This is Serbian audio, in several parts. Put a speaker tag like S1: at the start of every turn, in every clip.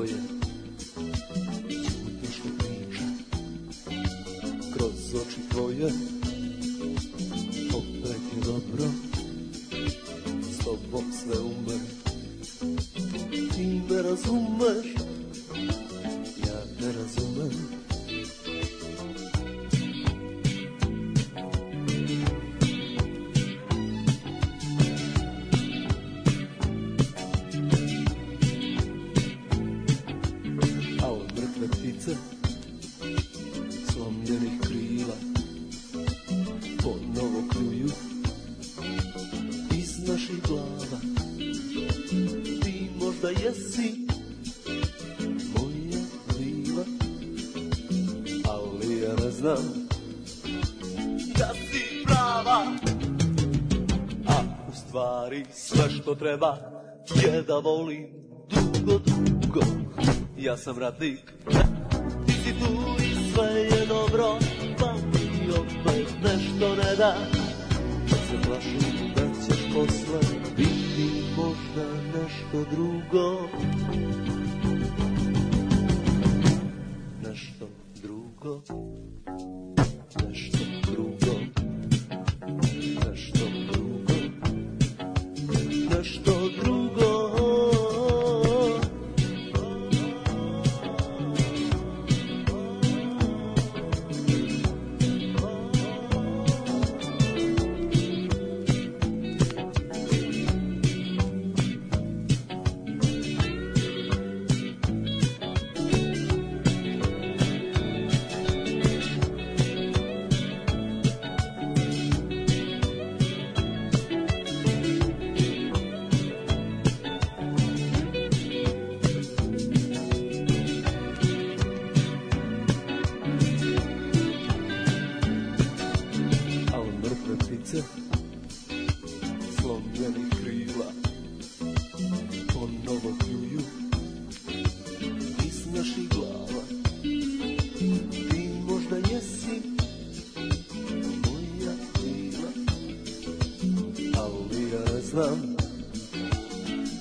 S1: tvoje ćutiš li priča, kroz oči tvoje opet je dobro, s tobom sve umem, ti me razumeš, ja te razumem. A od mrtve ptice, slomljenih krila, ponovo kljuju iz naših glava. Ti možda jesi moja vila, ali ja ne znam da si prava. A u stvari sve što treba je da volim dugo, dugo. Ja sam radnik, ti si tu i sve je dobro, pa mi opet nešto ne da. Kad se plašim da ćeš posle biti možda nešto drugo. Nešto drugo. Nešto drugo. Nešto drugo. Nešto drugo. Slomljenih krila ponovo kljuju iz naših glava. Ti možda jesi moja vila, ali ja znam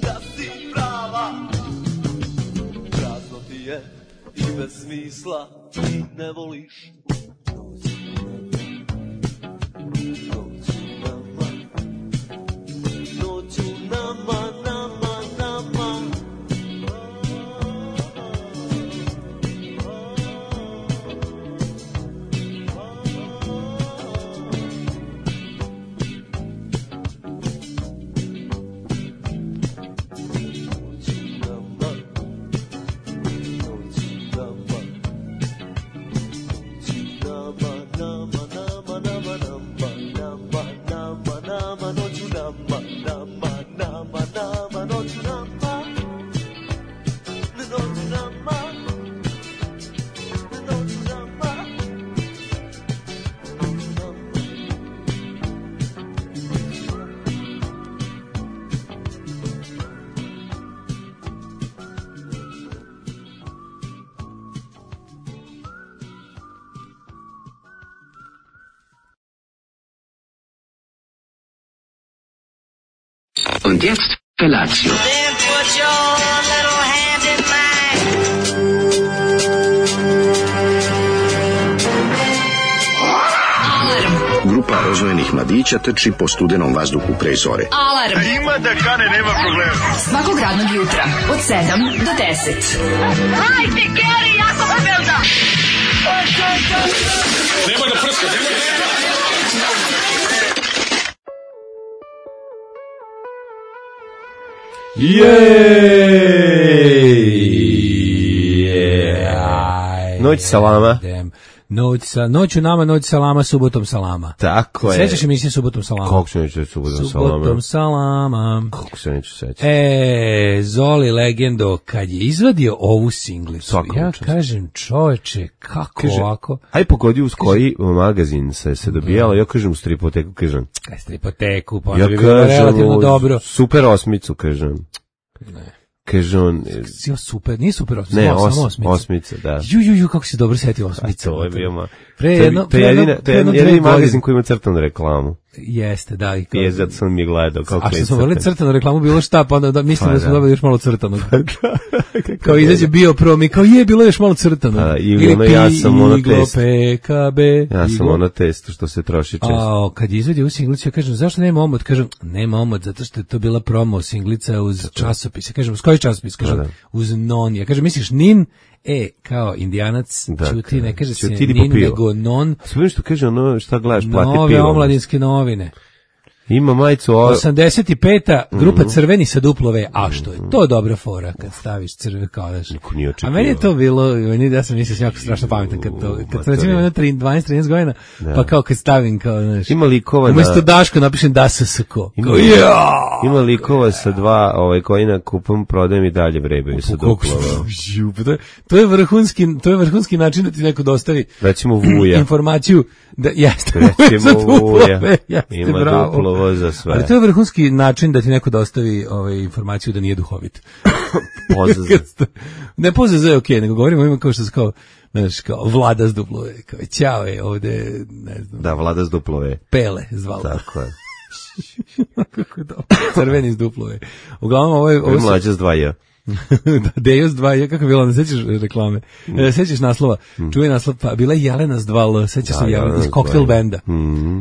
S1: da si prava. Prazno ti je i bez smisla, ti ne voliš.
S2: Und jetzt Felatio.
S3: Then put your little hand in mine.
S2: Grupa rozvojenih mladića trči po studenom vazduhu pre zore.
S4: Alarm.
S5: Ima da kane, nema problema.
S4: Svakog radnog jutra od 7 do 10.
S3: Hajde, Geri, jako se velda.
S5: Nema da prska, nema da prska.
S6: Noć salama.
S7: Noću nama, noć salama, subotom salama.
S6: Tako je.
S7: Sećaš emisije Subotom salama?
S6: Kako se neću subotom salama?
S7: Subotom salama.
S6: Kako se neću sećati?
S7: Zoli legendo, kad je izvadio ovu singlicu,
S6: Svakom
S7: ja
S6: čast.
S7: kažem čoveče, kako
S6: Kaže,
S7: ovako?
S6: aj pogodi uz koji magazin se dobijalo, ja kažem u Stripoteku, kažem.
S7: Kaj stripoteku, pa
S6: Ja
S7: bi bilo relativno dobro.
S6: Super osmicu, kažem.
S7: Ne.
S6: Kaže on...
S7: Super, nije super osmica,
S6: Ne,
S7: samo osmica.
S6: osmica, da.
S7: Ju, kako si dobro setio osmica.
S6: To je bio
S7: Pre jedno
S6: jedini magazin koji ima crtanu reklamu.
S7: Jeste, da. I kao,
S6: Zato sam mi gledao.
S7: a što smo volili crtanu reklamu, bilo šta, pa onda mislimo
S6: Pa
S7: da smo
S6: da.
S7: dobili još malo crtanog. Kao izađe bio prom i kao bilo još malo crtanog.
S6: Pa da, ili ono, ja sam ono
S7: Iglo,
S6: test.
S7: PKB.
S6: Ja sam
S7: Iglo.
S6: ono testo što se troši često.
S7: A kad je izvadio u singlicu, ja kažem, zašto nema omot? Kažem, nema omot, zato što je to bila promo singlica uz časopis. Ja kažem, uz koji časopis? Kažem,
S6: Da.
S7: uz non. Ja kažem, misliš nin? Kao indijanac,
S6: Dakle,
S7: čuti, ne kaže se
S6: ćuti
S7: nin,
S6: popio.
S7: nego non.
S6: Sve što kaže ono šta gledaš, plati
S7: Nove
S6: pivo.
S7: omladinske novine.
S6: Ima majicu
S7: 85. grupa crveni sa duplove, a što je to dobra fora kad staviš crveni kao daš.
S6: Niko nije
S7: A
S6: očekivao.
S7: meni je to bilo, ja sam mislio jako strašno pametan kad sam recimo imao 12-13 godina, pa kao kad stavim kao, znaš,
S6: Ima likova
S7: umesto Daško napišem DASSK.
S6: Ima likova sa dva koji na kupom prodajem i dalje vrebaju sa duplova.
S7: To je vrhunski način da ti neko dostavi
S6: Recimo Vuja.
S7: informaciju da jeste
S6: Recimo Vuja.
S7: jeste,
S6: Ima
S7: bravo.
S6: duplovo za sve.
S7: Ali to je vrhunski način da ti neko dostavi informaciju da nije duhovit.
S6: Pozaz.
S7: Ne pozaz je okej, nego govorimo ima kao što se kao, znaš, kao Vlada s duplove, kao ćao je ovde, ne znam,
S6: Da, Vlada s duplove.
S7: Pele zvala.
S6: Tako je.
S7: Kako je dobro. Crveni s duplove. Uglavnom
S6: Ovo je
S7: ovo
S6: mlađa s 2
S7: Dejos 2, kako je bilo, ne sećaš reklame? Sećaš naslova? Čuje naslov, pa bila je Jelena s 2L, sećaš se Jelena iz Cocktail Benda.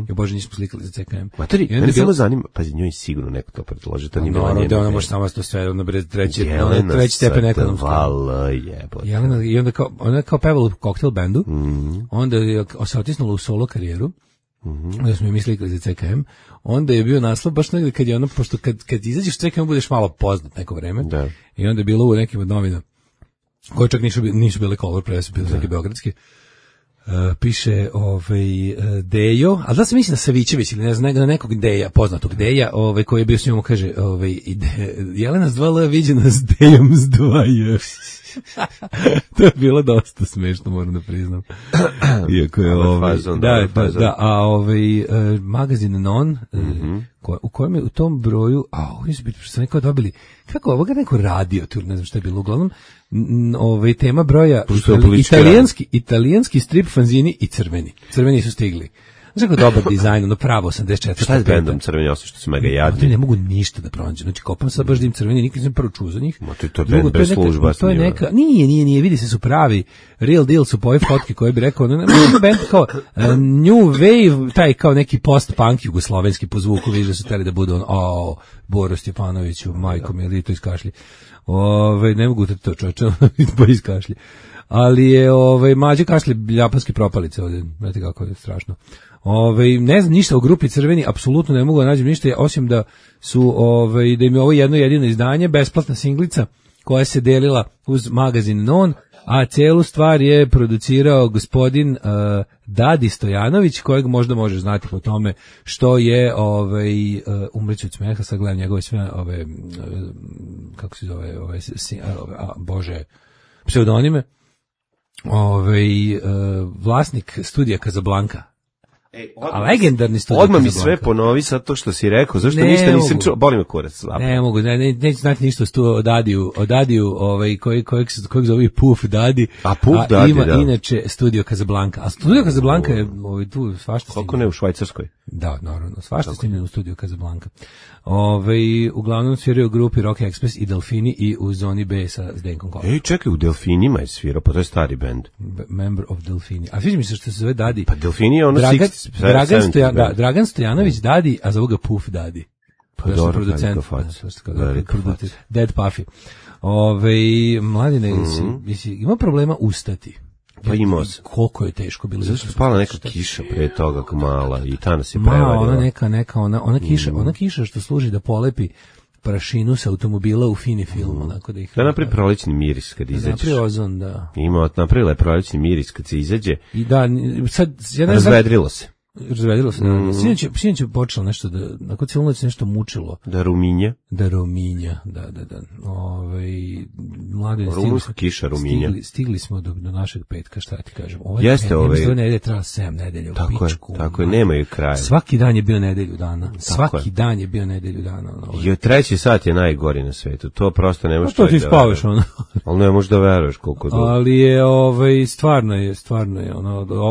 S7: Jo bože, nismo slikali za CKM.
S6: Matori, mene samo zanima, pazi, njoj sigurno neko to predloži, to nije bila
S7: Naravno, da
S6: njena
S7: ona
S6: ideja.
S7: može samo to sve, ona bre treći
S6: Jelena
S7: stepen ekonomski.
S6: Vala jebote.
S7: Jelena, i onda kao, ona je kao pevala u Cocktail Bandu, onda je se otisnula u solo karijeru, onda smo mi slikali za CKM, onda je bio naslov baš negde kad je ona, pošto kad izađeš u CKM budeš malo poznat neko vreme,
S6: Da.
S7: i onda je bilo u nekim od novina, koje čak nisu bile Color Press, bile neke beogradske, piše Dejo, a da se misli na Savićević ili ne znam, na nekog Deja, poznatog Deja, koji je bio s njom, kaže, Jelena s 2L viđena s Dejom s 2J. To je bilo dosta smešno, moram da priznam. Iako je magazin Non, u kojem je u tom broju, ovdje su biti, što sam nekao dobili, kako ovoga neko radio, tu ne znam šta je bilo, uglavnom, tema broja, italijanski strip fanzini i crveni. Crveni su stigli. Znaš kako dobar dizajn, ono pravo 84.
S6: Šta je s bendom Crveni, osim što su mega jadni?
S7: Ne mogu ništa da pronađem. Znači, kopam sad baš da im Crveni, nikad nisam prvo čuo za njih.
S6: To je bend bez služba.
S7: To je neka, nije, vidi se su pravi, real deal su po ove fotke koje bi rekao, bend kao New Wave, taj kao neki post-punk jugoslovenski po zvuku, vidiš da su teli da budu Boro Stjepanoviću, majko mi, ili to iskašlji. Ne mogu to čoveče, bo iskašlji. Ali je Mađe kašlje ljapanske propalice ovdje, znate kako je strašno. Ne znam ništa o grupi Crveni, apsolutno ne mogu da nađem ništa, osim da su da im je ovo jedno jedino izdanje, besplatna singlica koja se delila uz magazin Non, a celu stvar je producirao gospodin Dadi Stojanović, kojeg možda možeš znati po tome što je umreću od smeha, sad gledam njegove sve kako se zove bože pseudonime, vlasnik studija Casablanca. A legendarni studij.
S6: Odmah mi sve ponovi sad to što si rekao, zašto ništa nisam čuo, boli me kurac.
S7: Ne mogu, neću znati ništa o Dadiju, kojeg zove Puff Dadi.
S6: A Puff Dadi,
S7: ima
S6: da.
S7: Inače studio Casablanca. A studio Casablanca je tu svašta.
S6: Koliko ne u Švajcarskoj?
S7: Da, naravno, svašta snimljeno u studiju Casablanca. Uglavnom sviraju u grupi Rock Express i Delfini i u Zoni B sa Zdenkom Kovačom.
S6: Čekaj, u Delfinima je svirao, pa to je stari bend.
S7: Member of Delfini. A sviđa mi se što se zove Dadi.
S6: Pa Delfini je ono
S7: Dragan Stojanović Dadi, a zove ga Puff Dadi.
S6: Pa dobro, producent.
S7: Dead Puffy. Mladine, ima problema ustati.
S6: Pa imao se.
S7: Koliko je teško bilo.
S6: Zašto je spala neka kiša pre toga mala i ta nas je prevarila.
S7: Ona kiša što služi da polepi prašinu sa automobila u fini film. Onako da
S6: napravi prolećni miris kad izađeš.
S7: Napravi ozon, da.
S6: Napravila je prolećni miris kad se izađe.
S7: I da, sad...
S6: Razvedrilo se.
S7: Razvedilo se. Sinoć je počelo nešto da, nakon cijelu noć nešto mučilo.
S6: Da ruminja,
S7: da. Mlade,
S6: rumunska kiša ruminja.
S7: Stigli smo do našeg petka, šta ti kažem.
S6: Jeste
S7: nedelje trajala 7 nedelja u pičku.
S6: Tako je, nemaju kraja.
S7: Svaki dan je bio nedelju dana. Svaki dan je bio nedelju dana.
S6: I treći sat je najgori na svetu. To prosto ne možeš.
S7: To ti spavaš, ono.
S6: Ali ne možeš da veruješ koliko.
S7: Ali je, stvarno je,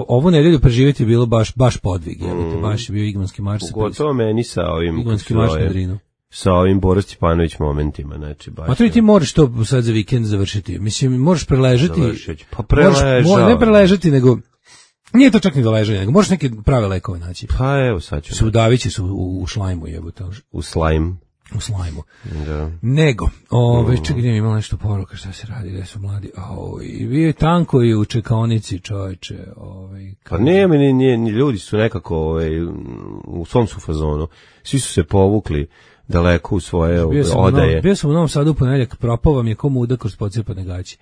S7: ovu nedelju preživjeti je bilo baš podvig, baš je bio Igmanski marš.
S6: Gotovo meni sa ovim...
S7: Igmanski marš na Drinu.
S6: Sa ovim Boris Stjepanović momentima, znači baš.
S7: A to i ti možeš to sad za vikend završiti. Mislim, možeš preležati.
S6: Pa preležao.
S7: Ne preležati, nego nije to čak ni do ležanja, nego možeš neke prave lekove naći.
S6: Pa evo sad ću.
S7: Sudavići su u šlajmu, jebote.
S6: U slajmu.
S7: U slajmu.
S6: Da.
S7: Nego, čekaj, nije imala nešto poruka, šta se radi, gde su mladi. I bio je tanko i u čekaonici, čoveče.
S6: Pa nema, ni ljudi su nekako u svom su fazonu. Svi su se povukli daleko u svoje odaje.
S7: Bio sam u Novom Sadu u ponedeljak, propao vam je ko muda kroz pocijepane gaće.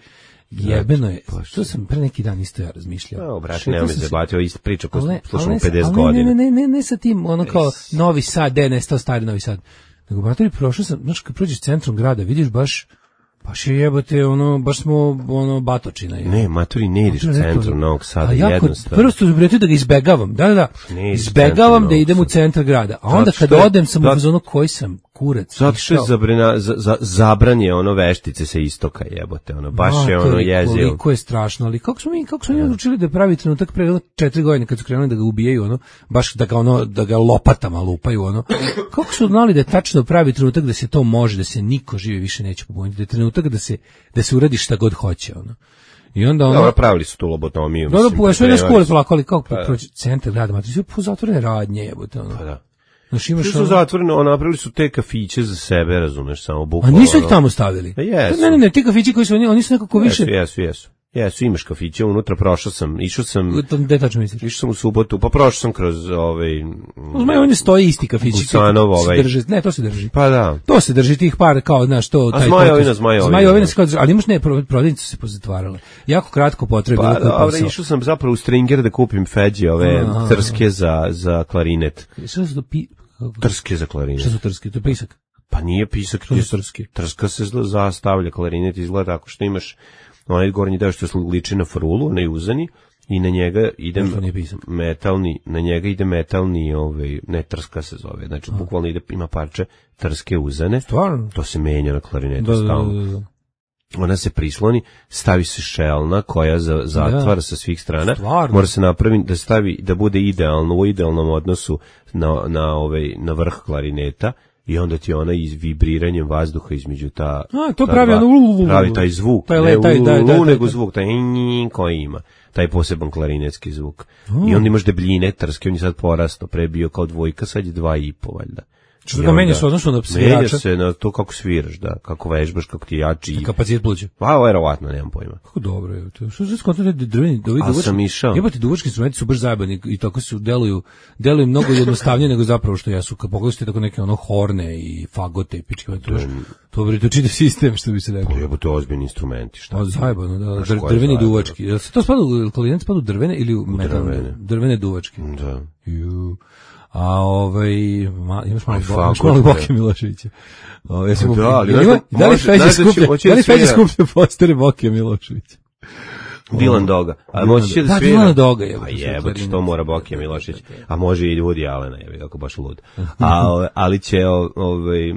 S7: Jebeno je, to sam pre neki dan isto ja razmišljao.
S6: Brat, nema me zabatio, isto priča koju slušamo 50 godina.
S7: Ne sa tim, ono kao Novi Sad, nestao stari Novi Sad. Nego, brate, prošao sam, znaš, kad prođeš centrom grada, vidiš baš je jebote, baš smo, batočina.
S6: Ne, maturi, ne ideš u centru Novog Sada, jednostavno.
S7: Prvo ste uzbretio da ga izbegavam, da, izbegavam da idem u centar grada, a onda kada odem sam u zonu koji sam kurac.
S6: Zato što je zabranje veštice sa istoka, jebote, baš je jezio.
S7: Koliko je strašno, ali kako smo mi odlučili da pravi trenutak pre 4 godine kad su krenuli da ga ubijaju, baš da ga lopatama lupaju, kako su znali da je tačno pravi trenutak da se to može, da se niko živi više neće pobuniti, da je trenutak da se uradi šta god hoće, I onda
S6: pravili su tu lobotomiju.
S7: Da, sve na škole polako, ali kako proći centar grada, ma to su pozatvorene radnje, jebote,
S6: Pa da.
S7: Svi
S6: su zatvoreno, napravili su te kafiće za sebe, razumeš, samo bukvalno.
S7: A nisu ih tamo stavili?
S6: Jesu.
S7: Ne, ti kafići koji su, oni su nekako više...
S6: Jesu, imaš kafiće, unutra išao sam...
S7: Gde tačno misliš?
S6: Išao sam u subotu, pa prošao sam kroz
S7: U Zmaju stoji isti kafići.
S6: Gusanov
S7: Ne, to se drži.
S6: Pa da.
S7: To se drži tih par, kao, znaš, to...
S6: A Zmajovina.
S7: Zmajovina se kao drži, ali imaš prodavnice su se pozatvarale. Jako kratko potrebno.
S6: Pa da, išao sam zapravo u Stringer da kupim feđi, trske za klarinet.
S7: Šta su to
S6: Trske za klarinet.
S7: Šta su trske? To je pisak?
S6: Pa nije pisak, trska se zastavlja, klarinet izgleda tako što imaš onaj gornji deo što se liči na frulu, onaj uzani, i na njega ide metalni, ne trska se zove, znači bukvalno ima parče trske uzane. Stvarno? To se menja na klarinetu stalno. Ona se prisloni, stavi se šelna koja zatvara sa svih strana. Stvarno? Mora se napraviti da bude idealno, u idealnom odnosu na vrh klarineta. I onda ti ona vibriranjem vazduha između
S7: to pravi
S6: taj zvuk, nego zvuk, taj koji ima, taj poseban klarinetski zvuk. I onda imaš debljine trske, on je sad porastao, pre bio kao 2, sad je 2,5 valjda.
S7: Što ga menja se odnosno na svirača?
S6: Menja se na to kako sviraš, da, kako vežbaš, kako ti jači.
S7: Kapacitet pluća?
S6: Pa, verovatno, nemam pojma.
S7: Kako dobro je to. Što se skontali drveni,
S6: a sam išao.
S7: Jebate, duvački instrumenti su baš zajebani i tako su deluju mnogo jednostavnije nego zapravo što jesu. Kad pogledaš tako neke horne i fagote i pičke, to je čitav sistem, što bi se rekao.
S6: Pa jebote, ozbiljni instrumenti, šta?
S7: Zajebano, da, drveni duvački. Jel se to spada u klarinet, spada u drvene ili u metalne? Drvene duvački.
S6: Da.
S7: A imaš malo Boke Miloševića. Da li Feđa skuplja postere Boke Miloševića?
S6: Dilan Doga. A moći će da svira?
S7: Dilan Doga je.
S6: A jebote, što mora Boke Milošević. A može i Woody Allena, kako baš lud. Ali će,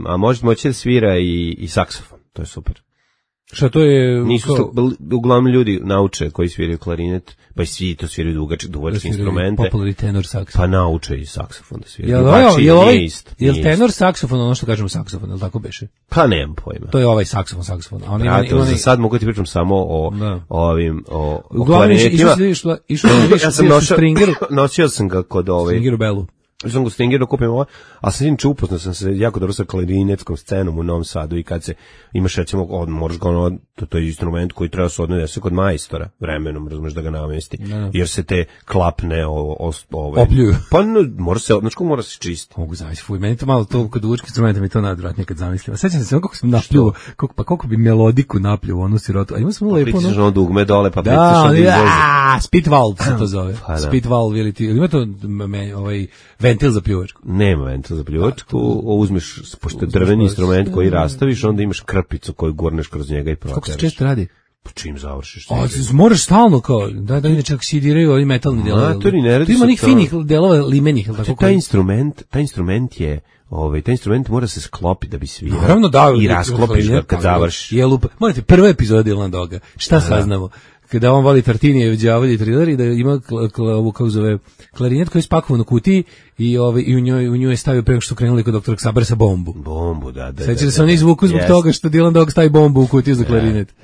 S6: a moći da svira i saksofon. To je super.
S7: Šta to je?
S6: Uglavnom ljudi nauče koji sviraju klarinet, pa i svi to sviraju duvačke instrumente.
S7: Popularni tenor saksofon.
S6: Pa nauče i saksofon da sviraju.
S7: Jel tenor saksofon ono što kažemo saksofon, je li tako beše?
S6: Pa nemam pojma.
S7: To je ovaj saksofon.
S6: Za sad mogu ti pričam samo o klarinetima.
S7: Ja sam
S6: nosio sam ga kod
S7: Stringeru Belu.
S6: Sam go Stingeru kupim ovo, a sam inače upoznao sam se jako dobro sa klarinetskom scenom u Novom Sadu i kad se imaš recimo, moraš ga to je instrument koji treba se odnese kod majstora vremenom, razumeš da ga namesti, jer se te klapne
S7: opljuju.
S6: Pa mora se čistiti.
S7: Mogu zavisi, fuj, meni to malo to kod duvačkih instrumenta mi to nadvratnije kad zamislim. Sećam se kako sam napljuo, koliko bi melodiku napljuo onu sirotu. A ima sam lepo
S6: pritisneš ono dugme dole, pa pritisneš onda izlazi.
S7: Spit valve se to zove. Spit valve ili ti, ima to ventil za pljuvačku?
S6: Nema ventil za pljuvačku, uzmeš, pošto je drveni instrument koji rastaviš, onda imaš krpicu koju gurneš kroz njega i proteraš.
S7: Kako se često radi?
S6: Pa čim završiš?
S7: Moraš stalno kao, da inače oksidiraju ovi metalni delovi. Tu ima onih finih delova limenih.
S6: Taj instrument je, taj instrument mora se sklopiti da bi svirao.
S7: Naravno da.
S6: I rasklopiš ga kad završiš.
S7: Morate, prva epizoda Dilan Doga. Šta saznamo? kada on voli Tartinije, đavolji triler i da ima ovu kako zove klarinet koji je spakovan u kutiji i u njoj je stavio pre nego što krenuli kod doktora Xabersa bombu.
S6: Bombu, da.
S7: Sećate se oni izvuku zbog toga što Dylan Dog stavi bombu u kutiju za klarinet.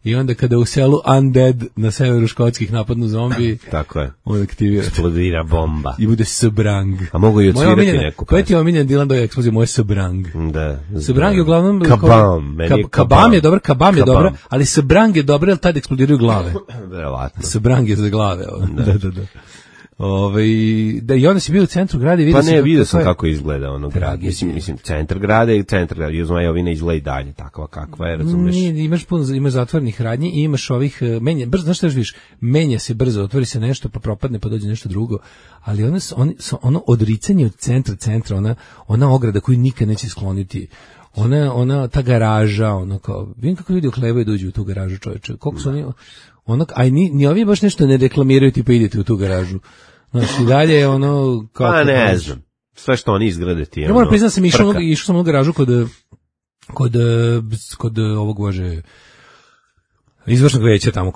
S7: I onda kada u selu Undead na severu Škotskih napadnu zombi,
S6: tako je.
S7: On aktivira.
S6: Eksplodira bomba.
S7: I bude Sabrang.
S6: A mogu i odsvirati neku.
S7: Koja ti je omiljen Dylan Dog eksplozija? Moje Sabrang.
S6: Da.
S7: Sabrang je uglavnom...
S6: Kabam.
S7: Kabam je dobar, Kabam je dobra, ali Sabrang je dobra jer tad eksplodiraju glave.
S6: Verovatno.
S7: Sabrang je za glave. Da i onda si bio u centru grada i vidio
S6: pa ne, vidio sam kako izgleda ono grad. Mislim, centar grada i centar grada. Juzmajovina izgleda i dalje takva kakva je, razumeš?
S7: Imaš zatvornih radnji i imaš ovih znaš šta još vidiš? Menja se brzo, otvori se nešto, pa propadne, pa dođe nešto drugo. Ali ono odricanje od centra, ona ograda koju nikad neće skloniti. Ona ta garaža, kao, vidim kako ljudi oklevaju da uđu u tu garažu, čoveče. Koliko su oni... ni ovi baš nešto ne reklamiraju, tipa idete u tu garažu. Znači, i dalje je ono...
S6: Pa ne znam. Sve što oni izgrade ti je
S7: ja moram priznat sam išao sam u garažu kod ovog bože izvršnog veća tamo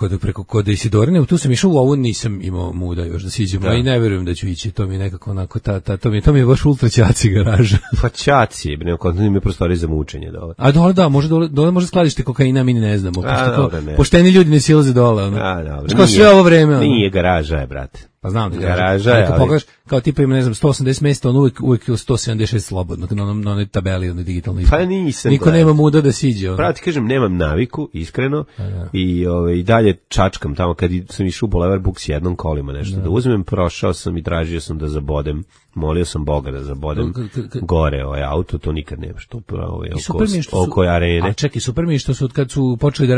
S7: kod Isidorine, tu sam išao, u ovu nisam imao muda još da siđemo, i ne verujem da ću ići, to mi je nekako onako, to mi je baš ultra ćaci garaža.
S6: Pa ćaci, kontinuum je prostori za mučenje dole.
S7: A dole može skladište kokaina, mi ne znamo, pošteni ljudi ne silaze dole. Što sve ovo vreme?
S6: Nije garaža je, brate.
S7: Pa znam da
S6: garaža je,
S7: ali pogledaš, kao tipa ima, ne znam, 180 mjesta, on uvijek je 176 slobodno, na onoj tabeli, onoj digitalnoj.
S6: Pa nisam.
S7: Niko nema muda da siđe.
S6: Pravo ti kažem, nemam naviku, iskreno, i dalje čačkam tamo, kad sam išao u Boulevard Books jednom kolima nešto da uzmem, prošao sam i tražio sam da zabodem, molio sam Boga da zabodem gore auto, to nikad nemaš, to oko arene.
S7: A čekaj, super mi je što su, kad su počeli da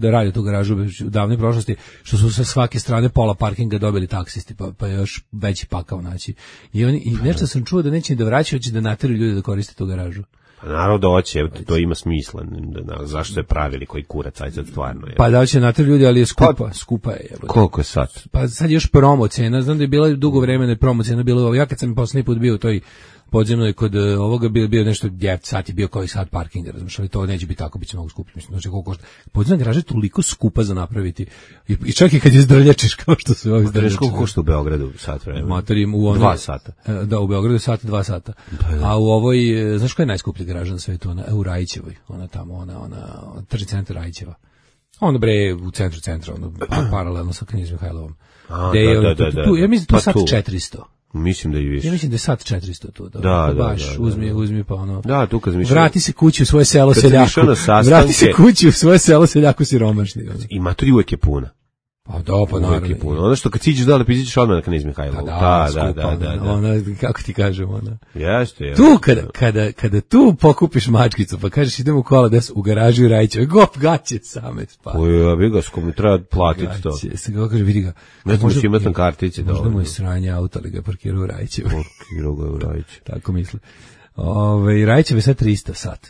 S7: rade tu garažu u davnoj prošlosti, što su sa svake strane pola parkinga dobili taksisti, pa još veći pakao naći. I nešto sam čuo da neće da vraćaju, hoće da nateraju ljudi da koriste tu garažu.
S6: Pa naravno da hoće, to ima smisla. Zašto je pravili koji kurac, aj sad stvarno je.
S7: Pa da će nateraju ljudi, ali je skupa je.
S6: Koliko je sad?
S7: Pa sad je još promo cena, znam da je bila dugo vremena promo cena, ja kad sam poslednji put bio u toj podzemnoj kod ovoga bio nešto 9 sati, bio koji sat parkinga, razumiješ, ali to neće biti tako, bit će mnogo skuplje, mislim, znači koliko košta. Podzemna garaža je toliko skupa za napraviti, i čak i kad je zdrljačiš, kao što su ovi zdrljačiš.
S6: Koliko košta u Beogradu sat vremena?
S7: Materim,
S6: 2 sata.
S7: Da, u Beogradu sat, 2 sata. A u ovoj, znaš koja je najskuplja garaža na svetu? Ona u Rajićevoj, ona tamo, ona tržni centar Rajićeva. Ono bre, u centru, ono, paralelno sa Knez Mihajlovom. Ja mislim da to sat 400.
S6: Mislim da i više.
S7: Ja mislim da je sat 400 tu.
S6: Da.
S7: Uzmi pa ono.
S6: Da, tu kad mišljam.
S7: Vrati se kući u svoje selo seljaku. Vrati se kući u svoje selo seljaku siromašni.
S6: I maturi uvek je puna.
S7: Pa da, pa naravno.
S6: Ono što kad siđeš dole, pizićeš odmah na Knez Mihajlovu. Da.
S7: Ona, kako ti kažem, ona.
S6: Jeste.
S7: Tu, kada tu pokupiš mačkicu, pa kažeš idemo u kola u garažu i Rajićeve, gop, gaće same spati.
S6: Ja bi ga, s kom treba platiti to.
S7: Se ga kaže, vidi ga.
S6: Ne znam što imati na kartici.
S7: Možda mu je sranje auto, ali ga je parkirao u Rajićevu.
S6: Parkirao ga u Rajićevu.
S7: Tako misle. Rajićeve sad 300 sat.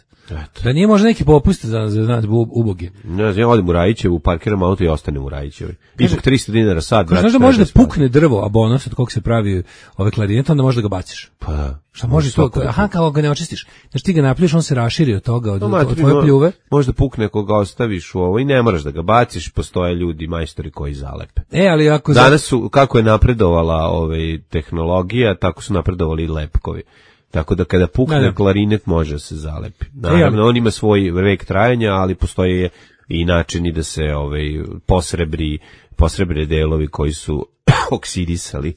S7: Da nije možda neki popust za uboge.
S6: Ne znam, ja odim u Rajićevu, parkiram auto i ostanem u Rajićevoj. Ipak 300 dinara sad.
S7: Znaš da može da pukne drvo, a bonus od kog se pravi ove klarinete, onda može da ga baciš.
S6: Pa da.
S7: Šta može to? Aha, kao ga ne očistiš. Znaš, ti ga napljuješ, on se raširi od toga, od tvoje pljuve.
S6: Može da pukne ako ga ostaviš u ovo i ne moraš da ga baciš, postoje ljudi, majstori koji zalepe.
S7: Ali ako...
S6: Danas su, kako je napredovala tehnologija, tako su napredovali i lepkovi. Tako da kada pukne klarinet može se zalepi. Naravno, on ima svoj vek trajanja, ali postoje i načini da se posrebre delovi koji su oksidisali.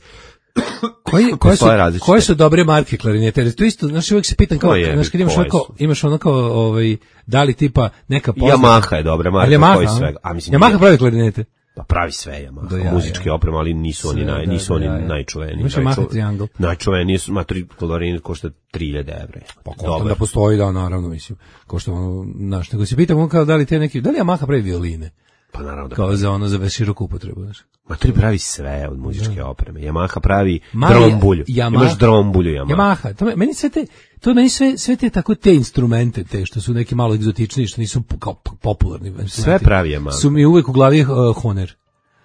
S7: Koje su dobre marke klarinete? To isto, znaš, uvijek se pitam kao, znaš, kad imaš ono kao, da li tipa neka poznata...
S6: Yamaha je dobra marka, koji svega.
S7: Yamaha pravi klarinete?
S6: Pa pravi sve Yamaha, muzičke opreme, ali nisu oni najčuveniji.
S7: Imaš Yamaha Triangle.
S6: Najčuveniji su, klarinet košta 3000 evra.
S7: Pa onda postoji, da, naravno, mislim, košta ono, znaš, nego se pitam kao da li Yamaha pravi violine?
S6: Pa naravno da.
S7: Kao za ono za široku upotrebu, znaš.
S6: Maturi pravi sve od muzičke opreme. Yamaha pravi drombulju. Imaš drombulju
S7: Yamaha. Meni sve te tako te instrumente, te što su neki malo egzotični, što nisu kao popularni.
S6: Sve pravi Yamaha.
S7: Su mi uvek u glavi Honer.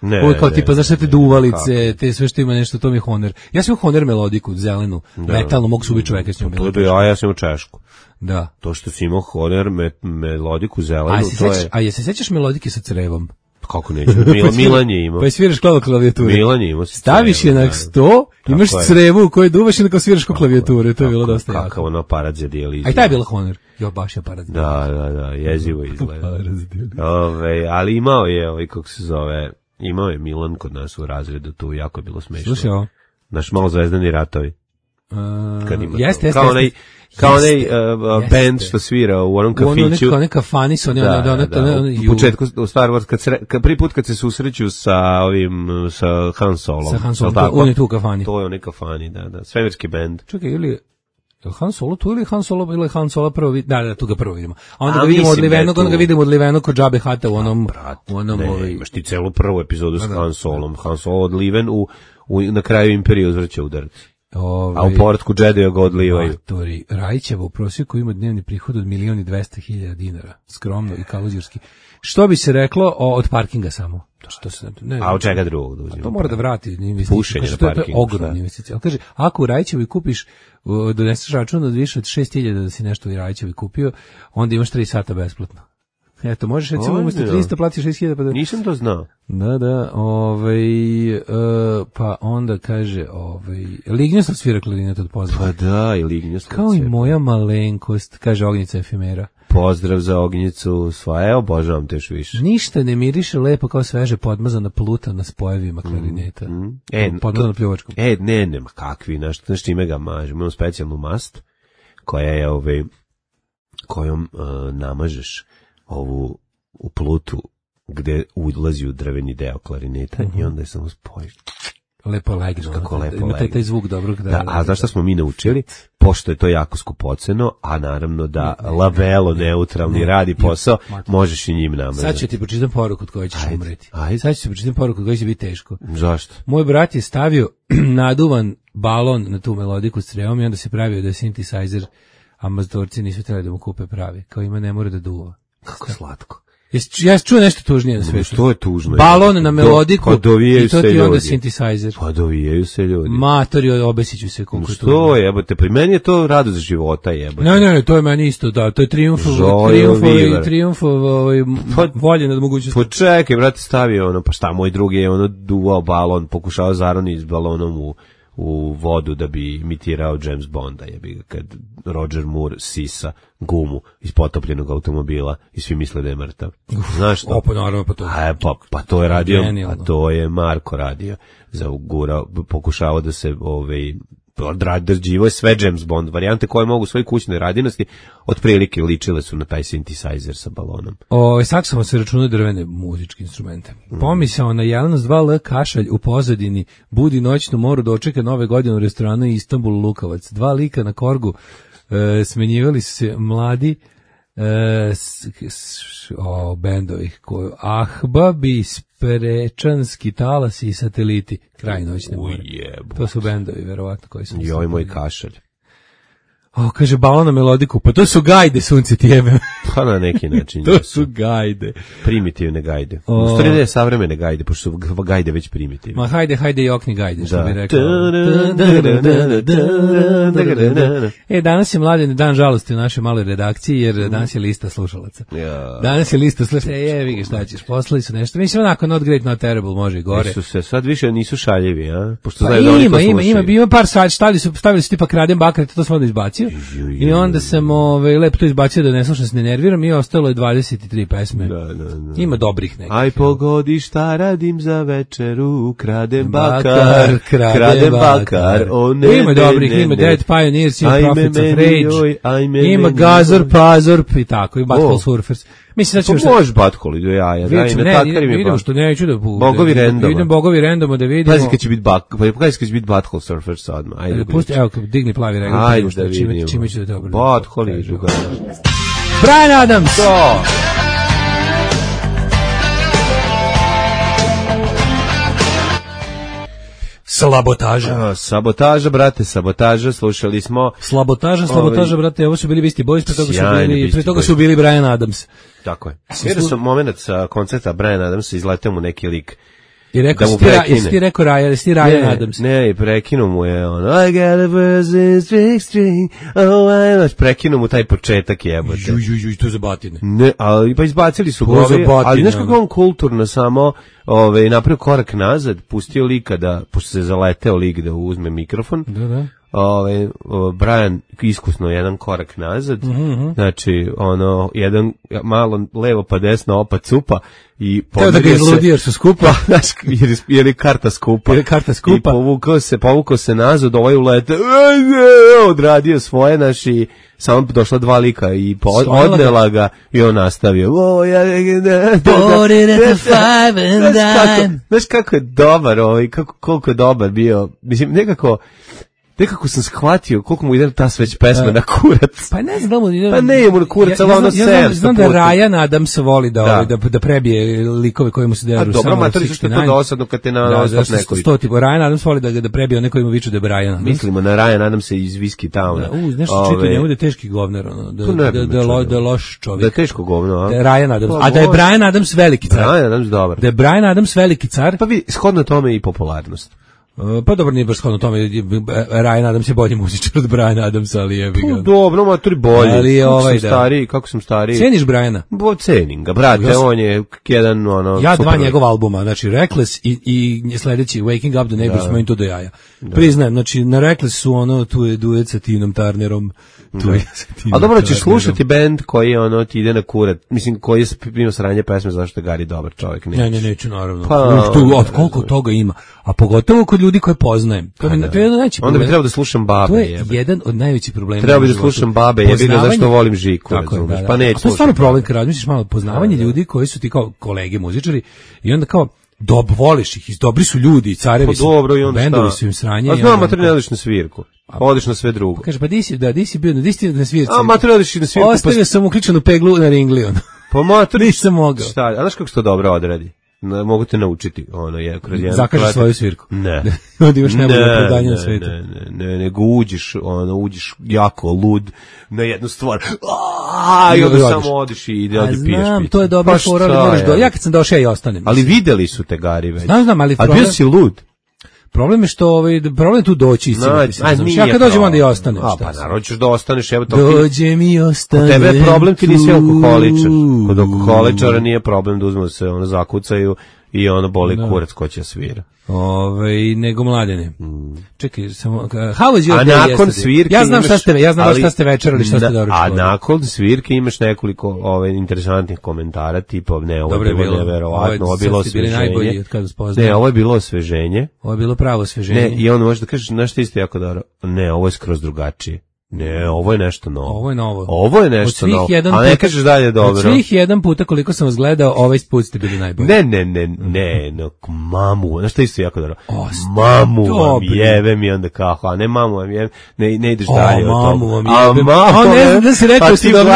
S7: Uvijek kao tipa, znaš, sve te duvalice, te sve što ima nešto, to mi je Honer. Ja sam imao Honer melodiku, zelenu, metalnu, mogu se ubiti čoveka s njom melodiku.
S6: Ja sam imao češku.
S7: Da.
S6: To što si imao Honer melodiku zelenu, to je...
S7: A je se sećaš melodike sa crevom?
S6: Kako neću? Milan je imao.
S7: Pa je sviraš klavijature.
S6: Milan je imao.
S7: Staviš je na sto, imaš crevu u kojoj duvaš i na kao sviraš klavijature. To je bilo dosta jako.
S6: Kakav ono aparat za dijalizu.
S7: A i taj je bila Honor. Jo, baš je aparat.
S6: Da, jezivo izgleda. Ali imao je, kako se zove, imao je Milan kod nas u razredu, tu jako je bilo smešno.
S7: Slušaj ovo.
S6: Naš malo zvezdani ratovi.
S7: Jeste.
S6: Kao onaj band što svira u onom kafiću.
S7: Ono kafani su,
S6: u početku, u Star Wars, prvi put kad se susreću sa Han Solom.
S7: Sa Han Solom, on je tu u kafani.
S6: To je onaj kafani, da, svemirski band.
S7: Čekaj, ili Han Solo tu ili Han Solo, ili Han Solo prvo vidimo? Da, tu ga prvo vidimo. A onda ga vidimo odlivenog kod Džabe Hata u onom...
S6: Ne, imaš ti celu prvu epizodu s Han Solom. Han Solo odliven na kraju Imperije uzvrće udarac. A u povratku Jedija ga odlivaju.
S7: Rajićeva u prosjeku ima dnevni prihod od 1.200.000 dinara. Skromno i kaluzirski. Što bi se reklo od parkinga samo?
S6: A od čega drugog da uzima?
S7: To mora da vrati investiciju.
S6: Pušenje na parkingu.
S7: To je ogromna investicija. Ali kaže, ako u Rajićevoj kupiš, doneseš račun od više od 6.000 da si nešto u Rajićevoj kupio, onda imaš 3 sata besplatno. Eto, možeš recimo umjesto 300 platiš 6.000 pa da...
S6: Nisam to znao.
S7: Da, pa onda kaže, Lignjostov svira klarinet od pozdrava.
S6: Pa da, i Lignjostov.
S7: Kao i moja malenkost, kaže Ognjica efemera.
S6: Pozdrav za Ognjicu, sva, obožavam te još više.
S7: Ništa ne miriše lepo kao sveže podmazana pluta na spojevima klarineta. Podmazana pljuvačkom.
S6: Ne, kakvi, znaš čime ga mažem. Imam specijalnu mast, koja je, kojom namažeš ovu u plutu gde ulazi u drveni deo klarineta i onda je samo spojiš.
S7: Lepo legne.
S6: Kako lepo legne.
S7: Ima taj zvuk dobrog.
S6: A znaš šta smo mi naučili? Pošto je to jako skupoceno, a naravno da lavelo neutralni radi posao, možeš i njim namazati.
S7: Sad ću ti pročitam poruku od koje ćeš umreti. Sad ću ti pročitam poruku od koje će biti teško.
S6: Zašto?
S7: Moj brat je stavio naduvan balon na tu melodiku s crevom i onda se pravio da je synthesizer, a mazadorci nisu trebali da mu kupe pravi. Kao ima ne mora da duva.
S6: Kako slatko.
S7: Ja čuo nešto tužnije na svetu.
S6: Što je tužno?
S7: Balon na melodiku
S6: i
S7: to ti onda synthesizer.
S6: Pa dovijaju se ljudi.
S7: Matori, obesiću se koliko je tužno.
S6: Što je, jebote, pri meni je to radost života, jebote.
S7: Ne, to je meni isto, da, to je trijumf volje nad mogućnosti.
S6: Počekaj, brate, stavio pa šta, moj drugi je duvao balon, pokušao zaroni s balonom u vodu da bi imitirao James Bonda, kad Roger Moore sisa gumu iz potopljenog automobila i svi misle da je mrtav. Znaš što? Pa to je radio, a to je Marko radio. Pokušavao da se odrađivo je sve James Bond varijante koje mogu u svojoj kućnoj radinosti otprilike ličile su na taj synthesizer sa balonom.
S7: Saksofon se računaju drvene muzičke instrumente. Pomisao na Jelenos 2L kašalj u pozadini budi noćnu moru dočeka nove godine u restoranu Istanbul Lukavac. 2 lika na korgu smenjivali su se mladi bendovi Ahbabi, Sprečanski talas i Sateliti. Kraj noćne more. To su bendovi, verovatno, koji su...
S6: Joj, moj kašalj.
S7: Kaže, balon na melodiku, pa to su gajde, sunce ti jebe.
S6: Pa na neki način.
S7: To su gajde.
S6: Primitivne gajde. U stvari ne savremene gajde, pošto su gajde već primitivne.
S7: Ma hajde i okni gajde, što bi rekao. Danas je Mladen dan žalosti u našoj maloj redakciji, jer danas je lista slušalaca. Danas je lista slušalaca, jevi ga šta ćeš, poslali su nešto. Mislim, onako, not great, not terrible, može i gore.
S6: Sad više nisu šaljivi, a?
S7: Ima par sad, stavili su tipa Kradem Bakar, to smo onda izbacili. I onda sam lepo to izbacio da ne slušam, se ne nerviram i ostalo je 23 pesme. Ima dobrih nekih.
S6: Aj pogodi šta radim za večeru, kradem bakar.
S7: Ima dobrih, ima Dead Pioneers, ima Prophets of Rage, ima Gazor, Pazor i tako, i Butthole Surfers. Mislim,
S6: sad ću možeš Butthole,
S7: vidimo što neću da...
S6: Bogovi randoma.
S7: Idem Bogovi randoma da vidimo.
S6: Pazi kad će biti Butthole Surfers odmah.
S7: Evo, digni plavi regl.
S6: Ajde da vidimo.
S7: Čime ću da dobro.
S6: Butthole idu ga.
S7: Bryan Adams!
S6: To! Sabotaža, brate, slušali smo.
S7: Sabotaža, brate, ovo su bili Beastie Boys, pre toga su bili Bryan Adams.
S6: Tako je. Vidio sam moment sa koncerta Bryan Adamsa, izletao mu neki lik
S7: I rekao,
S6: da mu prekine.
S7: Jesi ti rekao Ryan Adams?
S6: Ne, i prekinuo mu je ono, I got a person string, prekinuo mu taj početak jebote.
S7: Juj, to je za batine.
S6: Ne, ali pa izbacili su ga, ali znaš kako on kulturno samo napravio korak nazad, pustio lika da, pošto se zaleteo lik da uzme mikrofon,
S7: Da.
S6: Brian iskusno jedan korak nazad, znači jedan malo levo pa desno opa cupa i
S7: teo da ga izludi jer su skupa,
S6: jer je karta skupa, i povukao se nazad, ovaj ulete, odradio svoje, naši samo došla dva lika i odnela ga i on nastavio. Znaš kako je dobar, koliko je dobar bio, mislim, nekako sam shvatio koliko mu ide ta sveć pesma na kurac.
S7: Pa ne znam da mu ide.
S6: Pa ne mu na kurac, ali ono 700
S7: znam da Ryan Adams voli da prebije likove koji mu se deru.
S6: Dobro, matori, zašto je to dosadno kad te na ostop neko viče?
S7: Ryan Adams voli da prebije one koji mu viču da je Brian Adams.
S6: Mislimo na Ryan Adams iz Whiskey Towna.
S7: Nešto čito njemu da je teški govnar, da je loš čovjek.
S6: Da je teško govno, a?
S7: Da je Ryan Adams. A da je Brian Adams veliki car.
S6: Brian Adams dobar.
S7: Da je Brian Adams veliki car.
S6: Pa vi, shodno tome i popularnost.
S7: Pa dobro, nije baš shodno tome, Ryan Adams je bolji muzičar od Brian Adamsa, ali jebi ga.
S6: Dobro, matori bolji.
S7: Ali
S6: kako sam stariji.
S7: Ceniš Briana?
S6: Cenim ga, brate, on je jedan,
S7: ja dva njegova albuma, znači Reckless i sljedeći Waking Up the Neighbors smo im to do jaja. Priznajem, znači na Reckless su tu je duet sa Tinom Turnerom,
S6: a dobro, ćeš slušati bend koji ti ide na kurat, mislim, koji je imao sranje pesme, zašto je Gari dobar čovjek.
S7: Ne, neću, naravno. Od koliko toga ima, a pogotovo kod ljudi koje poznajem. To je jedan najveći problem.
S6: Onda bi trebao da slušam babe.
S7: To je jedan od najvećih problema.
S6: Trebao bi da slušam babe, jebi ga zašto volim Žiku, razumiješ. Pa neću.
S7: A to je stvarno problem kad razmišljaš malo poznavanje ljudi koji su ti kao kolege muzičari i onda kao voliš ih, dobri su ljudi, carevi su, bendovi su im sranje.
S6: A znam, mater ne odiš na svirku, odiš na sve drugo.
S7: Kaže, pa di si bio na svirci?
S6: A mater odiš na svirku.
S7: Ostavio sam uključenu peglu na ringli,
S6: Pa mater,
S7: nisam mogao.
S6: Šta, a znaš kako se to dobro odradi? Mogu te naučiti,
S7: zakažeš svoju svirku.
S6: Ne.
S7: Onda imaš najbolje opravdanje na svetu.
S6: Ne, nego uđeš jako lud na jednu stvar. I onda samo odiš i ide piješ piće.
S7: Znam, to je dobro fora, ali moraš ja kad sam došao ja i ostanem.
S6: Ali videli su te Gari već.
S7: Znam, ali
S6: bio si lud.
S7: Problem je što problem je tu doći ja kad dođem onda i ostanem.
S6: Pa naravno ćeš da ostaneš, evo to.
S7: Dođem i ostanem.
S6: Kod tebe je problem, ti nisi alkoholičar. Kod alkoholičara nije problem da uzmu se zakucaju i boli kurac ko će svira.
S7: Nego Mladene. Čekaj, samo how was your day?
S6: A nakon svirke
S7: ja znam šta ste večerali, šta ste doručkovali.
S6: A nakon svirke imaš nekoliko interesantnih komentara, tipa ovo je bilo neverovatno, ovo je bilo osveženje. Ne, ovo je bilo osveženje.
S7: Ovo je bilo pravo osveženje.
S6: Ne, i onda možeš da kažeš nešto isto jako dobro. Ne, ovo je skroz drugačije. Ne, ovo je nešto novo. Ovo je nešto novo. A ne kažeš dalje dobro.
S7: Od svih jedan puta koliko sam vas gledao, ovaj put ste bili najbolji.
S6: Ne, mamu, znaš što isto jako dobro. Mamu vam jebe mi onda kako, a ne mamu vam jebe, ne ideš dalje od toga.
S7: Mamu vam jebe. A ne znam da si rekao si dobro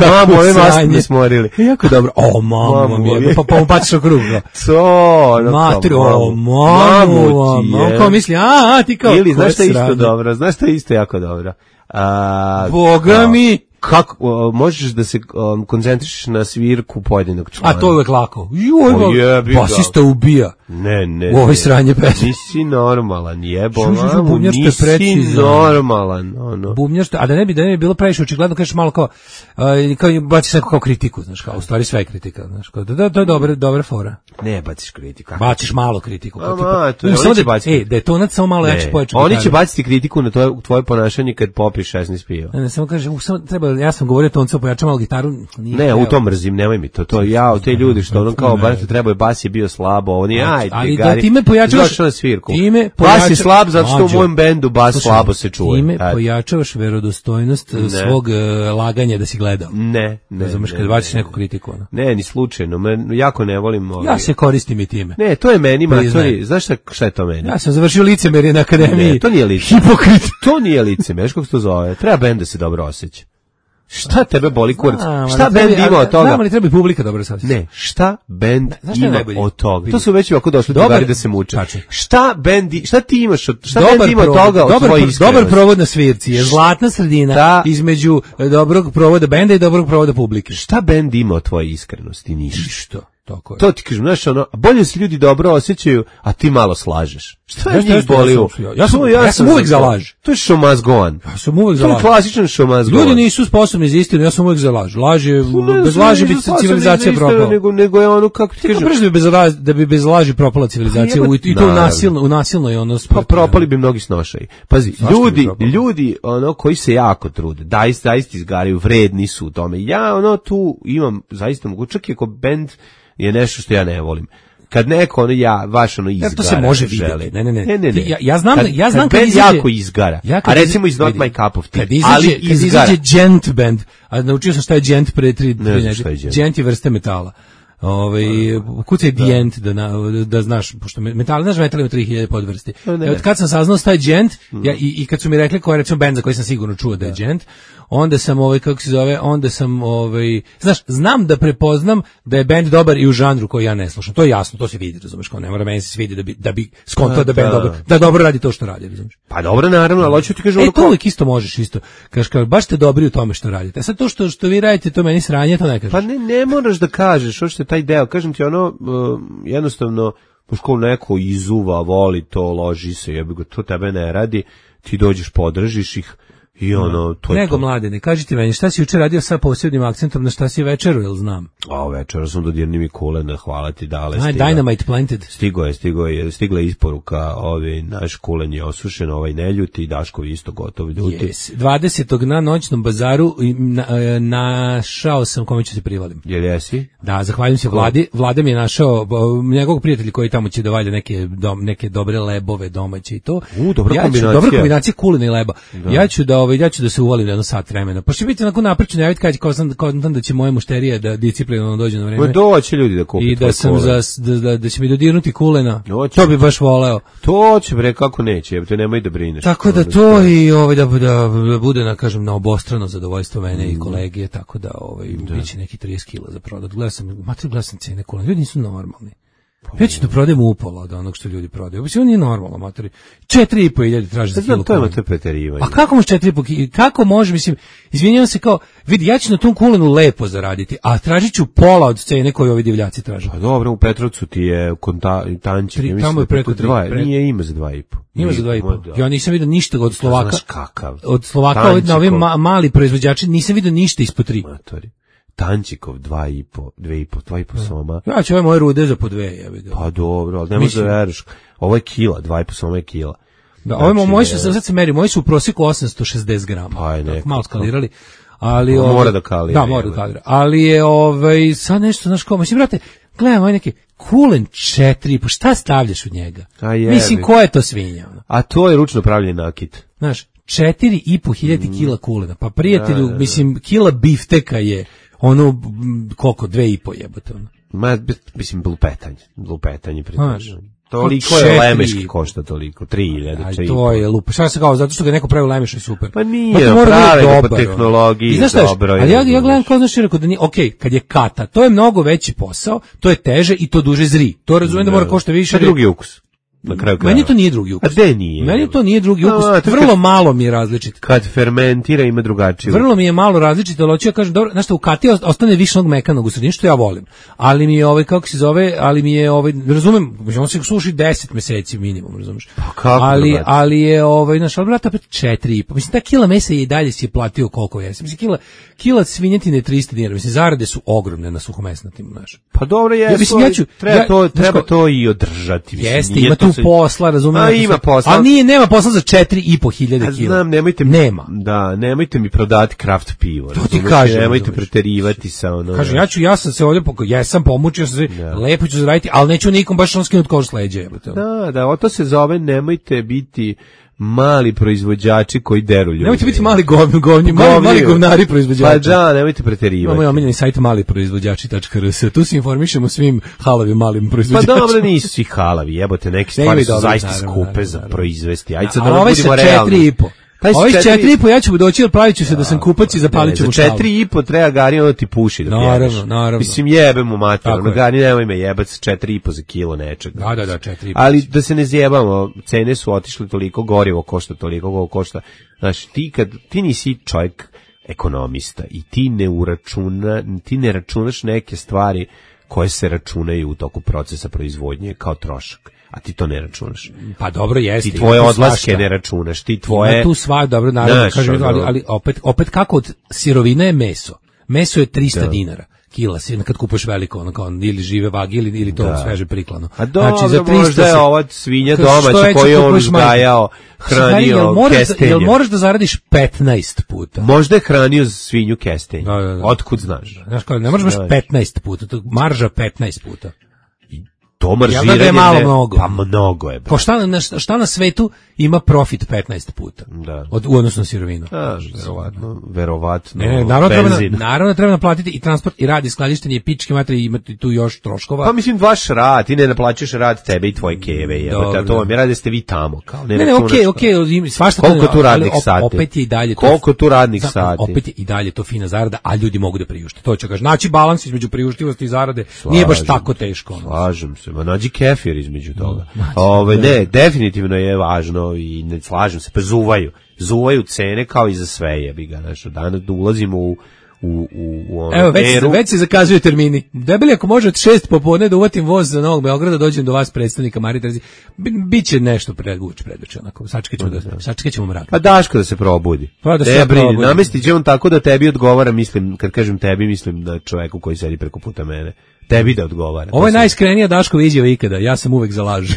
S6: mamu, ove vas ne smorili.
S7: Jako dobro. Mamu vam jebe, pa mu baciš okrug.
S6: Matri,
S7: mamu vam jebe. Kao misli, ti kao.
S6: Ili, znaš što isto dobro, znaš što isto jako dobro.
S7: Boga mi,
S6: kako možeš da se koncentrišeš na svirku pojedinog člana?
S7: A to je uvek lako. Basista ubija.
S6: Ne.
S7: U ovoj sranje pesme.
S6: Nisi normalan, nisi normalan.
S7: Bubnjaš, a da ne bi bilo previše očigledno, kažeš malo kao baciš neko kao kritiku, znaš, kao u stvari sve je kritika, znaš, kao to je dobra fora.
S6: Ne baciš kritiku.
S7: Baciš malo kritiku. Da je tonac samo malo jače pojačati.
S6: Oni će baciti kritiku na tvoje ponašanje kad popiješ 16 piva.
S7: Ne, samo kažem, ja sam govorio tonca pojača malo gitaru.
S6: Ne, u tom mrzim, nemoj mi to. Te ljudi što kao baš trebao je bas je bio slabo, oni
S7: ali da time pojačavaš
S6: na svirku. Bas je slab zato što u mojem bendu bas slabo se čuje.
S7: Time pojačavaš verodostojnost svog laganja da si gledao.
S6: Ne.
S7: Razumeš kad baciš neku kritiku.
S6: Ne, ni slučajno. Jako ne volim.
S7: Ja se koristim i time.
S6: Ne, to je meni, matori. Znaš šta je to meni?
S7: Ja sam završio licemerje na akademiji.
S6: Ne, to nije licemerje. Hipokrit. To nije licemerje. Znaš kako se to zove? Treba bend da se dobro osjeća. Šta tebe boli kurac? Šta bend ima od toga?
S7: Znam, ali treba i publika dobro sad.
S6: Ne, šta bend ima od toga? To su već ovako došli drugari da se muče. Šta ti imaš od toga od tvoje iskrenosti?
S7: Dobar provod na svirci je zlatna sredina između dobrog provoda benda i dobrog provoda publike.
S6: Šta bend ima od tvoje iskrenosti? Ništa.
S7: tako je.
S6: To ti kažem, znaš, ono, bolje se ljudi dobro osjećaju, a ti malo slažeš. Šta je njih boli?
S7: Ja sam uvijek za laž.
S6: To je show must go on.
S7: Ja sam uvijek za laž.
S6: To je klasičan show must go on.
S7: Ljudi nisu sposobni za istinu, ja sam uvijek za laž. Laž je, bez laži bi civilizacija propala.
S6: Nego je ono, kako ti kažem...
S7: Da bi bez laži propala civilizacija, i to u nasilnoj ono...
S6: Pa propali bi mnogi snošaji. Pazi, ljudi ono, koji se jako trude, zaista izgaraju, vredni su u tome. Ja ono tu imam zaista mogu, čak i ako bend je nešto što ja ne volim. Kad neko ono izgara.
S7: To se može vidjeti. Ne. Ja znam
S6: kad izađe jako izgara. A recimo is not my cup of tea. Ali izgara.
S7: Kad izađe gent band, a naučio sam šta je gent pre 3. Gent je vrste metala. Kucaj dijent da znaš, pošto metal ima 3000 podvrsti. Od kad sam saznao šta je džent, i kad su mi rekli koja je recimo bend za koji sam sigurno čuo da je džent, onda sam znaš, znam da prepoznam da je bend dobar i u žanru koji ja ne slušam. To je jasno, to se vidi, razumeš, kao ne mora meni se svidi da bi skontao da bend dobro, da dobro radi to što radi, razumeš.
S6: Pa dobro, naravno, ali hoću ti kažem
S7: to uvijek isto možeš isto. Kažeš, baš ste dobri u tome što radite. A sad to što vi radite, to meni sranje, to ne kažeš.
S6: Pa ne moraš da kažeš, hoćete taj deo, kažem ti ono, jednostavno, pošto neko izuva, voli to, loži se, jebi ga, to tebe ne radi, ti dođeš, podržiš ih i ono, to je
S7: nego to. Mladene, kaži ti meni, šta si jučer radio sa posebnim akcentom, na šta si večeru, jel znam?
S6: Večera sam dodirni mi kulena, hvala ti, dale.
S7: Dynamite planted.
S6: Stigla je isporuka, naš kulen je osušen, neljuti, Daškovi isto gotov ljuti.
S7: Yes. 20. na noćnom bazaru našao sam kome ću se privalim.
S6: Jel jesi?
S7: Da, zahvaljujem se Vladi. Vlada mi je našao njegovog prijatelja koji tamo će da valja neke dobre lebove domaće i to.
S6: Dobra
S7: kombinacija kulena i leba. Da. Ja ću da se uvalim jedno sat vremena. Pa će biti onako naprično javiti kad da će moje mušterije da disciplinovano dođe na vreme.
S6: Doće ljudi da kupi.
S7: I da sam da će mi dodirnuti kulena. To bi baš voleo.
S6: To će bre kako neće, te nemoj da brineš.
S7: Tako da to i da bude na obostrano zadovoljstvo mene i kolege, tako da biće neki 30 kg za prodat. Gledam sam cene kulena. Ljudi nisu normalni. Ja ću da prodajem upola od onog što ljudi prodaju. Ovo nije normalno, matori. 4.500 traži za kilo kulena.
S6: To je preterivanje.
S7: A kako može 4.500? Kako može, mislim, izvinjavam se kao, vidi, ja ću na tom kulenu lepo zaraditi, a tražit ću pola od cene koju ovi divljaci traže.
S6: Pa dobro, u Petrovcu ti je tančin.
S7: Tamo je preko 3.
S6: Nije ima za 2.5.
S7: Ima za 2.5. Ja nisam vidio ništa od Slovaka.
S6: Znaš kakav.
S7: Od Slovaka, na ovim mali proizvođači, nisam vidio ništa ispod 3.
S6: Matori. Tančikov 2,5 soma.
S7: Ja ću ove moje rude za po 2.
S6: Pa dobro, ali nemoj da veriš. Ovo je kila, 2,5 soma je kila.
S7: Da, ove moji su, sad se meri, moji su u prosjeku 860 grama.
S6: Pa je neko.
S7: Malo skalirali. Ali
S6: mora da kalira.
S7: Da, mora da kalira. Ali je sad nešto, znaš ko, mislim, brate, gledam ovaj neki kulen 4,5, šta stavljaš u njega? Mislim, ko je to svinja?
S6: A to je ručno pravljen nakit.
S7: Znaš, 4.500 kila kulena. Pa prijatelju, mislim, kila bifteka je ono, koliko, 2,5 jebote ono.
S6: Mislim, lupetanje pritažno. Toliko je lemeški košta toliko, 3.000.
S7: To je lupa. Šta se kao, zato što ga neko pravi lemeški i super.
S6: Pa nije, pravi po tehnologiji, dobro je.
S7: Ali ja gledam kao znaš rekao da nije, okej, kad je kata, to je mnogo veći posao, to je teže i to duže zri. To razumijem da mora košta više.
S6: Pa drugi ukus. Na kraju kraja.
S7: Meni to nije drugi ukus.
S6: A gde nije?
S7: Meni to nije drugi ukus. Vrlo malo mi je različit.
S6: Kad fermentira ima drugačiji.
S7: Vrlo mi je malo različit, ali hoću ja kažem, dobro, znaš što u kati ostane više onog mekanog u sredini, što ja volim. Ali mi je kako se zove, razumem, on se suši 10 meseci minimum, razumeš?
S6: Pa kako?
S7: Ali je znaš, ali brata 4,5. Mislim ta kila mesa je i dalje si je platio koliko je. Mislim kila svinjetine je 300 dinara. Mislim zarade su ogromne na suhomesnatim, znaš.
S6: Pa dobro je. Treba to i održati.
S7: Jeste, ima tu posla, razumem.
S6: Ima posla.
S7: A nema posla za 4.500 kila.
S6: Znam, nemojte mi prodati kraft pivo.
S7: To ti kažem.
S6: Nemojte preterivati sa ono.
S7: Kažem, ja sam se ovdje pomučio sam se, lepo ću zaraditi, ali neću nikom baš skinuti koš s leđa.
S6: Da, to se zove nemojte biti mali proizvođači koji deru ljudi.
S7: Nemojte biti mali govnari proizvođači.
S6: Pa da, nemojte preterivati.
S7: Imamo omiljeni sajt maliproizvođači.rs. Tu se informišemo svim halavim malim proizvođačima.
S6: Pa dobro, nisu svi halavi, jebote, neke stvari su zaista skupe za proizvesti. Ajde sad da
S7: budemo realni. Ovih 4,5 ja ću doći, ali pravit ću se da sam kupac i zapalit ću mu šalu.
S6: Za 4,5 treba Gari, ono ti puši da pjeveš.
S7: Naravno.
S6: Mislim, jebemo mater, ono Gari, nemoj me jebac 4,5 za kilo nečega.
S7: Da, 4,5.
S6: Ali da se ne zjebamo, cene su otišle toliko, gorivo košta toliko, košta. Znaš, ti nisi čovjek ekonomista i ti ne računaš neke stvari koje se računaju u toku procesa proizvodnje kao trošak. A ti to ne računaš.
S7: Pa dobro jeste.
S6: Ti tvoje odlaske ne računaš, ti tvoje...
S7: Ima tu sva, dobro, naravno, kažem, ali opet kako od sirovina je meso. Meso je 300 dinara. Kila si, kad kupuješ veliko, ono kao ili žive vage ili to sveže priklano.
S6: A dobro,
S7: znači, za 300
S6: možda je ova svinja domaća koju je on uzgajao, hranio kestenjem.
S7: Jel moraš da zaradiš 15 puta?
S6: Možda je hranio svinju kestenjem. Da. Otkud znaš?
S7: Znaš kao, ne možeš baš 15 puta, to marža 15 puta.
S6: To maržiranje
S7: da je malo mnogo.
S6: Pa mnogo je.
S7: Ko šta na svetu ima profit 15 puta?
S6: Da.
S7: U odnosu na sirovinu.
S6: Verovatno.
S7: Naravno treba naplatiti i transport i rad i skladištenje i pičke materije, imati tu još troškova.
S6: Pa mislim vaš rad, ti ne naplaćuješ rad tebe i tvoje keve, jebote, to vam je rad, ste vi tamo, kao
S7: ne, okej, svašta
S6: koliko tu radnih sati.
S7: Opet je i dalje to.
S6: Koliko tu radnih sati?
S7: Opet je i dalje to fina zarada, a ljudi mogu da priušte. To ću kažem. Znači balans između priuštivosti i zarade nije baš tako teško.
S6: Slažem se. Ma nađi kefir između toga. Ne, definitivno je važno i ne slažem se, pa zuvaju cene kao i za sve, jebi ga, znači danas ulazimo u
S7: evo, već se zakazuju termini. Debeli, ako može od 6 popodne da uvatim voz za Novog Beograda, dođem do vas predstavnika Marije Terezije, biće nešto predveče, onako, sačekat ćemo mrak.
S6: A Daško da se probudi.
S7: Pa da se probudi.
S6: Namestit će on tako da tebi odgovara, mislim, kad kažem tebi, mislim na čoveku koji sedi preko puta mene. Tebi da odgovara.
S7: Ovo je najiskrenija Daškova izjava ikada, ja sam uvek za laž.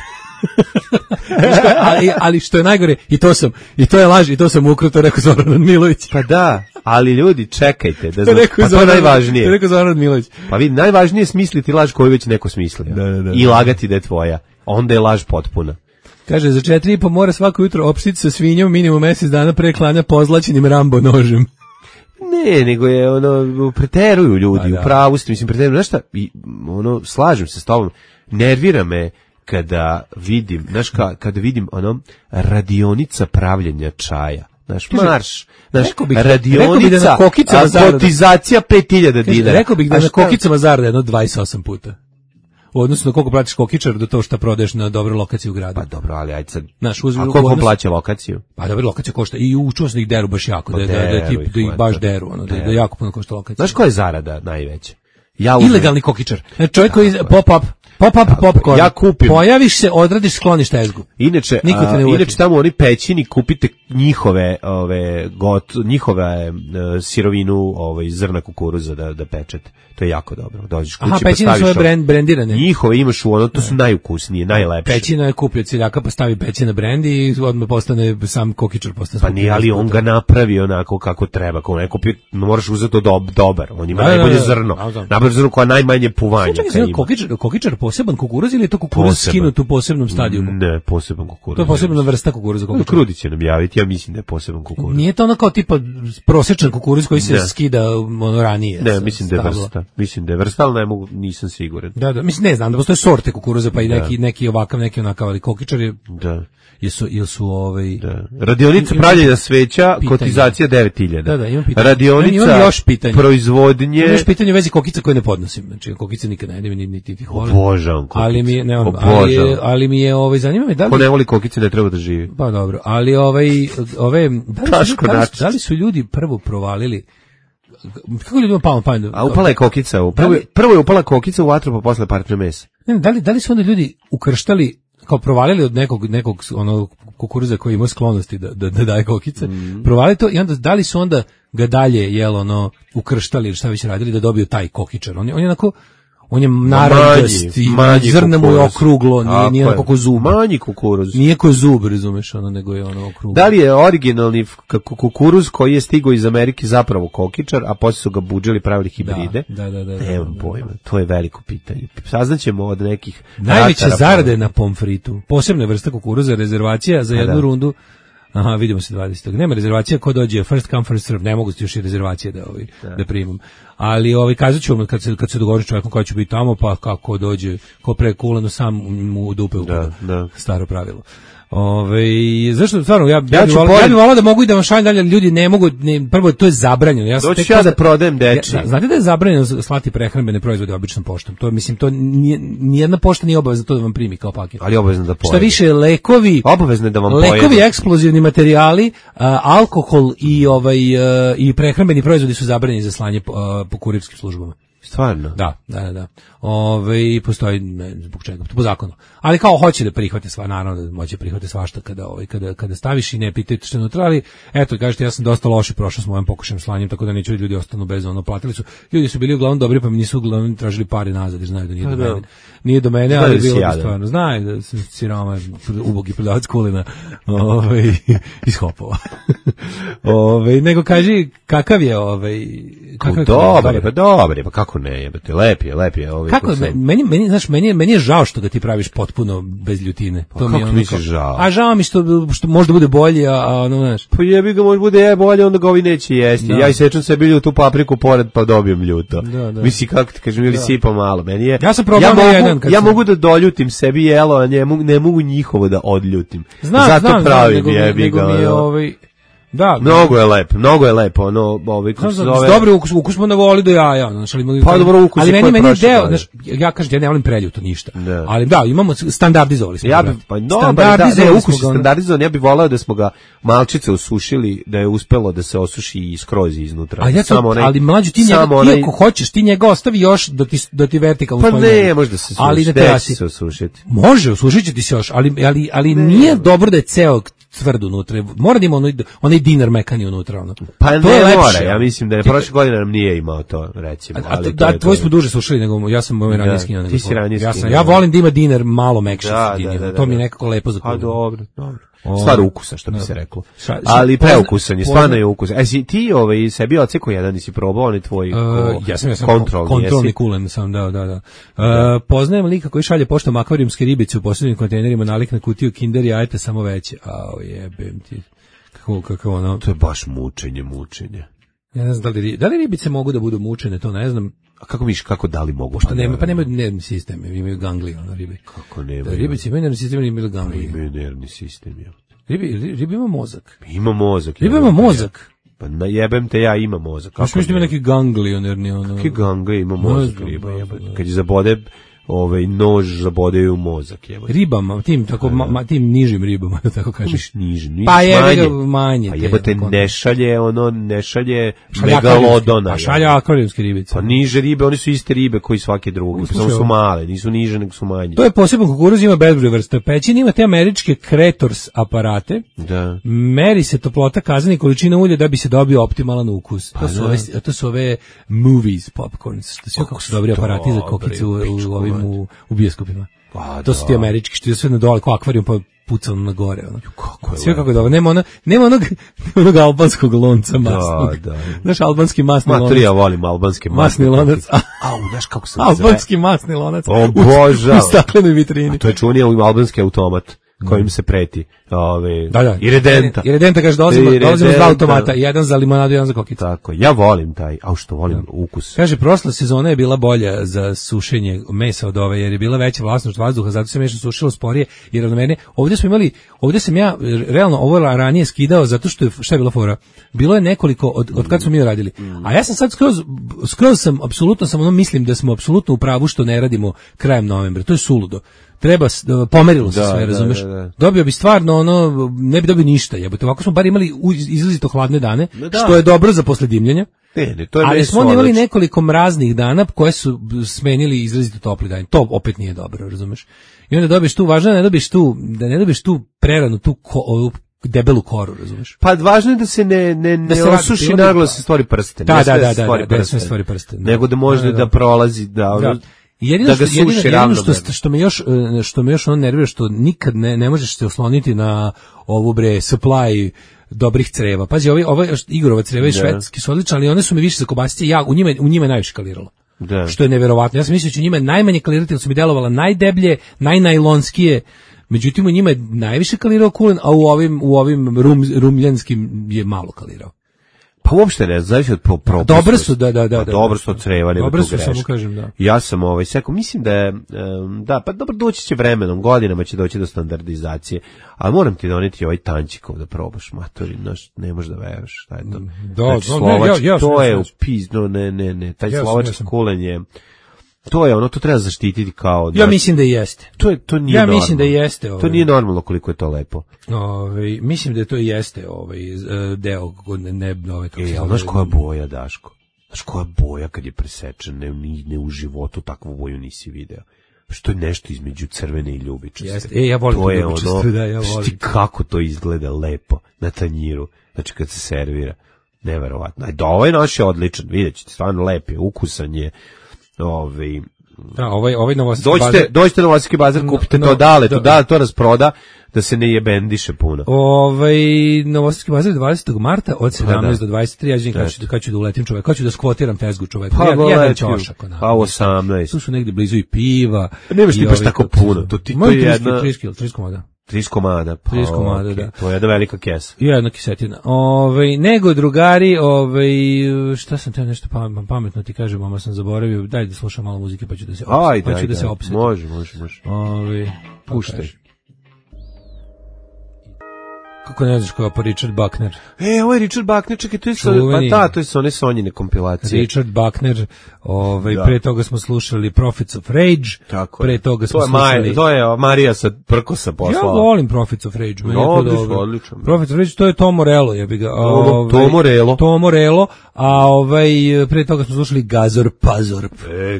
S7: ali što je najgore, i to je laž, i to sam ukruto rekao Zoran Milović.
S6: Pa da, ali ljudi, čekajte, da pa to je najvažnije.
S7: To je rekao Zoran Milović.
S6: Pa vidi, najvažnije je smisliti laž koju već neko smislio. Da. I lagati da je tvoja. Onda je laž potpuna.
S7: Kaže, za 4,5 mora svako jutro opštiti sa svinjom minimum mjesec dana pre klanja pozlaćenim Rambo nožem.
S6: Ne, nego je preteruju ljudi, u pravu ste, mislim, preteruju, znaš šta, slažem se s tobom, nervira me kada vidim, kada vidim radionica pravljenja čaja, marš, radionica, kotizacija 5.000 dinara.
S7: Rekao bih da na kokicama zarada jedno 28 puta. U odnosu na koliko platiš kokičar do to što prodaješ na dobroj lokaciji u gradu.
S6: Pa dobro, ali ajde sad. A koliko plaća lokaciju?
S7: Pa dobro, lokacija košta i učuo sam da ih deru baš jako, da ih baš deru, da jako puno košta lokacija.
S6: Znaš koja je zarada najveća?
S7: Ilegalni kokičar. Čovjek koji pop-up popcorn. Ja kupim. Pojaviš se, odradiš, skloniš tezgu.
S6: Inače tamo oni pećini, kupite njihove sirovinu, zrna kukuruza da pečete. To je jako dobro. Dođeš kući,
S7: pećine su brendirane.
S6: Njihove imaš to su najukusnije, najlepše.
S7: Pećina je kupio ciljaka, pa stavi pećina brend i odmah postane sam kokičar.
S6: Pa nije, ali on ga napravi onako kako treba. Ako neko moraš uzeti dobar. On ima najbolje zrno. Najbolje zrno koja najmanje puvanja.
S7: Kokičar poseban kukuruz ili je to kukuruz skinut u posebnom stadijumu?
S6: Ne, poseban kukuruz.
S7: To je posebna vrsta kukuruza.
S6: Krudi će nam javiti, ja mislim da je poseban kukuruz.
S7: Nije to ono kao tipa prosječan kukuruz koji se skida ranije.
S6: Ne, mislim da je vrsta. Mislim da je vrsta, ali nisam siguran.
S7: Da, mislim, ne znam, da postoje sorte kukuruza, pa i neki ovakav, neki onakav, ali kokičar je...
S6: Da.
S7: Jesu
S6: Radionica pravljenja sveća, kotizacija 9.000.
S7: Da, imam pitanje.
S6: Radionica proizvodnje...
S7: Imam još pitanje u vezi kokica koje ne podnosim. Znači, kokice nikad ne jedem, niti ih volim.
S6: Obožavam kokice.
S7: Ali mi je, zanima me da li...
S6: Ko ne voli kokice, ne treba da živi.
S7: Pa dobro, ali da li su ljudi prvo provalili... Kako ljudima palo pamet?
S6: A upala je kokica. Prvo je upala kokica u vatru, pa posle partner mesa.
S7: Da li su onda ljudi ukrštali, kao provalili od nekog kukuruza koji ima sklonosti da daje kokice, provalili to i onda da li su onda ga dalje ukrštali ili šta već radili da dobiju taj kokičar. On je onako, on je narandžast i zrna mu je okruglo, nije onako ko zub.
S6: Manji kukuruz.
S7: Nije ko zub, razumeš, nego je okruglo.
S6: Da li je originalni kukuruz koji je stigao iz Amerike zapravo kokičar, a poslije su ga budželi, pravili hibride?
S7: Da.
S6: Nemam pojma, to je veliko pitanje. Saznaćemo od nekih...
S7: Najveće zarade na pomfritu. Posebna vrsta kukuruza, rezervacija za jednu rundu. Aha, vidimo se 20. Nema rezervacija, ko dođe first come first serve, ne mogu još i rezervacije da primam. Ali kazat ću vam kad se dogovori čovjekom koji će biti tamo, pa kako dođe, ko pre kuleno sam mu dupe u kudu. Staro pravilo. Zašto stvarno ja bih volao da mogu i da vam šaljem dalje, ljudi ne mogu, prvo to je zabranjeno.
S6: Doći ja da prodajem deči.
S7: Znate da je zabranjeno slati prehrambene proizvode običnom poštom. To mislim, to nijedna pošta nije obavezna to da vam primi kao paket.
S6: Ali obavezno da pojede.
S7: Šta više, lekovi,
S6: obavezno da vam pojede.
S7: Lekovi, eksplozivni materijali, alkohol i prehrambeni proizvodi su zabranjeni za slanje po kurirskim službama.
S6: Stvarno?
S7: Da. Postoji, ne zbog čega, po zakonu. Ali kao hoće da prihvate sva, naravno da moće prihvate svašta kada staviš i ne pitaju što je unutra, ali eto, kažete, ja sam dosta loše prošao s mojim pokušajem slanjem, tako da neću ljudi ostanu bez platili su. Ljudi su bili uglavnom dobri, pa mi nisu uglavnom tražili pare nazad, jer znaju da nije do mene. Nije do mene, ali bilo bi stvarno. Znaju da sam siroma, ubogi prodavac kulina iz Hopova. Nego kaži, kakav je
S6: Dobar, pa kako ne jebate, lep je.
S7: Kako, meni je žao što ga ti praviš potpuno bez ljutine.
S6: Pa kako mi je žao?
S7: A žao mi što možda bude bolje, znaš.
S6: Pa jebi ga, možda bude bolje, onda ga ovi neće jesti. Da. Ja isečem sebi tu papriku pored, pa dobijem ljuto. Da. Misli, kako ti kažem, ili sipa malo. Meni je,
S7: ja sam probao
S6: ja mogu da doljutim sebi jelo, a ne mogu njihovo da odljutim. Zato pravim, jebi ga.
S7: Da,
S6: mnogo je lepo, kako se zove.
S7: Dobro, ukus smo navoli do jaja, znači
S6: pa dobro, ukus
S7: ali meni je deo, znači ja kažem, ja ne volim preljuto ništa. Da. Ali da, imamo standardizovali smo.
S6: Ja bih ukus standardizovan, ja bih voleo da smo ga malčice usušili, da je uspelo da se osuši i skroz iznutra.
S7: Ali mlađu ti njega, iako hoćeš, ti njega ostavi još da ti vertikalno
S6: stoji. Pa ne, može da se suši. Ali ne se osušiti.
S7: Može, osušit će se još, ali nije dobro da je ceo tvrd unutra. Mora da ima onaj dinar mekani unutra.
S6: Pa to ne je mora, ja mislim da je prošle godine nam nije imao to, recimo.
S7: Tvoj smo duže slušali, nego ja sam moj ranije skinao.
S6: Ti si ranije skinao.
S7: Ja volim da ima dinar malo mekše sredini. To mi je nekako lepo za kulinu.
S6: A dobro. Stvar ukusa, što bi se reklo. Ali preukusan je, stvarno je ukusan. Ti sebi oceko jedan, nisi probao, on je tvoj
S7: kontrolni kulen sam, da. Poznajem lika koji šalje poštom akvarijumske ribice u posebnim kontejnerima, nalik na kutiju Kinder jajeta, samo veće. Jebem ti. Kako ono?
S6: To je baš mučenje.
S7: Ja ne znam da li ribice mogu da budu mučene, to ne znam.
S6: A kako da li mogu?
S7: Što nema, pa nemaju nervni sistem, imaju ganglije, ribe.
S6: Kako nema?
S7: Ribice imaju nervni sistem, imaju ganglije.
S6: Imaju nervni sistem, ja.
S7: Riba ima mozak.
S6: Ima mozak.
S7: Riba ima mozak.
S6: Pa jebem te, ja ima mozak.
S7: Kako ima neki ganglionerni ono.
S6: Kakvi ganglije ima mozak riba, jebate. Kad je zabode nož zabodeju u mozak, jebate.
S7: Ribama, tim nižim ribama, da tako kažeš.
S6: Nižim,
S7: pa je manje.
S6: Pa jebate, ne šalje megalodona.
S7: Pa šalje akvarijumske ribice.
S6: Pa niže ribe, oni su iste ribe koji svake druge. Samo su male, nisu niže, nego su manje.
S7: To je poseban kukuruz, ima bezbroj vrsta. Pećin ima te američke Kretors aparate.
S6: Da.
S7: Meri se toplota kazane i količina ulja da bi se dobio optimalan ukus. To su ove movies popcorns. Sve kako su dobri aparati za kokice u bioskopima. To su ti američki, što je sve na dole, kao akvarijum, pa pucano na gore. Sve kako je dobro. Nema onog albanskog lonca masnog. Da. Znaš, albanski masni lonac.
S6: Ja volim albanski masni
S7: lonac.
S6: Znaš kako se
S7: albanski masni lonac.
S6: O Bože.
S7: U staklenoj vitrini.
S6: To je čunija albanski automat kojim se preti. I redenta.
S7: I redenta, kaže, dolazimo iz dva automata, jedan za limonadu, jedan za kokicu.
S6: Tako, ja volim taj, što volim ukus.
S7: Kaže, prošla sezona je bila bolja za sušenje mesa od ove, jer je bila veća vlasnost vazduha, zato se mesa sušilo sporije, jer od mene, ovdje sam ja, realno, ovo ranije skidao, zato što je, šta je bila fora? Bilo je nekoliko, od kad smo mi radili. A ja sam sad skroz sam, apsolutno mislim da smo apsolutno u pravu što ne radimo krajem novembra. To je suludo. Pomerilo se sve, razumeš? Dobio bi stvarno ne bi dobio ništa, jebote. Ovako smo bar imali izrazito hladne dane, što je dobro za posle dimljenja. Ali smo imali nekoliko mraznih dana koje su smenili izrazito topli dani. To opet nije dobro, razumeš? I onda dobiješ tu, važno je da ne dobiješ tu preranu, tu debelu koru, razumeš?
S6: Pa važno je da se ne osuši naglo se stvori prsten.
S7: Da se stvori prsten.
S6: Nego da može da prolazi,
S7: Jedino što me još nervira, što nikad ne možeš se osloniti na ovu supply dobrih creva. Pazi, ove Igorova creva iz Švedske su odlične, ali one su mi više za kobasice, u njima je najviše kaliralo. Da. Što je neverovatno. Ja sam mislio da će u njima najmanje kalirati, jer su mi delovala najdeblje, najnajlonskije. Međutim, u njima je najviše kalirao kulen, a u ovim rumljanskim je malo kalirao.
S6: Pa uopšte ne, zavisi od propusta.
S7: Dobre su, da.
S6: Dobro su od creva, nego
S7: dobro
S6: tu greška.
S7: Samo kažem, da.
S6: Ja sam mislim da je, pa dobro, doći će vremenom, godinama će doći do standardizacije, ali moram ti doneti ovaj tančikov da probaš, matori, ne možeš da veruješ, šta je to. Znači, slovački, to je upizno, ne, taj slovački kulen je, to je to treba zaštititi kao...
S7: Ja mislim da jeste.
S6: To nije normalno.
S7: Ja mislim da jeste.
S6: To nije normalno koliko je to lepo.
S7: Mislim da to jeste deo...
S6: Znaš koja boja, Daško? Znaš koja boja kad je presečen, ne u životu takvu boju nisi video. Što je nešto između crvene i ljubičaste.
S7: Jeste. Ja volim ljubičaste, da, ja volim.
S6: Šti kako to izgleda lepo na tanjiru, znači kad se servira. Neverovatno. Da, ovaj naš je odličan, vidjet ćete, stvarno lep je, ukusan je.
S7: Da, ovaj Novosadski bazar.
S6: Dođite na Novosadski bazar, kupite to to rasproda, da se ne jebendiše puno.
S7: Novosadski bazar 20. marta od 17 do 23, ja želim kad ću da uletim čovek, kad ću da skvotiram tezgu čoveka. Jedan ćošak.
S6: Pa 18.
S7: Tu su negdje blizu i piva.
S6: Nemaš ti baš tako puno. To je jedna...
S7: 30 komada.
S6: 30 komada, pa
S7: 30 komada,
S6: okay.
S7: Da.
S6: To je jedna velika kesa.
S7: I jedna kisetina. Nego drugari, šta sam teo nešto pametno ti kažem, mama sam zaboravio, daj da slušam malo muzike pa ću da se opsetim.
S6: Može.
S7: Puštaj. Kako ne znaš koja pa Richard Buckner?
S6: Ovo je Richard Buckner, čekaj, to je one Sonjine kompilacije.
S7: Richard Buckner, pre toga smo slušali Prophets of Rage,
S6: tako
S7: pre toga smo slušali...
S6: To je Marija sa Prkosa poslala.
S7: Ja volim Prophets of Rage.
S6: Odlično.
S7: Prophets of Rage, to je Tom Morello, ja bih ga...
S6: Tom Morello,
S7: a pre toga smo slušali Gazor Pazorp.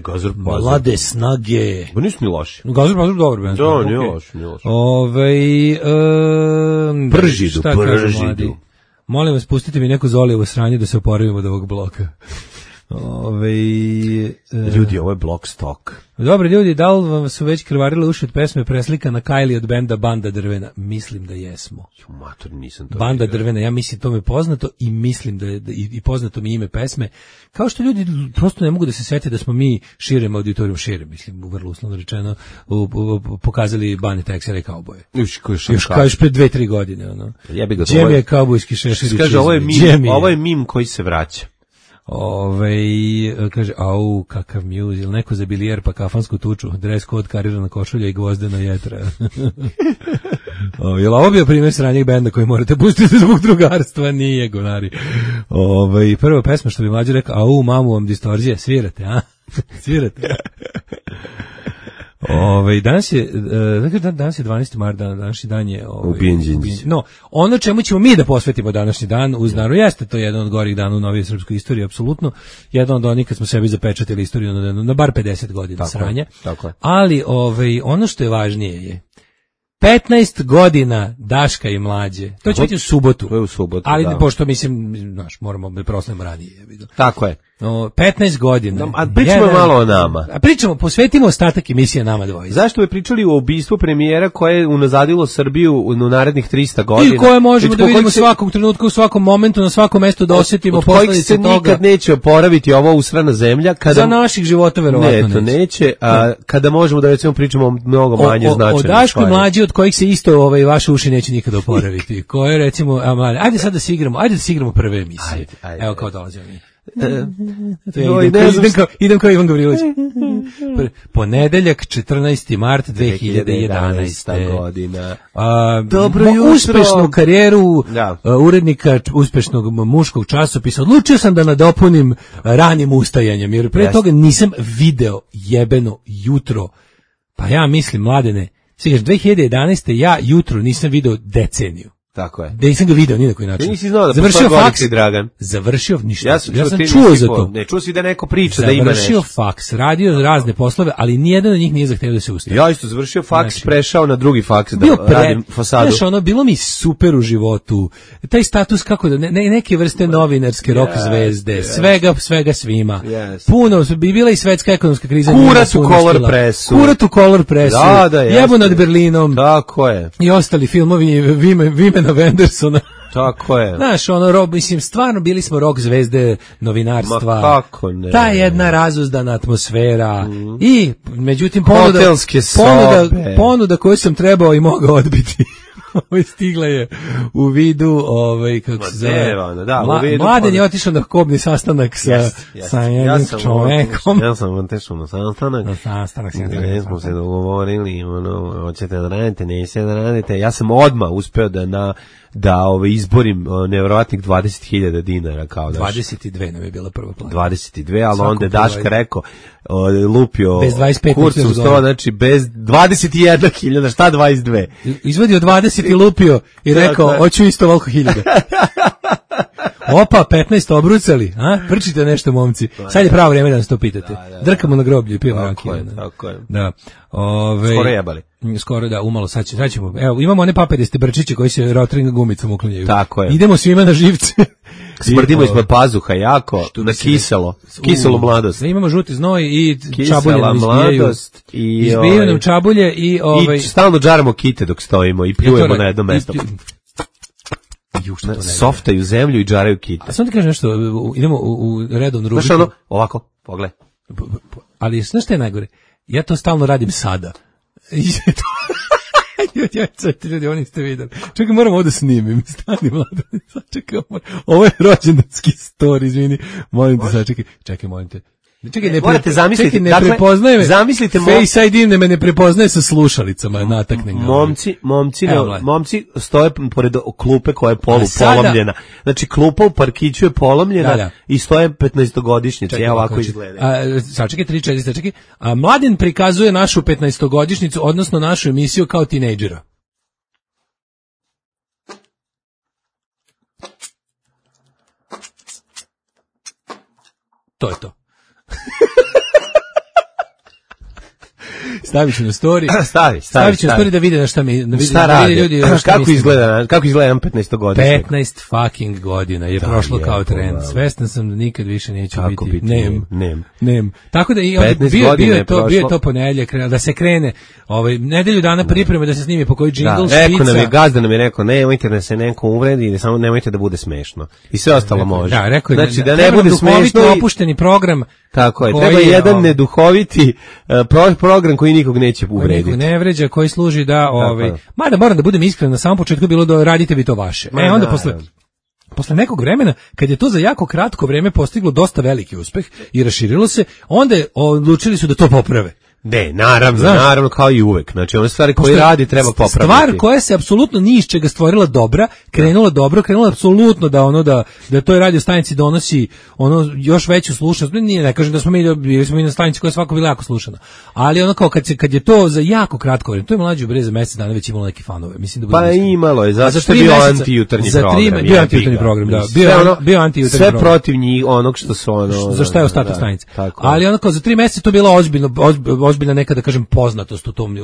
S6: Gazor Pazorp.
S7: Mlade snage.
S6: Ba nisu ni loši.
S7: Gazor Pazorp, dobro.
S6: Da, nije loši. Bržidu.
S7: Molim vas, pustite mi neko Zolijevo sranje da se oporavimo od ovog bloka.
S6: Ljudi, ovo je blok stok.
S7: Dobro, ljudi, da li vam su već krvarili uši od pesme preslika na Kylie od benda Banda Drvena? Mislim da jesmo.
S6: Mator, nisam to
S7: Banda Drvena, ja mislim to mi je poznato i mislim da je i poznato mi ime pesme. Kao što ljudi prosto ne mogu da se sete da smo mi širem auditorijum, mislim, vrlo uslovno rečeno, pokazali Bane Texera i kauboje. Još kažeš pred 2-3 godine. Džemi je kaubojski šešir.
S6: Kaže, ovo je mim koji se vraća.
S7: Kaže, kakav muse, ili neko za bilijer pa kafansku tuču, dres kod, karirana košulja i gvozdena jetra. Jel ovo bio primjer sranjeg benda koji morate pustiti zbog drugarstva? Nije, gonari. Prva pesma što bi mlađe rekao, mamu vam distorzije, svirate, a? Svirate. Danas je 12. marta, današnji dan je
S6: ubijenđenci.
S7: No, ono čemu ćemo mi da posvetimo današnji dan uz naravno jeste to jedan od gorih dana u novijoj srpskoj istoriji, apsolutno. Jedan od onih kad smo sebi zapečatili istoriju na bar 50 godina sranja.
S6: Tako.
S7: Ali ono što je važnije je 15 godina Daška i mlađe. To će biti u subotu.
S6: To je u subotu,
S7: ali pošto mislim, moramo da proslavimo ranije.
S6: Tako je.
S7: 15 godina.
S6: A pričamo malo o nama.
S7: Posvetimo ostatak emisije nama dvojice.
S6: Zašto bi pričali o ubistvu premijera koje je unazadilo Srbiju u narednih 300 godina?
S7: I koje možemo da vidimo svakog trenutka, u svakom momentu, na svakom mestu da osjetimo posledice toga.
S6: Od kojih se nikad neće oporaviti ova usrana zemlja.
S7: Za naših života verovatno
S6: neće. Neće, a kada možemo da recimo pričamo mnogo manje značajno.
S7: O Daškoj mlađi od kojih se isto vaše uši neće nikada oporaviti. Koje recimo, ajde sad da se igramo prve emisije.
S6: Ajde.
S7: Evo kao dolazimo mi. Idem kao Ivan Gavrilović. Ponedeljak 14. mart 2011.
S6: godina.
S7: Dobro jutro. Uspešnu karijeru urednika uspešnog muškog časopisa odlučio sam da nadopunim ranim ustajanjem, jer pre toga nisam video jebeno jutro. Pa ja mislim, Mladene, sviđaš, 2011. ja jutro nisam video deceniju.
S6: Tako je.
S7: Da nisam ga video ni na koji način.
S6: Nisi znao da
S7: završio faks,
S6: Dragan.
S7: Završio ništa.
S6: Ja sam
S7: čuo za to.
S6: Ne, čuo si da neko priča da ima nešto.
S7: Završio faks, radio razne poslove, ali nijedan od njih nije zahtevao da se ustavi.
S6: Ja isto završio faks, prešao na drugi faks da radim fasadu.
S7: Znaš, bilo mi super u životu. Taj status kako da neke vrste novinarske rock zvezde, svega svima. Puno bi bila i svetska ekonomska kriza.
S6: Kurat u Color Pressu.
S7: Jebo nad Berlinom.
S6: Tako je.
S7: I ostali filmovi Vimena Vendersona.
S6: Tako je.
S7: Znaš, stvarno bili smo rock zvezde novinarstva.
S6: Ma kako ne.
S7: Ta jedna razuzdana atmosfera. I, međutim, ponuda koju sam trebao i mogao odbiti. Stigla je u vidu, kako se zove, Mladen je otišao na kobni sastanak sa jednim čovekom.
S6: Ja sam otišao na sastanak. Gdje smo se dogovorili, hoćete da radite, nećete da radite. Ja sam odmah uspeo da izborim nevjerovatnih 20.000 dinara kao Daška.
S7: 22 nam je bila prva plana.
S6: 22, ali onda je Daška rekao, lupio
S7: bez 25
S6: kurcu u sto, znači bez 21.000, šta 22?
S7: Izvadio 20 i lupio i rekao, hoću isto volko 1000. Opa, 15 obrucali, a? Prčite nešto, momci. Sad je pravo vreme da nas to pitate. Drkamo na groblju i pijemo rakiju.
S6: Tako je.
S7: Da.
S6: Skoro jebali.
S7: Skoro da, umalo, sad ćemo. Evo, imamo one papiriste brčiće koji se Rotring gumicom uklanjaju.
S6: Tako je.
S7: Idemo svima na živce.
S6: Smrdimo ispod pazuha jako, na kiselo mladost.
S7: Imamo žuti znoj i
S6: kisela
S7: čabulje nam izbijaju. Izbijaju nam čabulje i...
S6: I stalno džaramo kite dok stojimo i pljujemo na jedno mesto. Softaju zemlju i džaraju kite.
S7: A sam ti kažem nešto, idemo u redovnu rubriku.
S6: Znaš ono, ovako, pogledaj.
S7: Ali znaš šta je najgore? Ja to stalno radim sada. Ljudi, oni ste videli. Čekaj, moram ovo da snimim. Stani, mlado. Čekaj, ovo je rođendanski story, izvini. Molim te, sačekaj. Čekaj, molim te. Čekaj,
S6: morate zamisliti,
S7: ne prepoznaje me.
S6: Zamislite
S7: Face ID me ne prepoznaje sa slušalicama, nataknem ga.
S6: Momci stoje pored klupe koja je polomljena. Znači klupa u parkiću je polomljena i stoje 15-godišnjice. Evo ovako izgleda.
S7: Sačekaj, 3-4, sačekaj. Mladen prikazuje našu 15-godišnjicu, odnosno našu emisiju kao tinejdžera. To je to. Stavit ću na story. Stavit ću na story da vide na šta mi...
S6: Šta radi? Ljudi, kako izgleda 15 godina?
S7: 15 fucking godina je prošlo kao trend. Svestan sam da nikad više neću biti. Nem. Tako da bio je to ponedeljak da se krene nedelju dana pripreme da se snimi po koji džingl špica.
S6: Rekao nam je gazda, nam je rekao nemojte da se neko uvredi, samo nemojte da bude smešno. I sve ostalo može.
S7: Da, rekao je
S6: znači da ne bude smešno
S7: i opušteni program.
S6: Tako je, treba jedan neduhoviti program koji nikog neće uvrediti.
S7: Koji ne vređa, koji služi da... Mada moram da budem iskren, na samom početku bilo da radite vi to vaše. Onda posle nekog vremena, kad je to za jako kratko vreme postiglo dosta veliki uspeh i raširilo se, onda odlučili su da to poprave.
S6: Ne, naravno, kao i uvek. Znači, one stvari koje radi treba popraviti.
S7: Stvar koja se apsolutno ni iz čega stvorila dobra, krenula apsolutno da toj radio stanici donosi još veću slušanost. Ne kažem da smo mi na stanici koja je svako bila jako slušana. Ali kao kad je to za jako kratko vreme, to je mlađi bre za mesec dana već imalo neke fanove. Mislim da
S6: imalo je, zato što je bio antijutarnji program.
S7: Bio antijutarnji program, da. Bio antijutarnji
S6: program. Sve protiv njih onog što su
S7: za šta je ostatak stanice. Ali kao za 3 meseca to bilo ozbiljna neka, da kažem, poznatost u tom,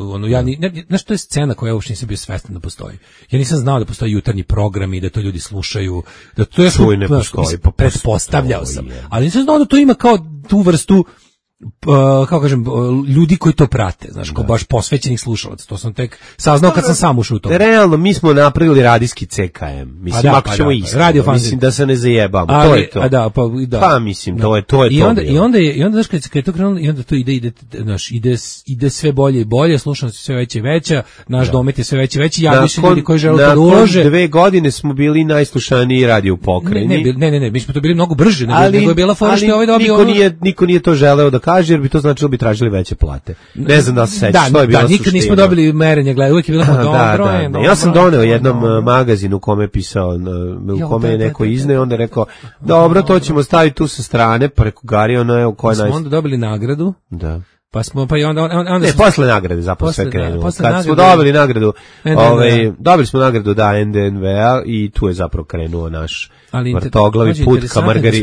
S7: znaš, to je scena koja uopšte nisam bio svestan da postoji. Ja nisam znao da postoji jutarnji program i da to ljudi slušaju, da to je
S6: ne postoji,
S7: pretpostavljao sam. Ali nisam znao da to ima kao tu vrstu kako kažem, ljudi koji to prate, znaš, kao baš posvećenih slušalaca. To sam tek saznao kad sam sam ušao u to.
S6: Realno, mi smo napravili radijski CKM. Mislim, ako ćemo iskreno, mislim da se ne zajebamo. To je to. Pa mislim, to je to.
S7: I onda, znaš, kad je to krenulo, i onda to ide sve bolje i bolje, slušanost je sve veća i veća, naš domet je sve veći i veći, javi se ljudi koji žele da ulože.
S6: Nakon 2 godine smo bili najslušaniji radio u pokrajini.
S7: Ne, mi smo to bili mnogo brže, nego je bila fora što je ovaj dobio.
S6: Niko nije to želeo da kaže, jer bi to značilo bi tražili veće plate. Ne znam da se sećaš, to je bila suština.
S7: Nikad nismo dobili merenje, gledaj, uvijek je bilo dobro.
S6: Ja sam doneo jednom magazinu u kome je pisao, u kome je neko izneo, onda je rekao, dobro, to ćemo staviti tu sa strane, preko Gari, ono je u kojoj
S7: smo onda dobili nagradu.
S6: Da.
S7: Ne,
S6: posle nagrade zapravo sve krenulo. Kad smo dobili nagradu, dobili smo nagradu NDNV-a i tu je zapravo krenuo naš vrtoglavi put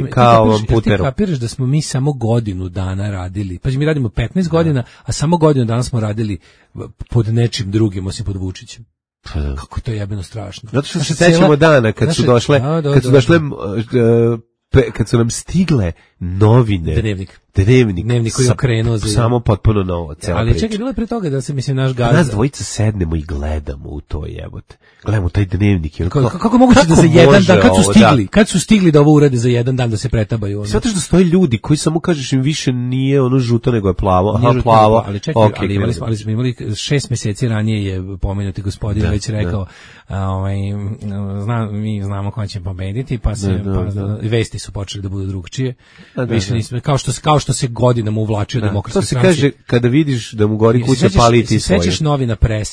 S6: ka ovom puteru.
S7: Ti kapiraš da smo mi samo godinu dana radili, pa mi radimo 15 godina, a samo godinu dana smo radili pod nečim drugim, osim pod Vučićem. Kako to je jebeno strašno.
S6: Zato što se sećamo dana kad su došle kad su nam stigle novine,
S7: dnevnik koji je okrenuo
S6: samo potpuno novo, cela
S7: ali
S6: priča.
S7: Čekaj, bilo je pre toga da se, mislim, naš gazda...
S6: Nas dvojica sednemo i gledamo u to, jebote. Gledamo taj dnevnik.
S7: Kako moguće da za jedan dan, kad su stigli da ovo urade za jedan dan da se pretabaju?
S6: Zato što stoje ljudi koji samo kažeš im više nije ono žuto nego je plavo. Aha, plavo.
S7: Ali čekaj, ali smo imali 6 meseci ranije je pomenuti gospodin već rekao, mi znamo ko će pobediti, pa vesti su počeli da budu drugčije. Više nismo, kao što se godinama uvlačio demokratskoj stranci.
S6: To se kaže kada vidiš da mu gori kuća, paliti svoje.
S7: Sećaš novina Pres?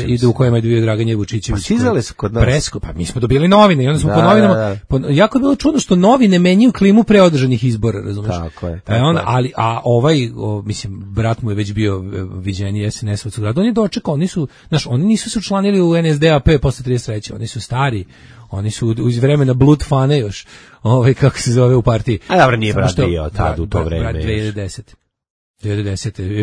S7: Idu u kojima je bio Dragan Vučićević.
S6: Pa stizale su kod nas.
S7: Presko, pa mi smo dobili novine i onda smo po novinama. Jako je bilo čudno što novine menjaju klimu pre održanih izbora, razumeš?
S6: Tako je.
S7: Mislim, brat mu je već bio viđeniji SNS-ovac u gradu. On je dočekao, oni nisu se učlanili u NSDAP posle 33. Oni su stari. Oni su iz vremena Blutfane još, kako se zove u partiji.
S6: A dobro, nije brat bio tad u to vreme.
S7: Brat 2010.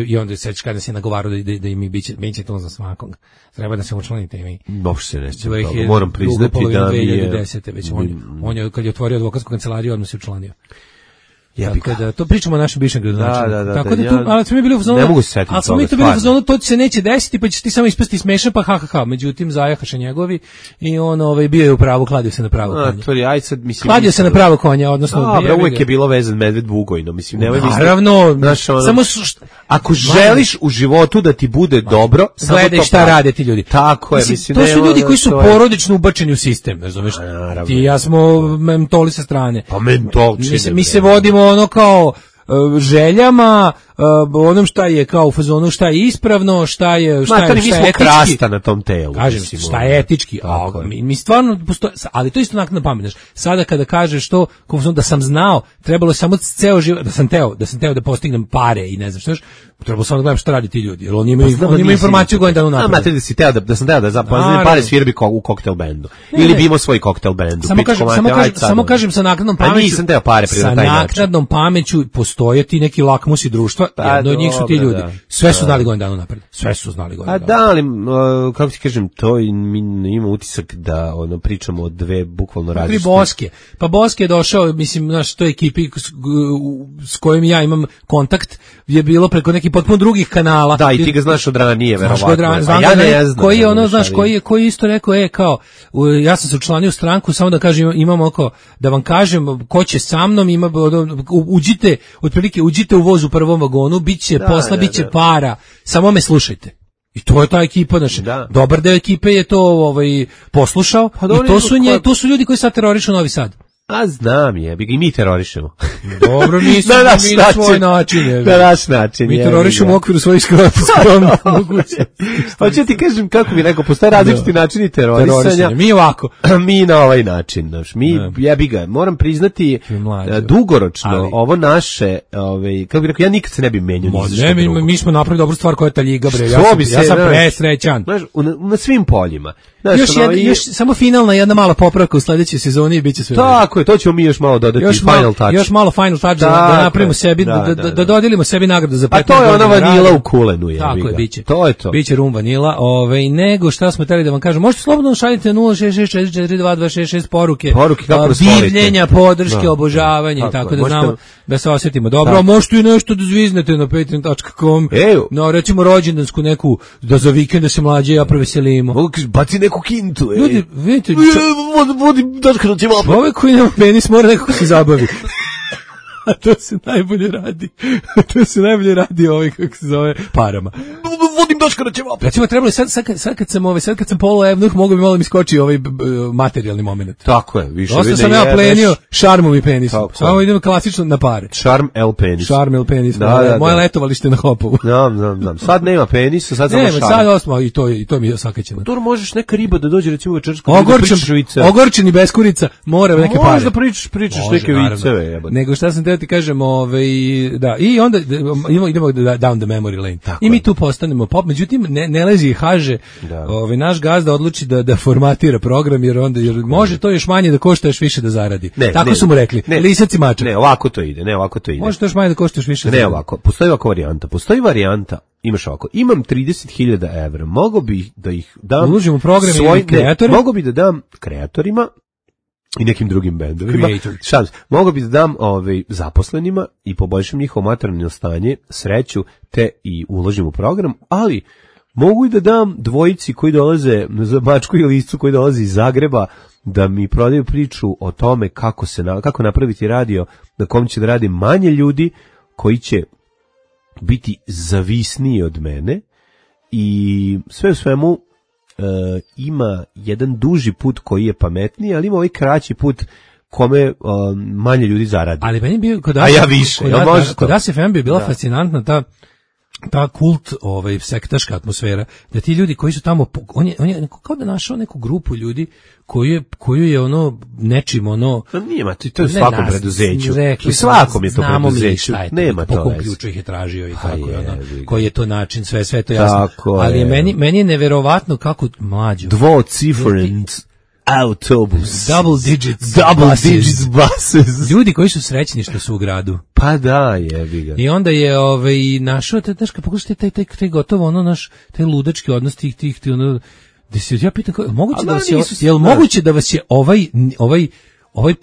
S7: I onda se kada se nagovarao da im biće to za svakog. Treba da se učlanite i mi.
S6: Baš se neće. Moram priznati da mi je
S7: 2010. Već on je kad je otvorio advokatsku kancelariju, odmah se učlanio. Tako da to pričamo o našem bivšem gradonačelniku. Tako da to, ali smo mi bili u zonu.
S6: Ne mogu se setiti.
S7: Ali smo mi to bili u zonu, to se neće desiti, pa ćeš ti samo ispasti smešan, pa ha. Međutim zajahaše njegovi i on bio je u pravu, kladio se na pravo konja. Kladio se na pravo konja, odnosno
S6: uvek je bilo vezan medved Vugojno, mislim, nemoj misliti.
S7: Naravno, samo
S6: ako želiš u životu da ti bude dobro, samo to
S7: gledaj šta rade ti ljudi.
S6: Tako je, mislim.
S7: To su ljudi koji su porodično ubačeni u sistem, razumeš? Ti i ja smo mentoli sa strane.
S6: Pa mentolčine.
S7: Mi se vodimo kao željama, onom šta je kao u fazonu, šta je ispravno, šta je etički.
S6: Krasta na tom telu.
S7: Kažem, šta je etički. Mi stvarno postoje, ali to isto nakon pamet. Sada kada kažeš to, da sam znao, trebalo je samo ceo život, da sam teo da postignem pare i ne znam što još, trebalo samo da gledam šta radi ti ljudi, jer oni imaju informaciju godinu dana unapred.
S6: Da sam teo da zapoznam pare svirbi u koktel bendu. Ili bi imao svoj koktel bendu.
S7: Samo kažem sa naknadnom pameću.
S6: A nisam teo pare pri taj način.
S7: Sa naknadnom pameću postoje ti neki lakmusi društva, jedno od njih su ti ljudi. Sve su znali godinu dana unapred. Sve su znali godinu dana.
S6: A da, ali kako ti kažem, to ima utisak da pričamo o dve bukvalno različite.
S7: Boske. Pa Boske je došao, mislim, znaš, toj ekipi s kojim ja imam kontakt je bilo preko nekih potpuno drugih kanala.
S6: Da, i ti ga znaš od ranije, verovatno.
S7: Ja ne znam. Koji je ono, znaš, koji isto rekao, kao, ja sam se učlanio u stranku, samo da kažem, imam da vam kažem, ko će sa mnom, uđite u voz u prvom vagonu, biće posla, biće para, samo me slušajte. I to je ta ekipa, znači, dobar deo ekipe je to poslušao, i to su ljudi koji sad terorišu Novi Sad.
S6: A znam i mi terorišemo.
S7: Dobro, nismo mi na svoj način.
S6: Na naš način.
S7: Mi terorišemo u okviru svojih skromnih mogućnosti.
S6: Hoću ti kažem, kako bi rekao, postoje različiti načini terorisanja.
S7: Mi ovako.
S6: Mi na ovaj način. Moram priznati, dugoročno, ovo naše, kako bi rekao, ja nikad se ne bi menjao.
S7: Mi smo napravili dobru stvar koja je ta liga, bre. Ja sam presrećan.
S6: Na svim poljima.
S7: Još samo finalna jedna mala popravka u sledećoj sezoni i bit će sve.
S6: Tako je, to ćemo mi još malo dodati, final touch.
S7: Još malo final touch da napravimo sebi, da dodelimo sebi nagradu za 15 godina.
S6: A to je ona vanila u kulenu.
S7: Tako je, biće.
S6: To je to.
S7: Biće rum vanila, nego šta smo hteli da vam kažem. Možete slobodno šaljite 066442266 poruke divljenja, podrške, obožavanja i tako da znamo da se osjetimo dobro. A možete i nešto da zviznete na patreon.com. No, recimo rođendansku neku, da za vikend da se mlađe ja proveselimo.
S6: Baci neku kintu.
S7: Ljudi, vidite,
S6: vodim daška na ćevapa.
S7: Čovek koji nema penis mora nekako se zabavi. A to se najbolje radi. Kako se zove, parama.
S6: Vodim daška na ćevapa.
S7: Recimo, trebalo je sad kad sam polo evnuh, mogu bi malo mi skoči materijalni moment.
S6: Tako je, više.
S7: Dosta sam ja plenio šarmom i penisom. Samo idemo klasično na pare.
S6: Šarm el penis.
S7: Moje letovalište na Hopovu.
S6: Znam. Sad nema penisa, sad samo šarm.
S7: Sad osma, i to mi je sakaćeno.
S6: Tu možeš neka riba da dođe, recimo večersku.
S7: Ogorčen i bez kurica, mora neke pare.
S6: Možda pričaš neke viceve.
S7: Nego šta sam teo ti kažem, da, i onda idemo down the memory lane. I mi tu postanemo pop, međutim ne lezi i haže, naš gazda odluči da formatira program, jer može to još manje da košta, još više da zaradi. Tako su mu rekli, lisac i mačak.
S6: Ne, ovako to ide.
S7: Može to još manje da košta, još više da
S6: zaradi. Ne, ovako, postoji varijanta, imaš ovako, imam 30.000 evra, mogu bi da ih dam
S7: uložim u program ili kreatore?
S6: Mogu bi da dam kreatorima i nekim drugim bendovima. Mogu bi da dam zaposlenima i poboljšam njihovo materijalno stanje, sreću, te i uložim u program, ali mogu i da dam dvojici koji dolaze za Mačku i Liscu, koji dolaze iz Zagreba, da mi prodaju priču o tome kako napraviti radio na kom će da radi manje ljudi, koji će biti zavisniji od mene, i sve u svemu ima jedan duži put koji je pametniji, ali ima ovaj kraći put kome manje ljudi zaradi.
S7: Ali meni bio
S6: a ja više.
S7: Kod ASFM bi bila fascinantna ta kult, sektaška atmosfera, da ti ljudi koji su tamo, on je kao da našao neku grupu ljudi koju je nečim
S6: nije, to je u svakom preduzeću. U svakom je to preduzeću. Nema to.
S7: Po kom ključu ih je tražio i tako, koji je to način, sve to jasno. Ali meni je neverovatno kako mlađo.
S6: Dvociferent. autobus.
S7: Double digits buses. Ljudi koji su srećni što su u gradu.
S6: Pa da, jebi ga.
S7: I onda je našao, znaš, kad pogledaš taj gotovo ono naš, taj ludački odnos tih ono, da se ja pitam, moguće da vas je ova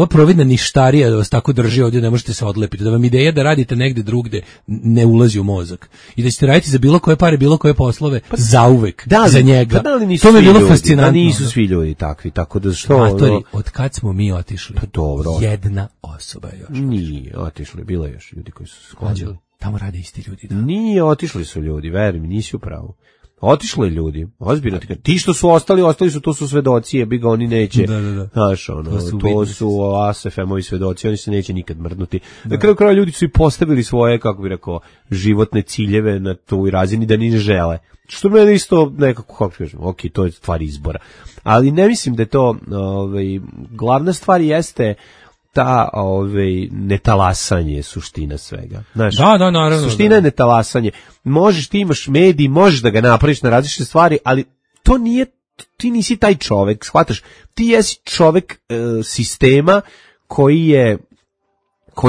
S7: providna ništarija da vas tako drži ovdje, ne možete se odlepiti, da vam ideja da radite negde drugde ne ulazi u mozak i da ćete raditi za bilo koje pare, bilo koje poslove, zauvek, za njega. To mi je bilo fascinantno.
S6: Nisu svi ljudi takvi, tako da što...
S7: Matori, od kad smo mi otišli?
S6: Pa dobro.
S7: Jedna osoba je još.
S6: Nije otišli, bilo je još ljudi koji su sklađali.
S7: Tamo rade isti ljudi. Da.
S6: Nije, otišli su ljudi, veruj mi, nisi u pravu. Otišli ljudi, ozbiljno ti što su ostali su, to su svedoci, jebi ga, oni neće, znaš, to su ASFM-ovi svedoci, oni se neće nikad mrdnuti. Na kraju kraja ljudi su i postavili svoje, kako bi rekao, životne ciljeve na toj razini da ni ne žele. Što mene isto nekako, kako kažem, ok, to je stvar izbora. Ali ne mislim da je to, glavna stvar jeste ta netalasanje je suština svega. Znaš,
S7: da, naravno.
S6: Suština je netalasanje. Možeš, ti imaš medij, možeš da ga napraviš na različite stvari, ali to nije, ti nisi taj čovek, shvataš? Ti jesi čovek sistema koji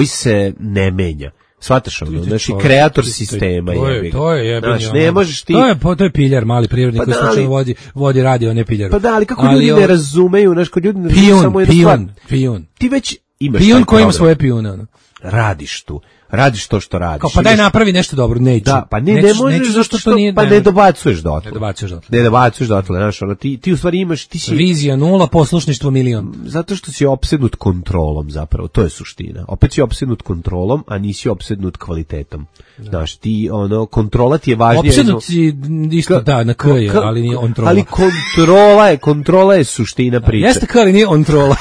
S6: se ne menja. Shvataš ono, znači kreator sistema.
S7: To je jebeni.
S6: Znači, ne možeš ti...
S7: To je piljar, mali privrednik koji slučajno vodi radio, ne piljar.
S6: Pa da, ali kako ljudi ne razumeju, znaš, kod ljudi ne razumeju samo jednu stvar.
S7: Pion.
S6: Ti već imaš
S7: pion koji ima svoje pijune, ono.
S6: Radiš to što radiš.
S7: Kao, pa daj napravi nešto dobro, neću.
S6: Da, pa ne možeš zašto što nije, pa ne dobacuješ dotle. Ne dobacuješ dotle, znaš, ono, ti u stvari imaš, ti si...
S7: Vizija 0, poslušništvo 1.000.000.
S6: Zato što si opsednut kontrolom zapravo, to je suština. Opet si opsednut kontrolom, a nisi opsednut kvalitetom. Znaš, ti, ono, kontrola ti je važnija...
S7: Opsednut si isto, da, na K je, ali nije on trola.
S6: Ali kontrola je suština priče.
S7: Jeste K, ali nije on trola.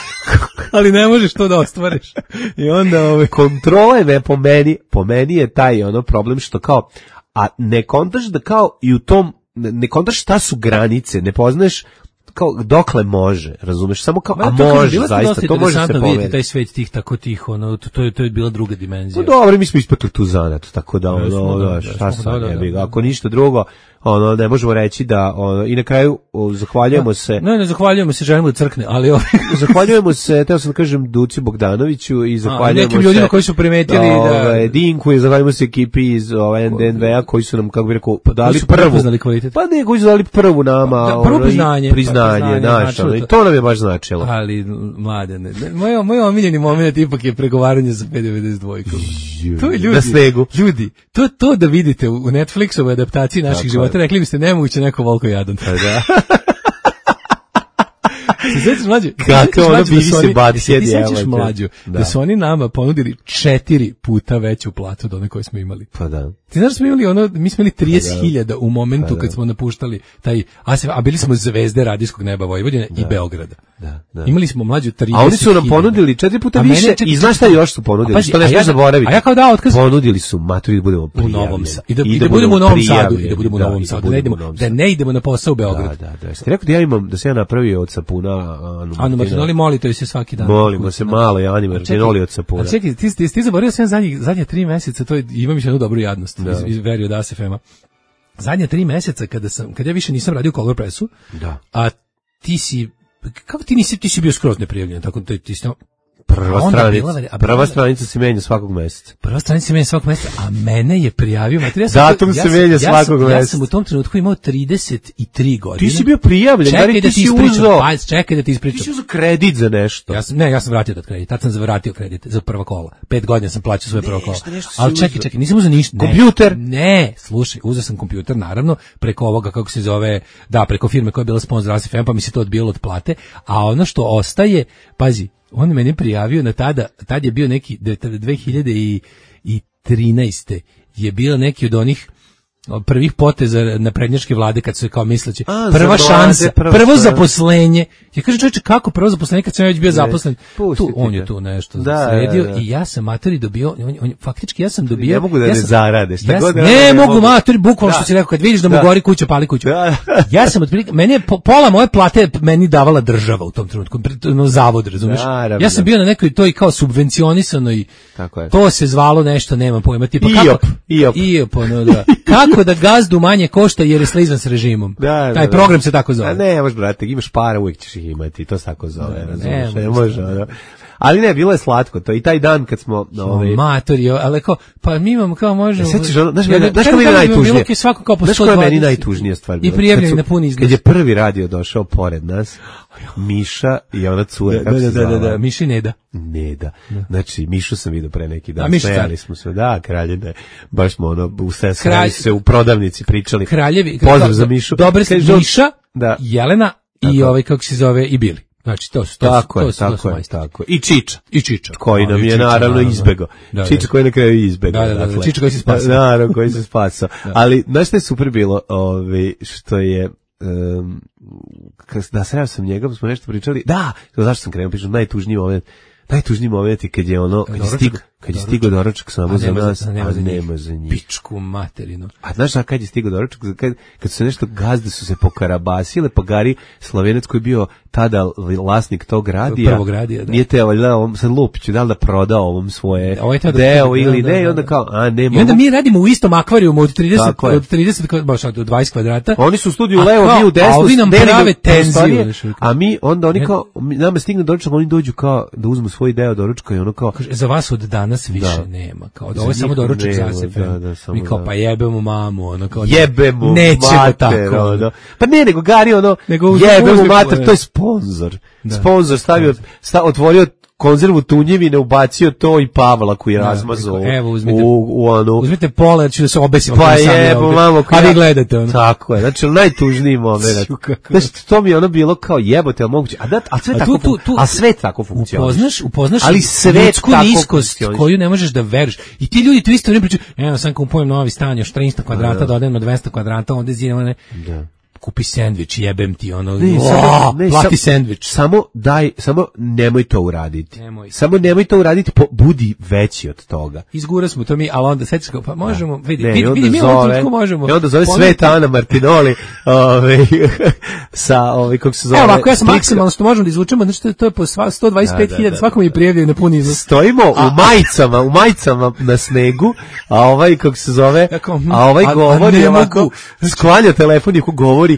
S7: Ali ne možeš to da ostvariš. I onda
S6: kontrola je po meni je taj ono problem što kao, a ne kontaš da kao i u tom, ne kontaš šta su granice, ne poznaješ kao dokle može, razumeš, samo kao, a može, zaista, to može se pomeriti.
S7: Taj svet tih tako tih, ono, to je bila druga dimenzija.
S6: No dobro, mi smo ispatili tu zanat, tako da, šta sam jebi ga, ako ništa drugo, ono, ne možemo reći da, ono, i na kraju zahvaljujemo se.
S7: Ne zahvaljujemo se, želimo da crkne, ali
S6: zahvaljujemo se, teo sam da kažem Duci Bogdanoviću i zahvaljujemo
S7: nekim ljudima koji su primetili da
S6: Dinku i zahvaljujemo se ekipi iz NDNV-a koji su nam, kako bih rekao, dali prvu. Pa ne, koji su dali prvu nama,
S7: prvo
S6: priznanje naše, i to nam je baš značilo.
S7: Ali, mladene, moj omiljeni moment ipak je pregovaranje za P92. To je ljudi,
S6: na snegu.
S7: Ljudi, to da vidite u Netflixovoj adaptaciji naših života, rekli biste nemoguće neko volko jadan.
S6: Da.
S7: Se sećaš mlađe?
S6: Kako ono bivi se badi sjedi.
S7: Ti sećaš mlađu da su oni nama ponudili 4 puta veću platu od one koje smo imali.
S6: Pa da.
S7: Ti znaš da smo imali mi smo imali 30.000 u momentu kad smo napuštali taj, a bili smo zvezde radijskog neba Vojvodine i Beograda.
S6: Da.
S7: Imali smo mlađu 30.000.
S6: A oni su nam ponudili 4 puta više i znaš šta još su ponudili? Što ne smiješ zaboraviti.
S7: A ja kao dao otkaz.
S6: Ponudili su maturi da budemo prijavljeni.
S7: U Novom Sadu. I da budemo u Novom Sadu. I da budemo u Novom Sadu. Da ne idemo na posao u Beograd.
S6: Da. Ste rekao da sam ja napravio od sapuna
S7: Anu Martinoli, molite se svaki dan.
S6: Molimo se malo, Ani Martinoli od sapuna.
S7: A čekaj, ti zaboravio sam zadnje 3 meseca, to je, imam još jednu dobru jadnost, verio da se FEMA. Zadnje 3 meseca kada ja više nisam radio Color Pressu, a ti si, kako ti si bio skroz neprijavljen, tako da ti si
S6: Prva stranica se menja svakog meseca.
S7: A mene je prijavio.
S6: Datum se menja svakog meseca.
S7: Ja sam u tom trenutku imao 33 godine.
S6: Ti si bio prijavljen.
S7: Čekaj da ti ispričam.
S6: Ti si uzeo kredit za nešto.
S7: Ja sam vratio taj kredit. Tad sam vratio kredit za prva kola. 5 godina sam plaćao svoje prvo kola. Ali čekaj, nisam uzeo ništa.
S6: Kompjuter?
S7: Ne, slušaj, uzeo sam kompjuter, naravno, preko ovoga, kako se zove, preko firme koja je bila sponzor ASFM, pa mi se to odbijalo od plate. A ono što ostaje, pazi, on me meni prijavio na tad je bio neki 2013. je bio neki od onih prvih poteza naprednjačke vlade kad su kao misleći prva šansa, prvo zaposlenje. Ja kažem, čovječe, kako prvo zaposlenje kad sam već bio zaposlen? On je tu nešto sredio i ja sam materi dobio, faktički ja sam dobio...
S6: Ne mogu da ne zarade, šta god...
S7: Ne mogu materi, bukvalno što si rekao, kad vidiš da mu gori kuća, pali kuću. Ja sam otprilike, meni je pola moje plate meni davala država u tom trenutku, zavod, razumiješ? Ja sam bio na nekoj toj kao subvencionisanoj, to se zvalo nešto, nemam pojma, tipa
S6: IOP,
S7: ono da. kako da gazdu manje košta jer je slizan s režimom. Taj program se tako zove.
S6: A ne, možeš, brate, imaš para, uvijek ćeš ih imati, to se tako zove, razumiješ, ne može, ali ne, bilo je slatko to, i taj dan kad smo...
S7: Matorio, ali kao, pa mi imamo kao možemo...
S6: Sećaš ono, znaš kao meni najtužnije? Znaš kao meni najtužnije stvar bilo?
S7: I prijavljeni na puni izgled.
S6: Kad je prvi radio došao pored nas, Miša i ona cura, kako se zvala?
S7: Da, Miši Neda.
S6: Neda. Znači, Mišu sam vidio pre neki dan, smejali smo se, Kraljevine, baš smo ono, se u prodavnici pričali.
S7: Kraljevi.
S6: Pozdrav za Mišu.
S7: Dobre ste Miša, Jelena i ovaj, kako se zove, i Bili. Znači, to su
S6: tako. I Čiča. Koji nam je naravno izbegao. Čiča koji je na kraju izbegao.
S7: Da, Čiča koji se spasao.
S6: Naravno, koji se spasao. Ali, znaš što je super bilo, što je... sreo sam njega, smo nešto pričali. Zašto sam krenuo, pričam, najtužniji moment je kad je ono, kad je stigao doručak samo za nas, a nema za njih.
S7: Pičku materinu.
S6: A znaš kad je stigao doručak? Kad su se nešto gazde su se pokarabasile, pa Gari Slovenac koji je bio tada vlasnik tog radija, nije te sad Lupiću, da li da proda ovom svoje deo ili ne, i onda kao, nema.
S7: I onda mi radimo u istom akvarijumu od 30, baš od 20 kvadrata.
S6: Oni su u studiju levo, mi u desnu,
S7: a ovi nam prave tenziju.
S6: A onda oni kao, nama stigne doručak, oni dođu kao da uzmu svoj deo doručka i ono kao...
S7: Za vas od danas više nema, kao da ovo je samo doručak za sebe. Mi kao, pa jebemo mamu, ono kao...
S6: Jebemo
S7: mater, tako.
S6: Pa ne, nego Gari, ono, jebemo mater, to je sponzor. Sponzor otvorio konzervu tunjevine, ubacio to i Pavla koji je razmazao u onu...
S7: Uzmite pola, jer ću da se obesim.
S6: Pa jebo, mamo.
S7: A vi gledate ono.
S6: Tako je, znači najtužniji moment. Znači, to mi je ono bilo kao jebote, ali moguće. A sve tako funkcioniše.
S7: Upoznaš ljudsku niskost koju ne možeš da veruješ. I ti ljudi tu isto ne pričaju, evo sam kupujem novi stan, još 300 kvadrata, dodajem na 200 kvadrata, onda zidamo ne... Kupi sendvič, jebem ti ono, plati sendvič.
S6: Samo nemoj to uraditi. Samo nemoj to uraditi, budi veći od toga.
S7: Izgura smo to mi, ali onda sećaš kao, pa možemo, vidi, mi ovom trenutku možemo.
S6: I onda zove Sveta Ana Martinoli, sa, kako se zove...
S7: Evo ovako, ja sam maksimalno što možemo da izvučemo, znači to je po 125.000, svakom je prijavljaju na puni iznos.
S6: Stojimo u majicama na snegu, a kako se zove, a ovaj govori ovako, sklanja telefon i govori 1000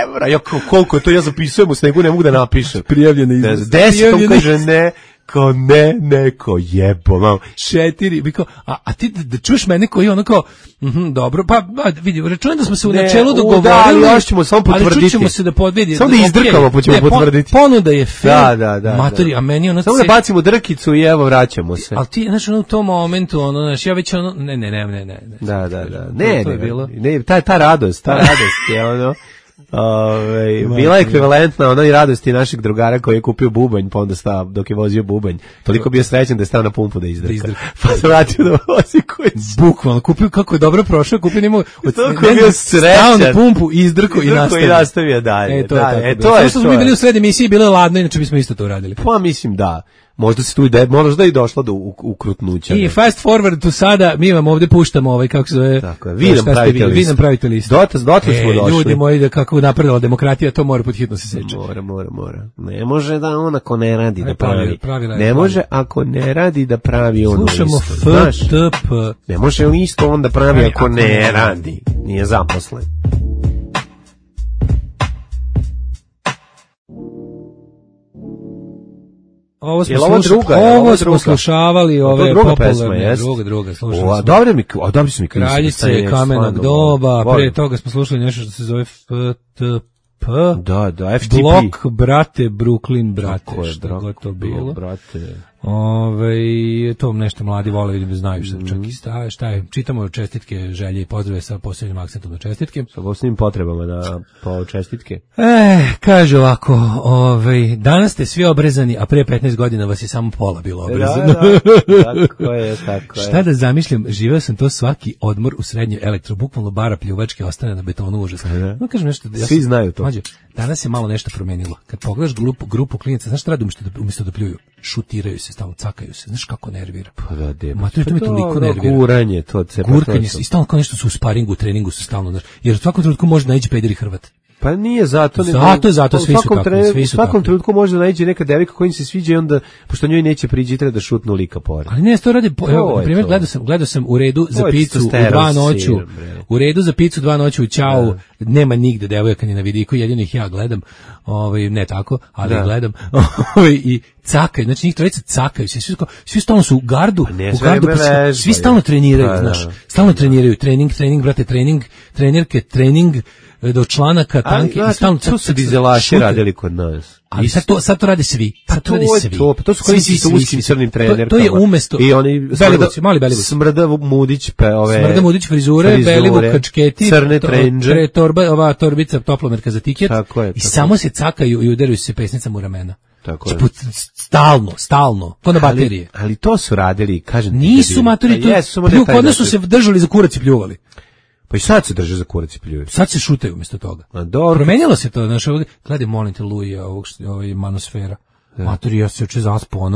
S6: evra. €1.000. Ja koliko je to, ja zapisujem u snegu, ne mogu da napišem.
S7: Prijavljene iznos.
S6: 10, on kaže ne. Kao neko jebo, malo.
S7: 4, a ti da čuješ mene koji ono kao, dobro, pa vidi, računam da smo se u načelu dogovorili,
S6: ali još ćemo samo potvrditi.
S7: Ali čućemo se da podvidi.
S6: Samo da izdrkamo, pa ćemo potvrditi.
S7: Ponuda je fair, matori, a meni ono...
S6: Samo da bacimo drkicu i evo, vraćamo se.
S7: Ali ti, znaš, u tom momentu, ja već ono, ne.
S6: Da, ta radost je ono... bila je ekvivalentna onoj radosti našeg drugara koji je kupio bubanj, pa onda stao dok je vozio bubanj. Toliko bio srećan da je stao na pumpu da izdrka. Pa se vratio da vozi koji
S7: bukvalno kupio, kako je dobro prošao, kupio njemu
S6: stao
S7: na pumpu, izdrko i
S6: nastavio dalje.
S7: To je što smo mi bili u sred emisiji, bilo je ladno, inače bismo isto to uradili.
S6: Pa mislim da. Možda se tu možda i došlo do ukrutnuća.
S7: I fast forward to sada, mi vam ovdje puštamo kako se zove.
S6: Tako je, vi nam pravite listu. Dotle smo došli.
S7: Ljudi moji, da kako napredala demokratija, to mora pod hitno se seče.
S6: Mora. Ne može da on ako ne radi da pravi. Ne može ako ne radi da pravi ono listu.
S7: Slušamo FTP.
S6: Ne može listo on da pravi ako ne radi. Nije zaposlen.
S7: Ovo smo slušavali, ove popularne, druga, slušali smo.
S6: Dobri su mi
S7: Kraljice kamenog doba, prije toga smo slušali nešto što se zove FTP.
S6: Da, FTP.
S7: Blok, brate, Brooklyn, brate, što god to bilo. To nešto mladi vole, vidim da znaju šta je. Čitamo čestitke, želje i pozdrave sa posebnim akcentom na čestitke.
S6: Sa posebnim potrebama po čestitke.
S7: Kaže ovako, danas ste svi obrezani, a prije 15 godina vas je samo pola bilo obrezano.
S6: Tako je.
S7: Šta da zamišljam, živeo sam to svaki odmor u srednjoj elektro, bukvalno bara pljuvačke ostane na betonu, užasno. Kažem nešto,
S6: svi znaju to.
S7: Danas je malo nešto promenilo. Kad pogledaš grupu klinaca, znaš šta radi umjesto da pljuju? Šutiraju se, stalno cakaju se. Znaš kako nervira?
S6: Pa da,
S7: to me toliko nervira.
S6: Guranje, to
S7: gurkanje, i stalno kao nešto su u sparingu, u treningu su stalno, znaš. Jer u svakom trenutku može naići peder i Hrvat.
S6: Pa nije zato,
S7: Zato svi su takvi, svi su
S6: u svakom
S7: takvi.
S6: trenutku može da nađe neka devojka koja im se sviđa i onda, pošto njoj neće priđi, treba da šutnu lika pored.
S7: Ali ne, to radi, na primjer, gledao sam u redu za picu u 2 noću, u redu za picu 2 noću u Ćau, nema nigde devojaka ni na vidiku, jedino ih ja gledam, ne tako, ali gledam, i cakaju, znači njih trojica cakaju, svi stalno su u gardu, svi stalno treniraju, znaš, stalno treniraju, trening, brate, trenerke, trening, do članaka, tanke, i stalno
S6: to su dizelaši radili kod nas.
S7: Ali sad to rade svi.
S6: To su koji su uskim crnim trenerkama.
S7: To je umesto.
S6: I oni
S7: mali Belivuci.
S6: Smrda Mudić,
S7: Smrda Mudić frizure, Belivuk kačketi,
S6: crne trendže,
S7: ova torbica toplomerka za tiket. I samo se cakaju i udaraju se pesnicama u ramena.
S6: Tako je.
S7: Stalno, to na baterije.
S6: Ali to su radili, kažem ti.
S7: Nisu maturi, kod nas su se držali za kurac i pljuvali.
S6: Pa i sad se drže za kurac i pljuju.
S7: Sad se šutaju umjesto toga. Promenilo se to, znaš, gledaj, molim te, Luja, ovoj manosfera. Matori, ja se oče zaspo,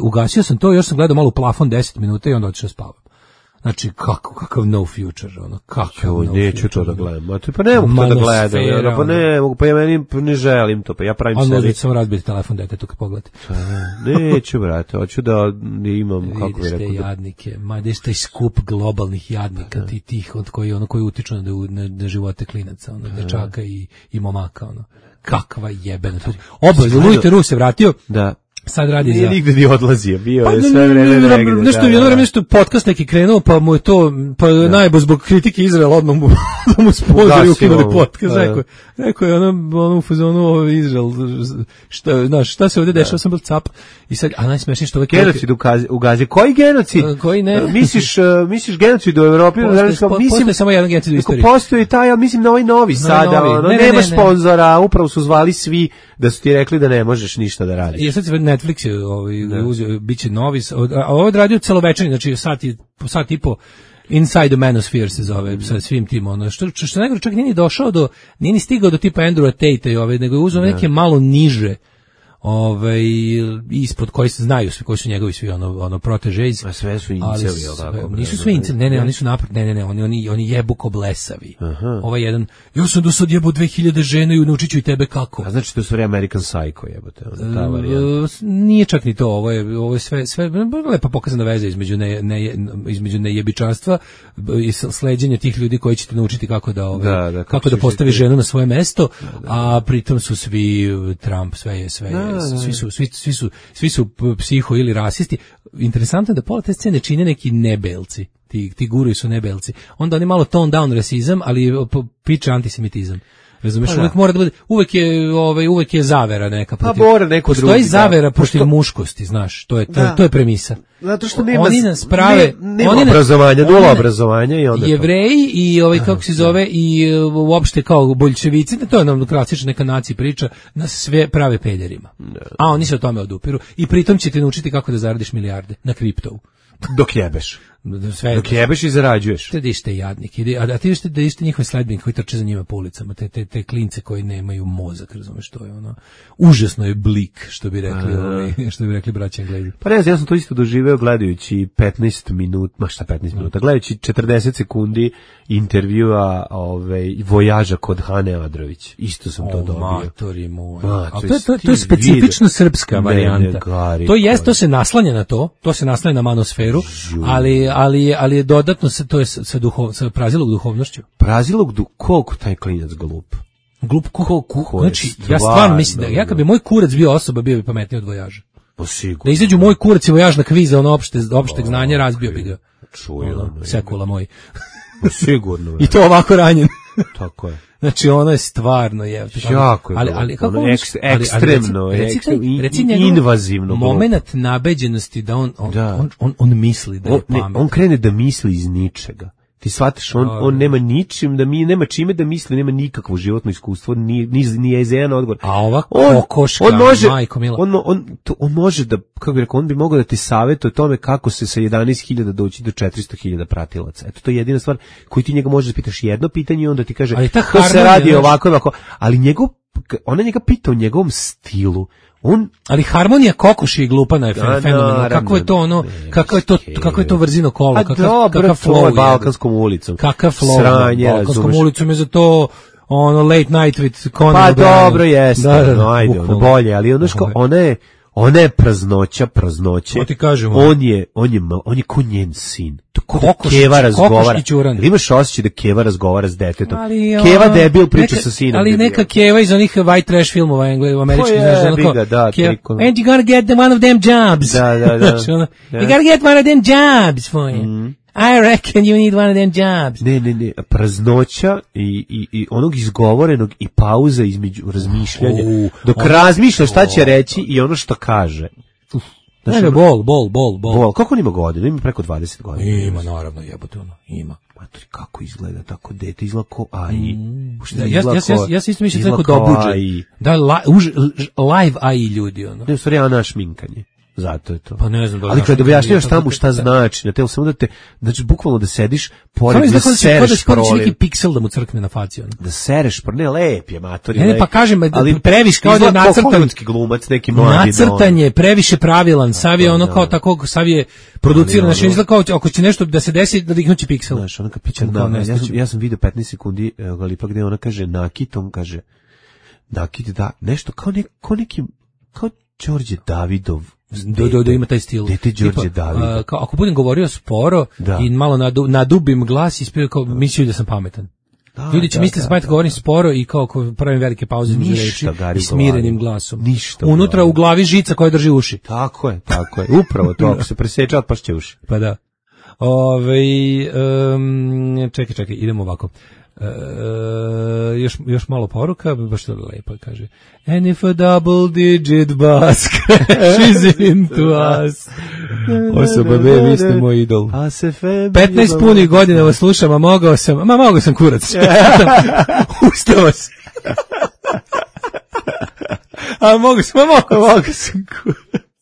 S7: ugasio sam to, još sam gledao malo u plafon 10 minuta i onda otišao spavam. Znači, kakav no future,
S6: neću to da gledam. Pa ne mogu to da gledam, pa ne mogu, pa ja meni ne želim to, pa ja pravim sebi.
S7: Ali samo razbiti telefon detetu kad pogledate.
S6: Neću, brate, hoću da imam, kako bi rekao.
S7: Vidiš te jadnike, vidiš taj skup globalnih jadnika, tih koji utiču na živote klinaca, dečaka i momaka, kakva jebena. Lujte Rus se vratio.
S6: Da.
S7: Sad radi
S6: nije nigde ni odlazio, bio je sve vreme negde.
S7: Jedno vreme što podcast neki krenuo, pa mu je to, najbolj zbog kritike Izraela odmah mu sponzori ukinuli podcast. Rekao je ono u fazonu Izrael, šta se ovdje dešava, sam bil cap. I sad, a najsmešnije što
S6: genocid u Gazi. Koji genocid?
S7: Koji ne?
S6: Misliš genocid u Evropi?
S7: Postoji samo jedan genocid u istoriji.
S6: Postoji taj, ja mislim na ovaj novi sada. Nema sponzora, upravo su zvali svi da su ti rekli da ne možeš ništa da radiš.
S7: I sad se Netflix je uzeo, bit će novi, a ovo je radio celovečerni, znači sat i po, Inside the Manosphere se zove, sa svim tim, što najgore, čak nije ni stigao do tipa Andrewa Tate nego je uzeo neke malo niže, ispod koji se znaju svi, koji su njegovi svi protežeji.
S6: A sve su inceli,
S7: nisu sve inceli, oni su napred, oni jebu ko blesavi. Ovaj jedan, ja sam do sad jebo 2000 žena i naučit ću i tebe kako.
S6: A znači to su American Psycho jebote, ta varijanta.
S7: Nije čak ni to, ovo je sve lepa pokazana veza između nejebičanstva i sleđenja tih ljudi koji će te naučiti kako da postavi ženu na svoje mesto, a pritom su svi Trump, sve je svi su psiho ili rasisti. Interesantno je da pola te scene čine neki nebelci, ti guruji su nebelci. Onda oni malo tone down rasizam, ali piče antisemitizam. Razumeš, uvek mora da bude, uvek je zavera neka protiv. Postoji zavera protiv muškosti, znaš, to je premisa.
S6: Zato što nema
S7: obrazovanja,
S6: nula obrazovanja i onda
S7: Jevreji i kako se zove i uopšte kao boljševici, to je nam klasična neka nacija priča, nas sve prave pederima. A oni se o tome odupiru i pritom će te naučiti kako da zaradiš milijarde na kriptovu.
S6: Dok jebeš. Dok jebeš i zarađuješ.
S7: Te dište jadnik. A ti dište njihove sledbenike koji trče za njima po ulicama. Te klince koji nemaju mozak, razumeš, to je užasno je blik, što bi rekli braća Englezi.
S6: Pa ne znam, ja sam to isto doživeo gledajući 15 minuta, gledajući 40 sekundi intervjua vojaža kod Hane Adrović. Isto sam to dobio.
S7: Matori moj. To je specifično srpska varijanta. To se naslanja na to se naslanja na manosferu, ali je dodatno to je sa prazilog duhovnošću.
S6: Koliko taj klinac glup?
S7: Glup koliko? Znači, ja stvarno mislim da kad bi moj kurac bio osoba, bio bi pametniji od vojaža. Da izađu moj kurac i vojaž na kvize, opšteg znanja, razbio bi ga. Sekula moj.
S6: Sigurno.
S7: I to ovako ranjen.
S6: Tako je.
S7: Znači, ono je stvarno
S6: jako je ekstremno, invazivno.
S7: Moment nabeđenosti da on misli da je pamet.
S6: On krene da misli iz ničega. Ti shvataš, on nema ničim, nema čime da misli, nema nikakvo životno iskustvo, ni je za jedan odgovor.
S7: A ova kokoška, majko mila.
S6: On može da, kako bih rekao, on bi mogao da ti savjetuje o tome kako se sa 11.000 doći do 400.000 pratilaca. Eto, to je jedina stvar koju ti njega možeš da pitaš jedno pitanje i onda ti kaže, to se radi ovako, ali ona njega pita o njegovom stilu.
S7: Ali harmonija kokoši je glupana je fenomenalna. Kako je to kako je to vrzino kolo, kakav flow
S6: Balkanskom ulicom.
S7: Kakav flow Balkanskom ulicom je za to ono Late Night with Conan
S6: Pa
S7: O'Brien.
S6: dobro jeste,
S7: Da,
S6: no, ajde, ono bolje, ali ono što, ona je praznoće.
S7: To ti kažemo.
S6: On je ko njen sin.
S7: Kokoš,
S6: Keva razgovara.
S7: Kokoš i Ćuran.
S6: Ili imaš osjećaj da Keva razgovara s detetom?
S7: Ali,
S6: Keva debil priča sa sinom.
S7: Ali neka Keva iz onih white trash filmova američkih, znaš, onako, and you gotta get one of them jobs.
S6: Da.
S7: Znači, ono, you gotta get one of them jobs for you. I reckon you need one of them jobs.
S6: Ne, praznoća i onog izgovorenog i pauza između razmišljanja. Dok razmišlja šta će reći i ono što kaže.
S7: Znači, bol.
S6: Kako on ima godina? Ima preko 20 godina.
S7: Ima, naravno, jebote ono, ima.
S6: Matori, kako izgleda tako dete? Izgleda ko AI.
S7: Ja se isto mislim da je tako dobuđe. Da, live AI ljudi, ono.
S6: Ne, u stvari, Ana šminkanje. Zato je to.
S7: Pa ne znam.
S6: Ali kada objašnjavaš tamo šta znači, na telo samo da te, znači bukvalno da sediš pored da sereš proliv.
S7: Kao neki piksel da mu crkne na faci. Ono.
S6: Da sereš proliv, ne, lep je, matori.
S7: Ne, pa kažem, previše kao da je nacrtan.
S6: Glumac, neki mladi.
S7: Nacrtan je previše pravilan, sav je ono kao tako, sav je produciran, znači izgleda kao ako će nešto da se desi, da dignući piksel.
S6: Znaš, ona kapića, ja sam vidio 15 sekundi Galipa gde ona kaže Nakit, on kaže Nakit, da, nešto kao neki, kao Đorđe Davidov.
S7: Da ima taj stil.
S6: Dete Đorđe Davida.
S7: Ako budem govorio sporo i malo nadubim glas, ispio kao mislio da sam pametan. Ljudi će misliti da sam pametan, govorim sporo i kao pravim velike pauze između reči i smirenim glasom.
S6: Ništa.
S7: Unutra u glavi žica koja drži uši.
S6: Tako je. Upravo to, ako se preseča, otpašće uši.
S7: Pa da. Čekaj, idemo ovako. Još malo poruka, baš to lepo kaže. And if a double digit bus crashes into us. Osoba B, vi ste moj idol. 15 punih godina vas slušam, a mogao sam kurac. Ustao sam. A mogao sam kurac.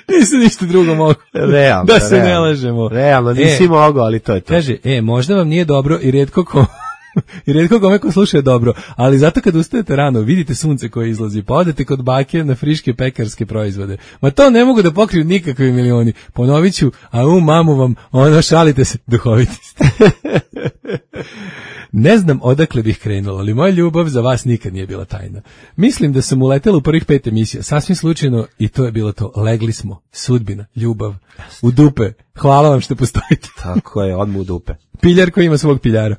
S7: Nisam ništa drugo mogu.
S6: Realno.
S7: Da se ne lažemo.
S6: Realno, nisi mogao, ali to je to.
S7: Kaže, možda vam nije dobro i rijetko kome ko sluša je dobro, ali zato kad ustajete rano, vidite sunce koje izlazi, pa odete kod bake na friške pekarske proizvode. Ma to ne mogu da pokriju nikakvi milioni. Ponovit ću, a mamu vam, šalite se, duhoviti ste. Ne znam odakle bih krenula, ali moja ljubav za vas nikad nije bila tajna. Mislim da sam uletela u prvih 5 emisija, sasvim slučajno, i to je bilo to. Legli smo, sudbina, ljubav, u dupe. Hvala vam što postojite.
S6: Tako je, odmah u dupe.
S7: Piljar koji ima svog piljara.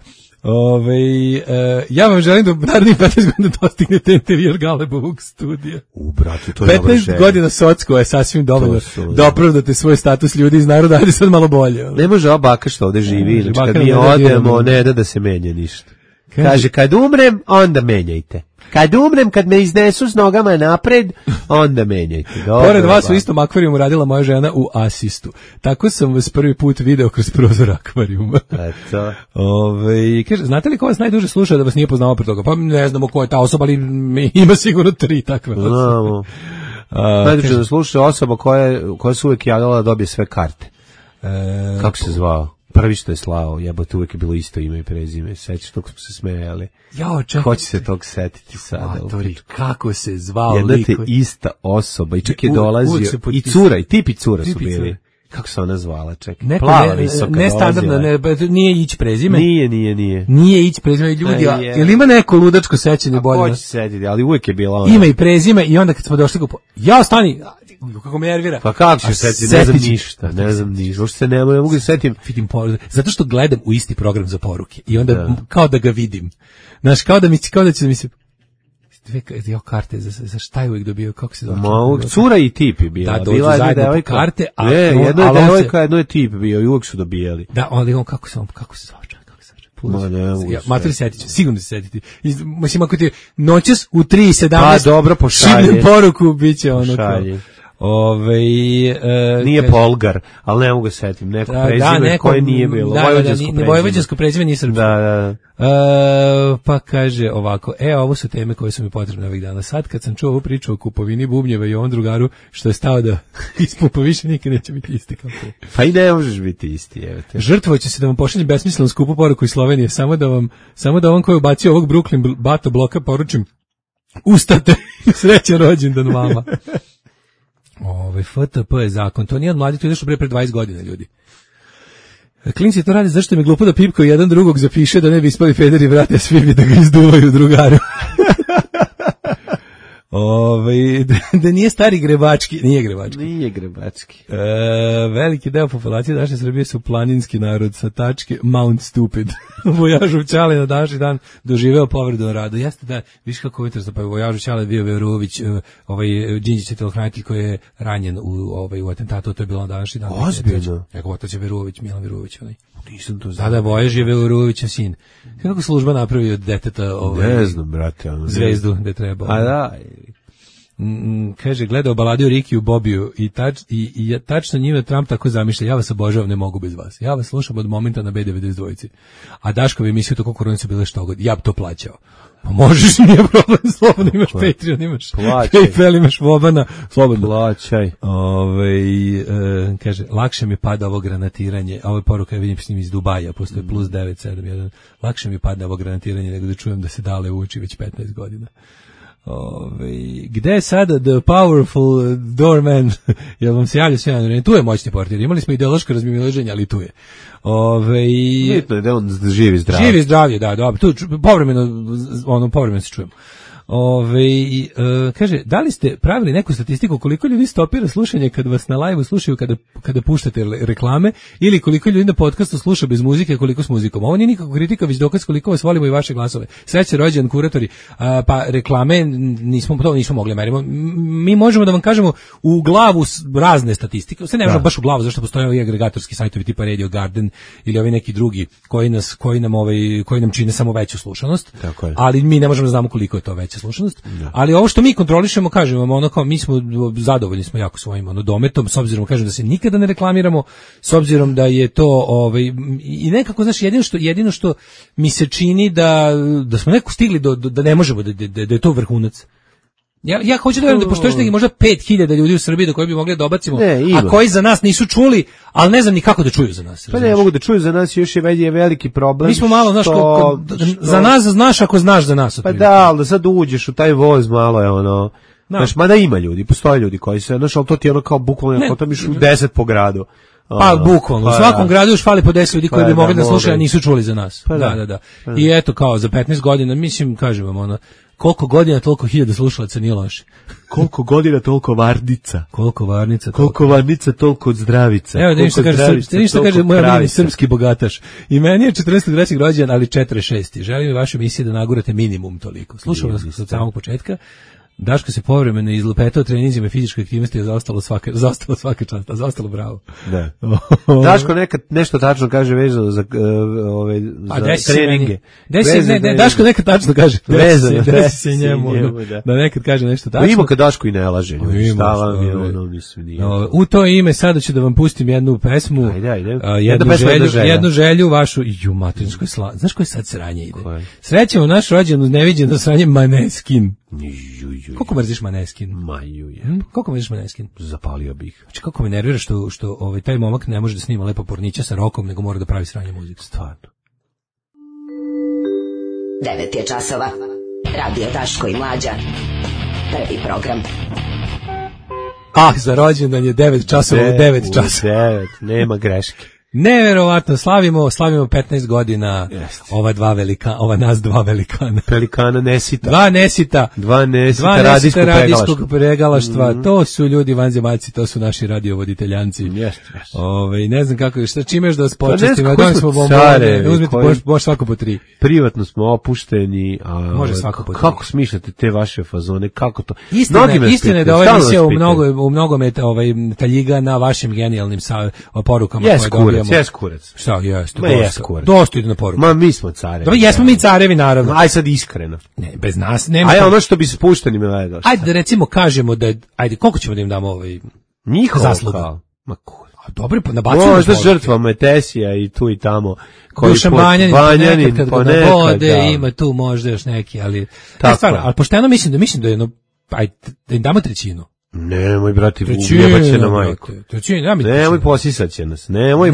S7: Ja vam želim da narednih 15 godina dostignete intervjuer Galebovog studija.
S6: Brate, to je
S7: 15 godina socko je sasvim dovoljno da opravdate svoj status ljudi iz naroda, ajde sad malo bolje.
S6: Ne može ova baka što ovde živi, znači kad mi odemo, ne da se menja ništa. Kaže, kad umrem, onda menjajte. Kad umrem, kad me iznesu s nogama napred, onda menjajte.
S7: Pored vas u istom akvarijumu radila moja žena u asistu. Tako sam vas prvi put video kroz prozor akvarijuma.
S6: Eto.
S7: Kaže, znate li ko vas najduže sluša da vas nije poznao pre toga? Pa ne znamo ko je ta osoba, ali ima sigurno 3 takve osobe.
S6: Znamo. Najduže da sluša osoba koja se uvijek javila da dobije sve karte. Kako se zvao? Prvi što je slao, jebote, uvijek je bilo isto ime i prezime. Sećaš, tog smo se smejali. Ko će se tog setiti sada?
S7: Matori, kako se zvao
S6: jedna te ista osoba i čak je dolazio i cura, i tip i cura su bili. Kako se ona zvala, čekaj? Plava visoka.
S7: Ne standardno, nije ići prezime.
S6: Nije.
S7: Nije ići prezime, ljudi, jel ima neko ludačko sećanje bolje?
S6: Ko će setiti, ali uvijek je bila ona.
S7: Ima i prezime i onda kad smo došli ja stani, kako me nervira.
S6: Pa kako ću setiti, ne znam ništa. Uopšte se ne mogu da setim.
S7: Zato što gledam u isti program za poruke i onda kao da ga vidim. Znaš, kao da će mi se dve karte za šta je uvijek dobio, kako se zove?
S6: Cura i tip je bila.
S7: Da, dođu zajedno po karte.
S6: Jedno je devojka, jedno je tip bio i uvijek su dobijali.
S7: Da, ali on kako se zove? Matori setit ću, sigurno se setiti. Mislim, ako ti noćas u 3:17
S6: pa dobro, pošalje.
S7: Šibnem poruku, bit će ono kao.
S6: Nije Polgar, ali ne mogu ga setim. Neko prezime koje nije bilo.
S7: Vojvođansko prezime nije srpsko.
S6: Da.
S7: Pa kaže ovako, ovo su teme koje su mi potrebne ovih dana. Sad kad sam čuo ovu priču o kupovini bubnjeva i ovom drugaru što je stao da ispupa više nikad neće biti isti kao to.
S6: Pa i ne možeš biti isti.
S7: Žrtvoće se da vam pošaljem besmislenu skupu poruku iz Slovenije, samo da vam koji ubacio ovog Brooklyn Bato bloka poručim, ustate, srećan rođendan vama. FTP je zakon, to nije od mladih, to je nešto pre 20 godina, ljudi. Klinci to radi zašto mi je glupo da pipkaju jedan drugog zapiše da ne bi ispali pederi vrate, a svi bi da ga izduvaju drugaru. Da nije stari Grebački, nije Grebački. Veliki deo populacije naše Srbije su planinski narod sa tačke Mount Stupid. Vojažu Ćale na današnji dan doživeo povredu na radu. Jeste da, viš kako interesno, pa Vojažu Ćale bio Verović, Đinđić telohranitelj koji je ranjen u atentatu, to je bilo na današnji dan.
S6: Ozbiljno.
S7: Eko, otac je Verović, Milan Verović,
S6: Nisam to znao.
S7: Da, Vojaž je Verovićev sin. Kako služba napravi od deteta
S6: ne znam, brate,
S7: zvezdu gde treba.
S6: A da,
S7: kaže, gledao baladiju Riki u Bobiju i tačno njime Trump tako zamišlja, ja vas obožavam, ne mogu bez vas. Ja vas slušam od momenta na B92. A Daškovi emisiju toliko koronice bile što god, ja bi to plaćao. Pa možeš, nije problem, slobodno imaš Patreon, imaš PayPal, imaš Vobana, slobodno.
S6: Plaćaj.
S7: Kaže, lakše mi pada ovo granatiranje, a ovo je poruka, ja vidim s njim iz Dubaja, postoje plus 971, lakše mi pada ovo granatiranje nego da čujem da se Dale uči već 15 godina. Gde je sada the powerful doorman? Jel vam se javlja sve na vreme? Tu je moćni portir. Imali smo ideološko razmimoilaženje, ali tu je.
S6: Bitno je da on živi zdravlje.
S7: Živi zdravlje, da, dobro. Tu povremeno se čujemo. Kaže, da li ste pravili neku statistiku koliko ljudi stopira slušanje kad vas na live-u slušaju kada puštate reklame ili koliko ljudi na podcastu sluša bez muzike, koliko s muzikom? Ovo nije nikako kritika, već dokaz koliko vas volimo i vaše glasove. Sreće rođendan kuratori, pa reklame nismo mogli merimo. Mi možemo da vam kažemo u glavu razne statistike, sve ne možemo baš u glavu, zašto postoje ovi agregatorski sajtovi tipa Radio Garden ili ovi neki drugi koji nam čine samo veću slušanost, ali mi ne možemo da znamo koliko je to veća slušanost, ali ovo što mi kontrolišemo, kažemo, ono kao mi smo zadovoljni smo jako svojim dometom, s obzirom kažem da se nikada ne reklamiramo, s obzirom da je to i nekako, znaš, jedino što mi se čini da smo nekako stigli da ne možemo, da je to vrhunac. Ja hoću da verujem da postoji neki možda 5000 ljudi u Srbiji do koje bi mogli da obacimo, a koji za nas nisu čuli, ali ne znam ni kako da čuju za nas.
S6: Pa ne mogu da čuju za nas, još je veliki problem.
S7: Mi smo malo, znaš, za nas znaš ako znaš za nas.
S6: Pa da, ali da sad uđeš u taj voz malo je ono, znaš, mada ima ljudi, postoje ljudi koji se, znaš, ali to ti je ono kao bukvalno, ako tam išli 10 po gradu.
S7: Pa bukvalno, u svakom gradu još fali po 10 ljudi koji bi mogli da slušaju, a nisu čuli za nas. Da. I eto, kao za 15 godina, mislim, kažem vam, ono, koliko godina, toliko 1000 slušalaca, nije loše.
S6: Koliko godina, toliko varnica.
S7: Koliko varnica,
S6: toliko zdravica.
S7: Evo, da ništa kaže moj omiljeni srpski bogataš. I meni je 43. rođendan, ali 46. Želim vašu emisiju da nagurate minimum toliko. Slušao vas od samog početka. Daško se povremeno izlupetao treninzima i fizičke aktivnosti je zaostalo svaka čast, a zaostalo bravo.
S6: Da. Daško nekad nešto tačno kaže vezano za treninge.
S7: Daško nekad tačno kaže.
S6: Desi
S7: se njemu. Da nekad kaže nešto tačno.
S6: Ima kad Daško i ne laže. Šta vam je
S7: u to ime sada ću da vam pustim jednu pesmu. Jednu želju vašu. Ju, materinskoj slavi. Znaš koje sad sranje ide? Srećemo naš rođendan uz neviđeno sranje Maneskin. Koliko mrziš Maneskin? Koliko mrziš Maneskin?
S6: Zapalio bih.
S7: Znači, kako me nervira što taj momak ne može da snima lepo pornića sa rokom, nego mora da pravi sranje muziku.
S6: Stvarno.
S4: 9 je časova. Radio Daško i Mlađa. Prvi program.
S7: Za rođendan je 9 časova u 9 časova.
S6: 9, nema greške.
S7: Neverovatno, slavimo 15 godina. Ova nas dva velikana.
S6: Pelikana Nesita.
S7: Dva nesita radijskog pregalaštva. To su ljudi vanzemaljci, to su naši radiovoditeljanci. Ne znam kako, čime još da vas počestimo. Uzmite može svako po 3.
S6: Privatno smo opušteni.
S7: Može svako po 3.
S6: Kako smišljate te vaše fazone? Kako to?
S7: Istina je da ova emisija u mnogome taljiga na vašim genijalnim porukama koje dobijamo.
S6: Jes kurac.
S7: Šta, jeste.
S6: Dosta
S7: ide na poruku.
S6: Ma mi smo carevi.
S7: Dobro, jesmo mi carevi, naravno.
S6: Aj sad iskreno.
S7: Ne, bez nas nema.
S6: Aj ono što bi spušteni me gledao.
S7: Ajde da recimo kažemo da koliko ćemo da im damo
S6: njihov
S7: zasluga. Ma dobro, pa nabacujemo.
S6: Možda žrtvama Tesija i tu i tamo.
S7: Dušan Banjanin, kad ga nabode, ima tu možda još neki, ali stvarno, ali pošteno mislim da je jedno, ajde, da im damo trećinu.
S6: Nemoj, brati, ujebat će na majku. Nemoj, posisat će nas.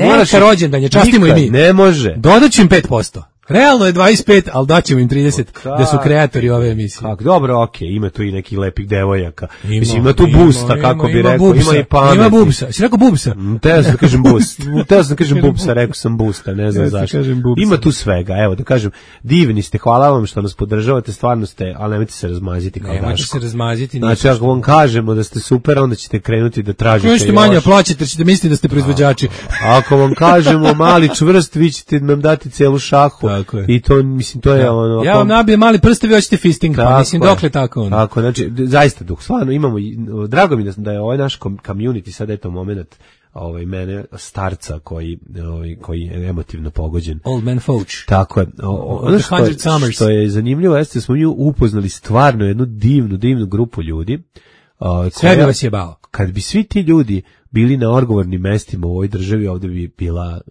S6: Moraš
S7: rođendan je, častimo i mi.
S6: Ne može.
S7: Dodat ću im 5%. Realno je 25, ali daćemo im 30 da su kreatori ove emisije.
S6: Kako, dobro, okej, ima tu i nekih lepih devojaka. Mislim, ima tu busta, kako bi rekao,
S7: bubsa,
S6: ima i pameti.
S7: Ima bubsa, si rekao bubsa?
S6: Teo sam da kažem bust. Teo sam da kažem bubsa, rekao sam busta, ne znam zašto. Ima tu svega, evo da kažem, divni ste, hvala vam što nas podržavate, stvarno ste, ali nemojte se razmaziti kao Daško.
S7: Nemojte se razmaziti.
S6: Znači, ako vam kažemo da ste super, onda ćete krenuti da tražite još.
S7: Možete manje plaćati, jer ćete misliti da ste proizvođači.
S6: Ako vam kažemo mali čvrst, vi ćete nam dati celu šahu. I to, mislim, to je ono...
S7: Ja vam nabijem mali prst, vi hoćete fisting, pa mislim, dokle tako ono.
S6: Tako, znači, zaista, dok stvarno imamo, drago mi da je ovaj naš community, sad je to moment, mene starca koji je emotivno pogođen.
S7: Old man Fouch.
S6: Tako je. Ono što je zanimljivo jeste, smo mi upoznali stvarno jednu divnu grupu ljudi.
S7: Sve bi vas jebao.
S6: Kad bi svi ti ljudi bili na odgovornim mestima u ovoj državi, ovdje bi bila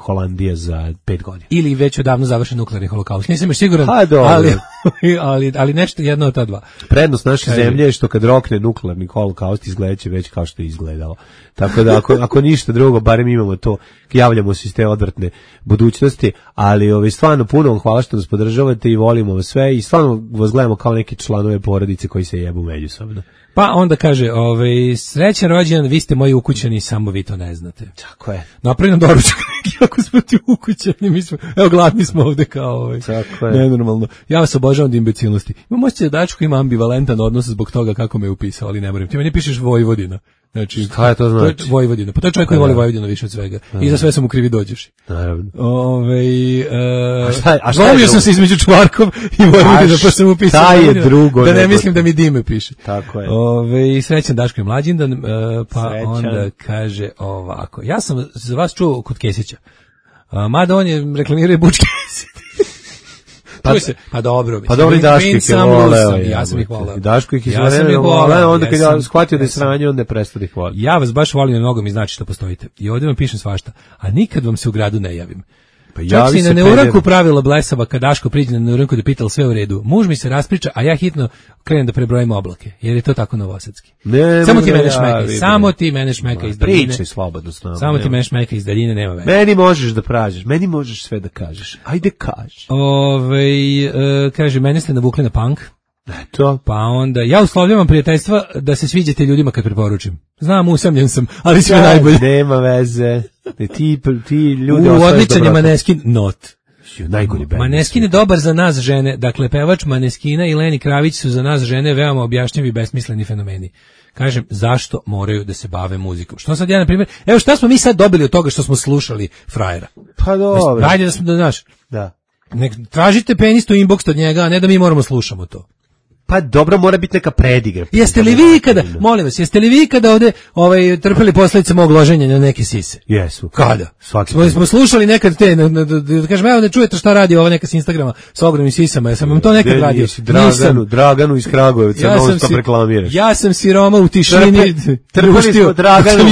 S6: Holandija za 5 godina.
S7: Ili već odavno završen nuklearni holokaust. Nisam još siguran, ali nešto jedno od ta dva.
S6: Prednost naše zemlje je što kad rokne nuklearni holokaust izgledaće već kao što je izgledalo. Tako da ako ništa drugo, barem imamo to, javljamo se iz te odvratne budućnosti, ali stvarno puno vam hvala što nas podržavate i volimo vas sve i stvarno vas gledamo kao neki članove porodice koji se jebu međusobno.
S7: Pa onda kaže, srećan rođendan, vi ste moji ukućani, samo vi to ne znate.
S6: Tako je.
S7: Napravi nam doručak, ako smo ti ukućani, mi smo, evo gladni smo ovde kao
S6: Tako je.
S7: Nenormalno. Ja vas obožavam od imbecilnosti. Imam osjećaj da Dačko ima ambivalentan odnos zbog toga kako me je upisao, ali ne moram. Ti meni pišeš Vojvodina. Znači,
S6: šta je to znači?
S7: To je Vojvodina. Pa to je čovjek koji voli Vojvodinu više od svega. I za sve sam u krivi dođeš.
S6: Naravno.
S7: Volio sam se između Čvarkov i Vojvodina, pa sam upisao.
S6: Šta je drugo?
S7: Da ne mislim da mi Dime piše.
S6: Tako je.
S7: Srećan Daško i mlađindan, pa onda kaže ovako. Ja sam za vas čuo kod Kesića. Mada on je reklamirao bučke. Pa dobro.
S6: Pa dobro i Daško ih je voleo.
S7: Ja sam ih voleo.
S6: Daško ih je voleo, onda kad ja shvatio da je sranje, onda je prestao da ih voleo.
S7: Ja vas baš volim, mnogo mi znači što postojite. I ovdje vam pišem svašta. A nikad vam se u gradu ne javim. Pa čak si na neuranku pravila blesava kad Daško priđe na neuranku da pital sve u redu. Muž mi se raspriča, a ja hitno krenem da prebrojim oblake, jer je to tako novosadski. Samo ti mene šmekaj, samo ti mene šmekaj iz daljine.
S6: Pričaj slobodno s nama.
S7: Samo ti mene šmekaj iz daljine, nema veze.
S6: Meni možeš da pražiš, meni možeš sve da kažeš. Ajde kaži.
S7: Kaže, mene ste navukli na punk.
S6: To.
S7: Pa onda, ja uslovljavam prijateljstva da se sviđate ljudima kad preporučim. Znam, usamljen sam, ali sve najbolje.
S6: Nema veze. Ti ljudi
S7: odličan je Maneskin, not.
S6: Najgori band.
S7: Maneskin je dobar za nas žene, dakle pevač Maneskina i Leni Kravić su za nas žene veoma objašnjivi i besmisleni fenomeni. Kažem, zašto moraju da se bave muzikom? Što sad ja, na primjer, evo šta smo mi sad dobili od toga što smo slušali frajera?
S6: Pa dobro.
S7: Ajde da smo, znaš,
S6: da.
S7: Nek tražite penistu inbox od njega, a ne da mi moramo slušamo to.
S6: Pa dobro, mora biti neka predigra.
S7: Jeste li vi kada, molim vas, jeste li vi kada ovde trpeli posljedice mog loženja na neke sise?
S6: Jesu.
S7: Kada?
S6: Svaki
S7: smo slušali nekad te, da kažem, evo ne čujete šta radi ova neka s Instagrama s ogromnim sisama, ja sam vam to nekad radio.
S6: Draganu iz Kragujevca, non stop reklamiraš.
S7: Ja sam siroma u tišini.
S6: Trpeli smo Draganu,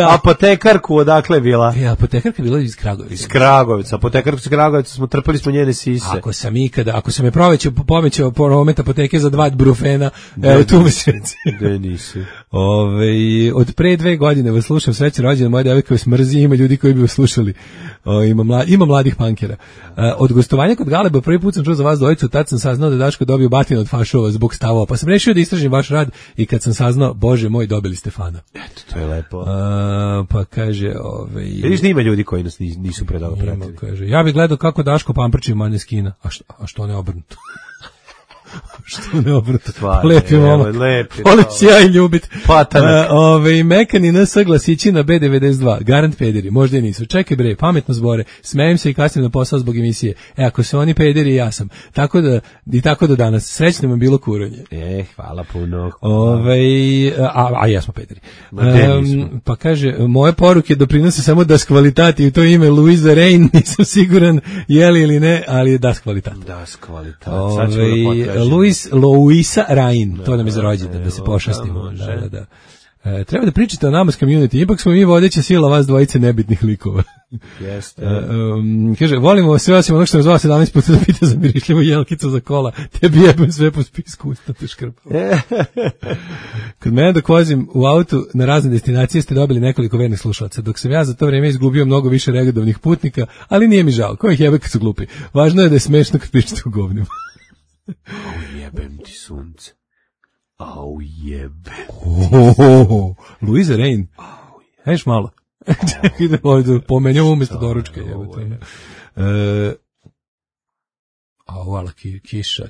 S6: apotekarku, odakle bila?
S7: Apotekarka bila iz Kragujevca.
S6: Iz Kragujevca, apotekarku iz Kragujevca, trpeli smo njene sise.
S7: Ako sam je povećao promet apoteke za 2 brufena, evo tu mi se reci.
S6: Da nisi.
S7: Od pre 2 godine vas slušam, srećan rođendan, moja devojka vas mrzi, ima ljudi koji bi vas slušali. Ima mladih pankera. Od gostovanja kod Galeba prvi put sam čuo za vas dvojicu, tad sam saznao da Daško dobio batinu od fašova zbog stavova, pa sam rešio da istražim vaš rad i kad sam saznao, Bože moj, dobili ste fana.
S6: Eto, to je lepo.
S7: Pa kaže...
S6: Vidiš da ima ljudi koji nas nisu predalo pratili.
S7: Kaže, ja bih gledao kako Daško pamprči Maneskina, a što ne obrnuto? Što ne obrnuto? Lepi momak. Volim si ja i ljubit. Mekani NS glasići na B92. Garant pederi, možda i nisu. Čekaj bre, pametno zbore. Smejem se i kasnim na posao zbog emisije. Ako su oni pederi, ja sam. Tako do danas. Srećno vam bilo kuranje.
S6: Hvala puno.
S7: A jesmo pederi. Pa kaže, moje poruke doprinose samo das kvalitati, u to ime Luisa Rain, nisam siguran je li ili ne, ali je das kvalitat.
S6: Das kvalitat. Sad ćemo da potkažemo.
S7: Luisa Rain, to nam je za rođendan, da se pošastimo. Da. Treba da pričate o nama s community, ipak smo mi vodeća sila vas dvojice nebitnih likova.
S6: Jeste.
S7: Kaže, volimo sve osim onog što me zvao 17 puta da pita za mirišljivu jelkicu za kola, te bi jebem sve po spisku usta te škrpao. Kad mene dok vozim u autu na razne destinacije ste dobili nekoliko vernih slušalaca, dok sam ja za to vrijeme izgubio mnogo više regadovnih putnika, ali nije mi žao, ko ih jebe kad su glupi. Važno je da je smešno kad pričate u govnima.
S6: Au jebem ti sunce. Au jebem.
S7: Luisa Rain. Hajš malo. Ide ovdje, pomenjamo umjesto doručka. Ala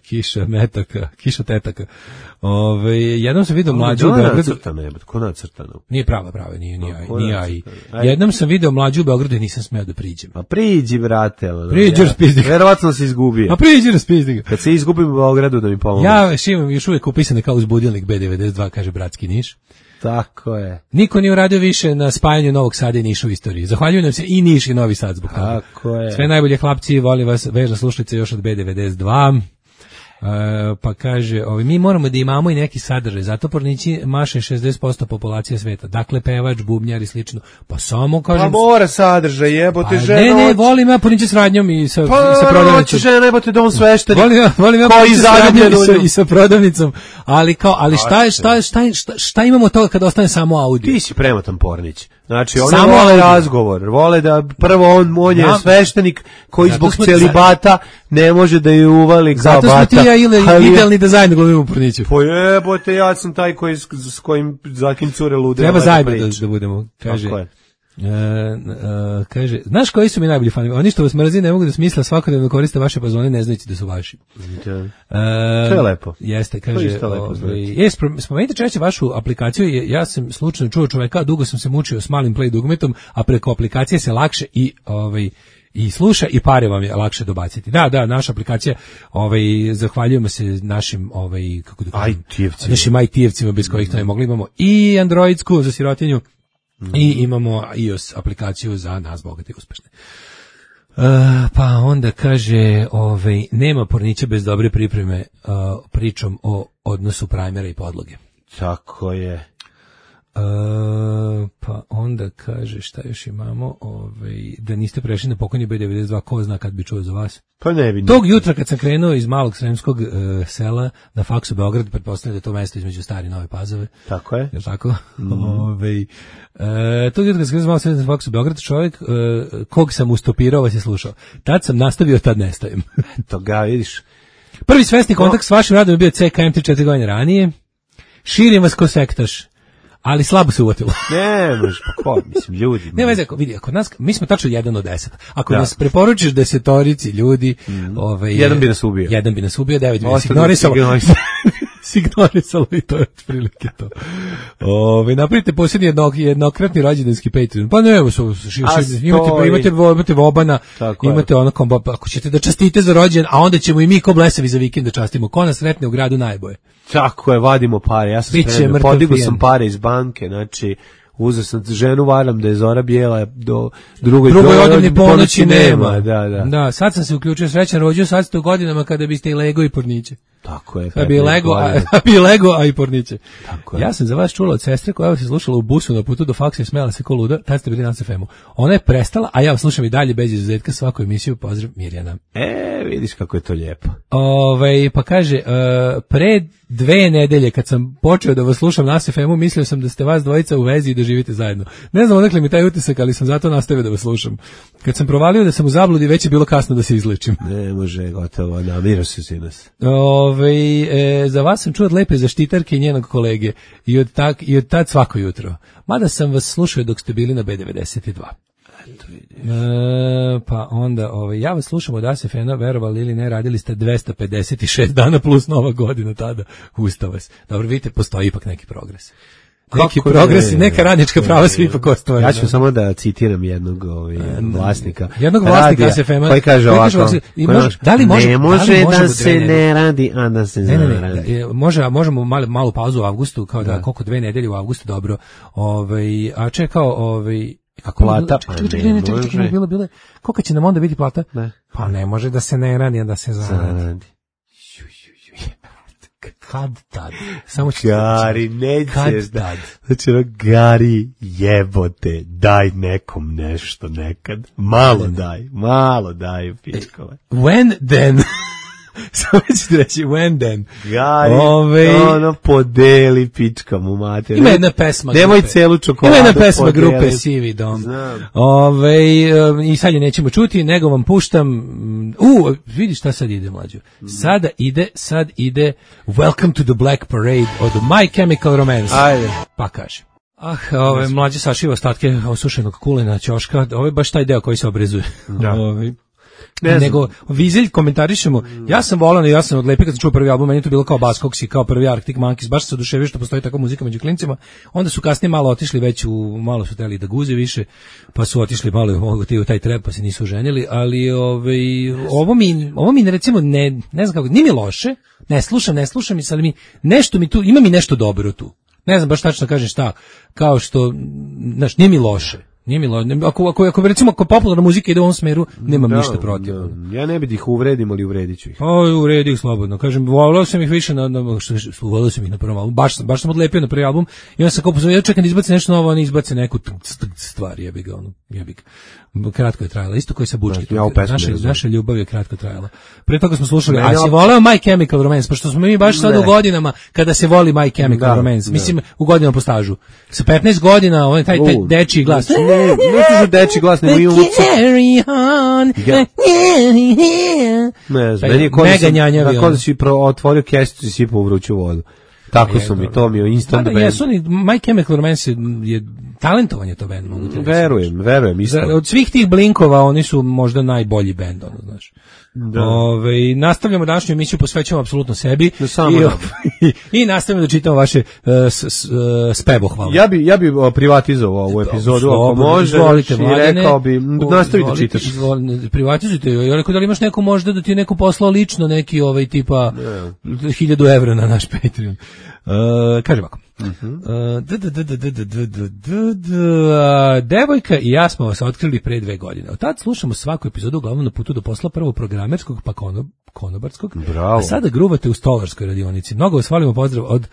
S7: kiša metaka, kiša tetaka. Jednom sam vidio mlađu u Beogradu.
S6: Ko nacrtano?
S7: Nije prava, nije AI. Jednom sam vidio mlađu u Beogradu i nisam smeo da priđem.
S6: A priđi, brate.
S7: Priđi, raspizdi ga.
S6: Verovatno se izgubio.
S7: A priđi, raspizdi ga.
S6: Kad se izgubim u Beogradu da mi pomoći.
S7: Ja imam još uvijek upisane kao uz budilnik B92, kaže bratski Niš.
S6: Tako je.
S7: Niko nije uradio više na spajanju Novog Sada i Niša u istoriji. Zahvaljujem nam se i Niš i Novi Sad zbog toga.
S6: Tako je.
S7: Sve najbolje hlapci, volim vas, vežna slušalica još od B92. Pa kaže, mi moramo da imamo i neki sadržaj, zato pornići maše 60% populacije sveta. Dakle, pevač, bubnjar i slično. Pa samo kažem...
S6: Pa mora sadržaj, jebote, žena...
S7: Ne, volim ja pornići s radnjom i sa prodavnicom. Pa
S6: hoće žena, jebote, dom sveštenik.
S7: Volim ja pornići s radnjom i sa prodavnicom. Ali šta imamo toga kada ostane samo audio?
S6: Ti si premotan Pornić. Znači, oni vole razgovor, vole da prvo on je sveštenik koji zbog celibata ne može da ju uvali kao bata.
S7: Zato smo ti ja idealni da zajedno glumimo Porniću.
S6: Po jebote, ja sam taj s kojim zakim cure lude.
S7: Treba zajedno da budemo, kaže. Tako je. Kaže, znaš koji su mi najbolji fanovi? Oni što vas mrzi ne mogu da smisla svakodnevno koriste vaše pazone ne znajući da su vaši.
S6: To je lepo.
S7: Jeste, kaže. Spomenite češće vašu aplikaciju. Ja sam slučajno čuo čoveka, dugo sam se mučio s malim play dugmetom, a preko aplikacije se lakše i sluša i pare vam je lakše dobaciti. Da, naša aplikacija, zahvaljujemo se našim kako da kažem, našim IT-evcima bez kojih to ne mogli. Imamo i androidsku za sirotinju. I imamo iOS aplikaciju za nas bogate i uspešne. Pa onda kaže, nema pornića bez dobre pripreme pričom o odnosu primera i podloge.
S6: Tako je.
S7: Pa onda kaže, šta još imamo, da niste prešli na pokojni B92, ko zna kad bi čuo za vas.
S6: Pa ne bi.
S7: Tog jutra kad sam krenuo iz malog sremskog sela na faksu Beograd, pretpostavljam da je to mesto između Stare i Nove Pazove.
S6: Tako je.
S7: Je tako? Tog jutra kad sam krenuo iz malog sremskog na faksu Beograd, čovjek kog sam ustopirao vas je slušao. Tad sam nastavio, tad nestajem.
S6: To ga vidiš.
S7: Prvi svesni kontakt s vašim radom je bio CKM 3-4 godine ranije. Širim vas ko sektaš. Ali slabo se uvatilo.
S6: Ne, pa ko, mislim, ljudi.
S7: Ne veze, vidi, ako nas, mi smo tačno 1 od 10. Ako nas preporučiš 10 ljudi,
S6: jedan bi nas ubio.
S7: 1 bi nas ubio, 9 bi nas ignorisalo. Signorisalo i to je otprilike to. Napravite posljednji jednokratni rođendanski Patreon. Pa ne, imate vobana, imate ono kombo, ako ćete da častite za rođendan, a onda ćemo i mi ko blesavi za vikend da častimo. Ko nas sretne u gradu najboje.
S6: Tako je, vadimo pare. Ja sam spremio, podigao sam pare iz banke, znači uzeo sam ženu, varam da je zora bijela, do drugoj
S7: odavni ponoći nema.
S6: Da,
S7: sad sam se uključio, srećan rođio, sad ste u godinama kada biste i lego i porniće.
S6: Tako je.
S7: Bi lego, a i porniće. Ja sam za vas čula od sestre koja vas je slušala u busu na putu do faksa i smela se ko luda, tad ste bili na FM-u. Ona je prestala, a ja vas slušam i dalje bez izuzetka svaku emisiju. Pozdrav, Mirjana.
S6: Vidiš kako je to lijepo.
S7: Pa kaže, pre 2 nedelje kad sam počeo da vas slušam na FM-u, mislio sam da ste vas dvojica u vezi i da živite zajedno. Ne znam odakle mi taj utisak, ali sam zato nastavio da vas slušam. Kad sam provalio da sam u zabludi, već je bilo kasno da se izlečim.
S6: Ne može, gotovo, namiraš se sinas.
S7: Za vas sam čuo od lepe zaštitarke i njenog kolege i od tad svako jutro. Mada sam vas slušao dok ste bili na B92. Pa onda, ja vas slušam od ASFN-a, verovali ili ne, radili ste 256 dana plus Nova godina tada. Ustao vas. Dobro, vidite, postoji ipak neki progres. Neki progres i neka radnička prava svi ipak ostvarili.
S6: Ja ću samo da citiram jednog vlasnika.
S7: Jednog vlasnika ASFM-a.
S6: Koji kaže ovako. Ne može da se ne radi, a da se zaradi.
S7: Možemo malu pauzu u avgustu, kao da koliko 2 nedelje u avgustu, dobro. A čekao, kako
S6: plata,
S7: bilo, koliko će nam onda biti plata?
S6: Ne.
S7: Pa ne može da se ne radi, a da se zaradi. kad tad. Samo
S6: Gari, nećeš
S7: kad
S6: da.
S7: tad.
S6: Znači, Gari, jebote, daj nekom nešto nekad. Malo daj, pičkove.
S7: When then? Samo ću reći, when then?
S6: Gari, ono podeli pička mu mater.
S7: Ima jedna pesma
S6: Nemoj
S7: grupe.
S6: celu čokoladu
S7: Ima jedna pesma
S6: podeli.
S7: grupe Sivi dom.
S6: Znam.
S7: I sad je nećemo čuti, nego vam puštam. Vidi šta sad ide, mlađo. Sad ide Welcome to the Black Parade od My Chemical Romance.
S6: Ajde.
S7: Pa kaže. Mlađe sašiva ostatke osušenog kulena ćoška. Ovo je baš taj deo koji se obrezuje.
S6: Da.
S7: Nego Vizelj komentarišemo. Ja sam od Lepe kad sam čuo prvi album, meni je to bilo kao Buzzcocks i kao prvi Arctic Monkeys, baš se oduševio što postoji takva muzika među klincima. Onda su kasnije malo otišli već malo su teli da guze više, pa su otišli malo u taj trap, pa se nisu oženili, ali ovo mi recimo ne znam kako, nije mi loše, ne slušam i sad nešto mi tu, ima mi nešto dobro tu. Ne znam baš tačno da kažem šta, kao što, znaš, nije mi loše. Ako recimo ako popularna muzika ide u ovom smeru, nemam ništa protiv.
S6: Ja ne bih ih uvredim, ali uvredit ću ih.
S7: Uvredi ih slobodno. Kažem, volao sam ih više volao sam ih na prvom albumu. Baš sam odlepio na prvi album. I onda sam kao pozvao, ja čekam da izbaci nešto novo, oni izbace neku stvar, jebi ga. Kratko je trajala, isto koji sa Bučki. Naša ljubav je kratko trajala. Pre toga smo slušali, a si voleo My Chemical Romance, pošto smo mi baš sad u godinama kada se voli My Chemical Romance. Mislim, u godinama po stažu. Sa 15 godina, taj dečiji glas.
S6: Ne kažu dečiji glas, nego imamo
S7: carry on.
S6: Ne znam, meni je kod da si otvorio kesicu i sipao u vruću vodu. Tako su mi, to mi je instant band.
S7: Jesu oni, My Chemical Romance je talentovan je to band.
S6: Verujem, isto.
S7: Od svih tih Blinkova oni su možda najbolji band, znaš. Da. Nastavljamo današnju emisiju, posvećujemo apsolutno sebi i nastavljamo da čitamo vaše spevohvale.
S6: Ja bi privatizovao ovu epizodu, ako može, i rekao bi, nastavi da čitaš.
S7: Privatizujte, ja rekao da li imaš neko možda da ti je neko poslao lično neki tipa 1000 evra na naš Patreon. Kaže ovako. Devojka i ja smo vas otkrili pre 2 godine. Od tad slušamo svaku epizodu uglavnom na putu do posla, prvo programerskog pa konobarskog.
S6: Bravo.
S7: A sada gruvate u stolarskoj radionici. Mnogo vas volimo, pozdrav od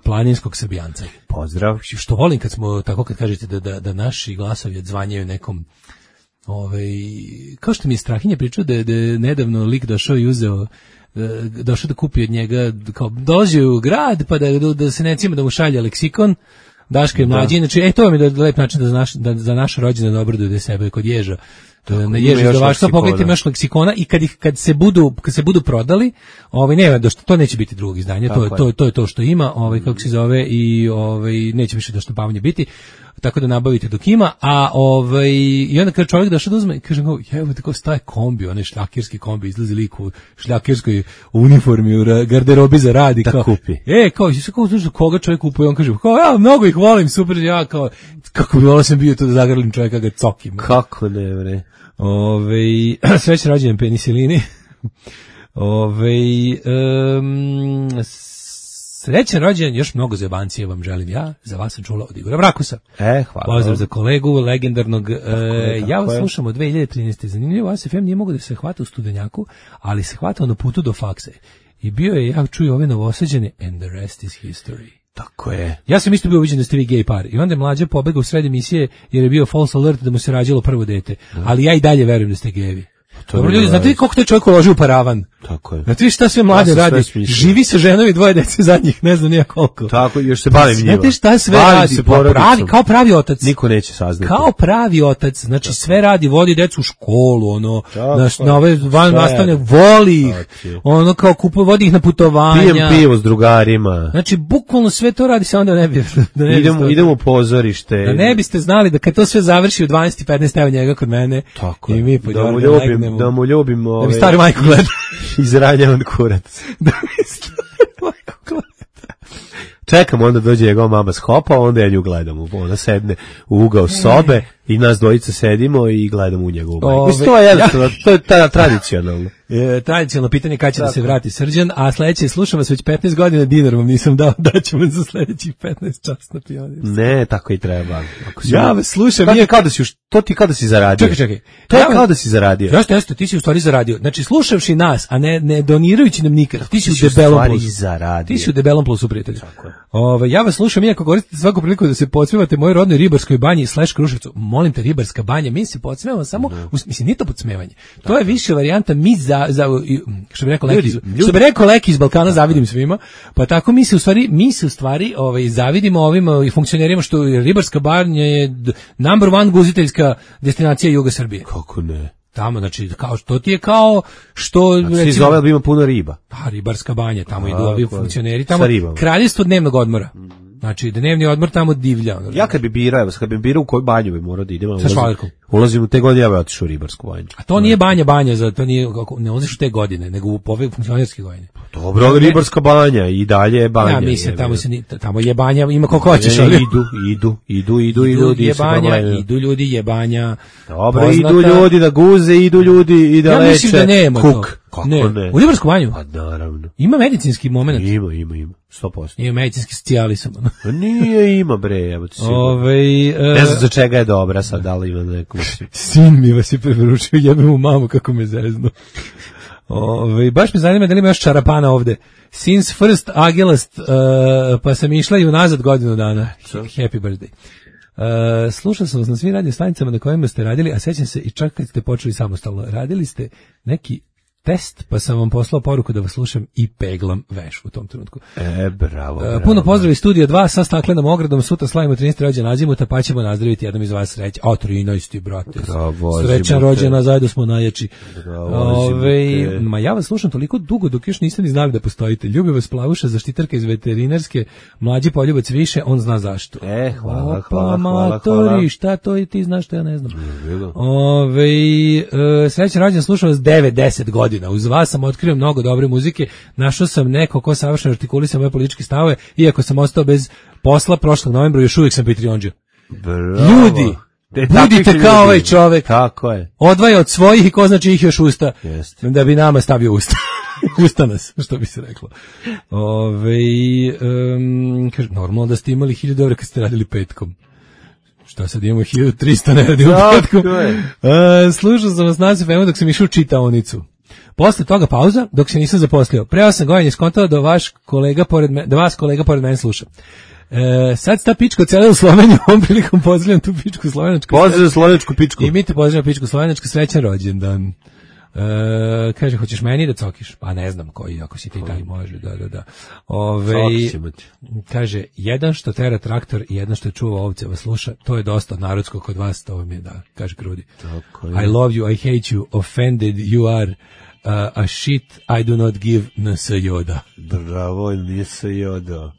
S7: planinskog Srbijanca.
S6: Pozdrav.
S7: Što volim kad smo, tako kad kažete da naši glasovi odzvanjaju nekom kao što mi je Strahinja pričao da je nedavno lik došao i uzeo da kupi od njega, kao dolazi u grad pa da se necima da mu šalje leksikon Daška i mlađi, znači to vam je lep način da za naš rođendan obraduju da sebe kod Ježa. Na Ježa da vašta pogledajte imaš leksikona i kad se budu prodali, nema to neće biti drugog izdanja, to je to što ima, kako se zove i neće više da štampavanje biti. Tako da nabavite dok ima, i onda kada čovjek došao da uzme, kaže evo tako staje kombi, onaj šljakirski kombi, izlazi lik u šljakirskoj uniformi, u garderobi za rad i kao,
S6: kupi.
S7: Koga čovjek kupuje, on kaže, ja mnogo ih volim, super, ja kao, kako bi volao sam bio to da zagrlim čovjeka, ga cokim.
S6: Kako ne, bre.
S7: Srećan rođendan penisilini. Srećan rođendan, još mnogo zajebancije vam želim ja, za vas sam čula od Igora Vrakusa.
S6: Hvala.
S7: Pozdrav za kolegu, legendarnog. Ja vas slušam od 2013. Zanimljivo, ASFM nije mogo da se hvata u Studenjaku, ali se hvatao na putu do faksa. I bio je, ja čuju ove Novosađane, and the rest is history.
S6: Tako je.
S7: Ja sam isto bio uviđen da ste vi gej par. I onda je Mlađa pobegao u sred emisije jer je bio false alert da mu se rađalo prvo dete. Ali ja i dalje verujem da ste gejevi. Dobro ljudi, znate vi koliko taj čovjek uloži u paravan?
S6: Tako je.
S7: Znate vi šta sve Mlađa radi? Živi sa ženom i 2 dece zadnjih, ne znam nija koliko.
S6: Tako, još se bavim njima.
S7: Znate šta sve radi? Kao pravi otac.
S6: Niko neće saznati.
S7: Kao pravi otac, znači sve radi, vodi decu u školu, na ove van nastavne, voli ih, kao kupuje, vodi ih na putovanja.
S6: Pijem pivo s drugarima.
S7: Znači, bukvalno sve to radi, samo da ne bi...
S6: Idemo u pozorište.
S7: Da ne biste znali da kad to sve završi u 12:15 evo njega kod mene.
S6: Tako
S7: i mi
S6: da mu ljubim
S7: da mi stari majku gleda
S6: izranjavan kurac.
S7: Da mi stari majku gleda.
S6: Čekam, onda dođe njegova mama s hopa, onda ja nju gledam. Ona sedne u ugao sobe i nas dvojica sedimo i gledamo u njegovu majku. Mislim, to je jednostavno, to je tradicionalno.
S7: Tradicionalno pitanje kada će da se vrati Srđan, a sledeće, slušam vas već 15 godina, dinar vam nisam dao, daću vam za sledećih 15 čas na Pionir.
S6: Ne, tako i treba.
S7: Ja vas slušam,
S6: to ti kao da si zaradio.
S7: Čekaj.
S6: To je kao da si zaradio.
S7: Jeste, ti si u stvari zaradio. Znači, slušavši nas, a ne donirajući nam nikad, ti si u debelom plusu. Ti si u debelom plusu, prijatelju. Ja vas slušam, iako koristite svaku priliku da se podsmevate mojoj rodnoj Ribarskoj banji / Kruševcu. Molim te, Ribarska banja, mi se podsmevamo samo, mislim, nije to podsmevanje. To je više varijanta, mi što bi rekao Leki iz Balkana, zavidim svima, pa tako mi se u stvari zavidimo ovim funkcionerima, što Ribarska banja je number one guziteljska destinacija juga Srbije.
S6: Kako ne?
S7: Tamo, znači, kao što ti je kao što...
S6: Znači, zove, ali ima puno riba.
S7: Pa, Ribarska banja, tamo idu ovi funkcioneri, tamo kraljevstvo dnevnog odmora. Znači, dnevni odmor tamo divlja.
S6: Ja kad bi birao u koju banju bi morao da idem. Ulazim u te godine, ja bi otišao u Ribarsku banju.
S7: A to nije banja, to nije, ne ulaziš u te godine, nego u ove funkcionerske godine.
S6: Dobro, ali Ribarska banja i dalje je banja.
S7: Ja mislim, tamo je banja, ima koliko hoćeš, ali...
S6: Idu
S7: ljudi, je banja.
S6: Dobro, idu ljudi da guze, idu ljudi i da leče.
S7: Ja mislim da nema to.
S6: Kako ne?
S7: U Ribarsku banju?
S6: Pa naravno.
S7: Ima medicinski moment.
S6: Ima. 100%.
S7: Ima medicinski socijalisam.
S6: Nije, ima bre, evo ti sigurno. Ne znam za čega je dobra sad, da li ima neku...
S7: Sin mi vas je preporučio, jebem mu mamu kako me zeznu. Baš me zanima da li ima još čarapana ovde. Since first Agelast, pa sam išla i unazad godinu dana. Happy birthday. Slušao sam vas na svim radio stanicama na kojima ste radili, a sećam se i čak kad ste počeli samostalno. Radili ste neki test, pa sam vam poslao poruku da vas slušam i peglam veš u tom trenutku.
S6: Bravo.
S7: Puno pozdrav iz Studio 2 sa staklenom ogradom, sutra slavimo 13. rođendan Azimuta, pa ćemo nazdraviti jednom iz vas sreće. 13. brate.
S6: Bravo,
S7: srećan rođendan, zajedno smo najjači. Ma ja vas slušam toliko dugo dok još niste ni znali da postojite. Ljubi vas Plavuša, zaštitarka iz veterinarske, mlađi poljubac više, on zna zašto.
S6: Hvala.
S7: Šta to i ti znaš što ja ne znam. Srećan rođendan, slušam vas 9-10 godina. Uz vas sam otkrio mnogo dobre muzike, našao sam neko ko savršeno artikulisao moje političke stavove, iako sam ostao bez posla prošlog novembra, još uvijek sam Patreonđa. Ljudi, budite kao ovaj čovek.
S6: Tako je.
S7: Odvaja od svojih i ko zna čijih još usta,
S6: Jeste.
S7: da bi nama stavio usta. Usta nas, što bi se reklo. Kaže, normalno da ste imali 1000 € kad ste radili petkom. Šta sad imamo 1300, ne radimo petkom. Slušao sam vas na FM dok sam išao u čitaonicu. Posle toga pauza, dok se nisam zaposlio. Pre 8 godina je skontao da vas kolega pored mene sluša. Sad sta pička cela u Sloveniju, ovom prilikom pozdravljam tu pičku slovenačku.
S6: Pozdravljam slovenačku pičku.
S7: I mi te pozdravljam pičku slovenačku, srećan rođendan. Kaže, hoćeš meni da cokiš? Pa ne znam koji, ako si ti taj može, da. Kaže, jedan što tera traktor i jedan što čuva ovce vas sluša, to je dosta narodsko kod vas, to vam je da, kaže Krudi. I love you, I hate you, offended you are, a shit I do not give NS Yoda.
S6: Bravo, NS Yoda.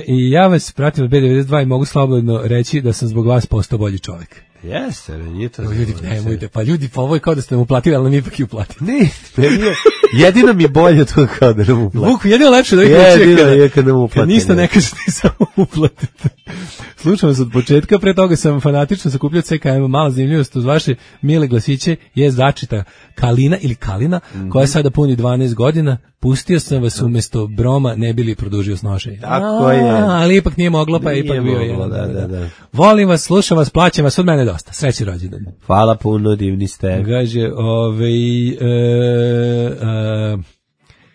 S7: I ja vas pratim od B92 i mogu slobodno reći da sam zbog vas postao bolji čovjek.
S6: Jeste, nije to.
S7: Ljudi, nemojte, pa ljudi, pa ovo je kao da ste nam uplatili, ali nam ipak i uplatili.
S6: Ne, jedino mi bolje to kao da nam uplatili.
S7: Vuku, jedino lepše da
S6: je kad nam uplatili.
S7: Kad ništa ne kažete, samo uplatite. Slušam vas od početka, pre toga sam fanatično sakupljao CKM, mala zanimljivost uz vaše mile glasiće je začita Kalina ili Kalina, koja sada puni 12 godina. Pustio sam vas umjesto Broma, ne bili produžio snošenje.
S6: Tako je.
S7: Ali ipak nije moglo, pa je ipak bio jedan.
S6: Da.
S7: Volim vas, slušam vas, plaćam vas, od mene dosta. Sreći rođendan.
S6: Hvala puno, divni ste.
S7: Kaže,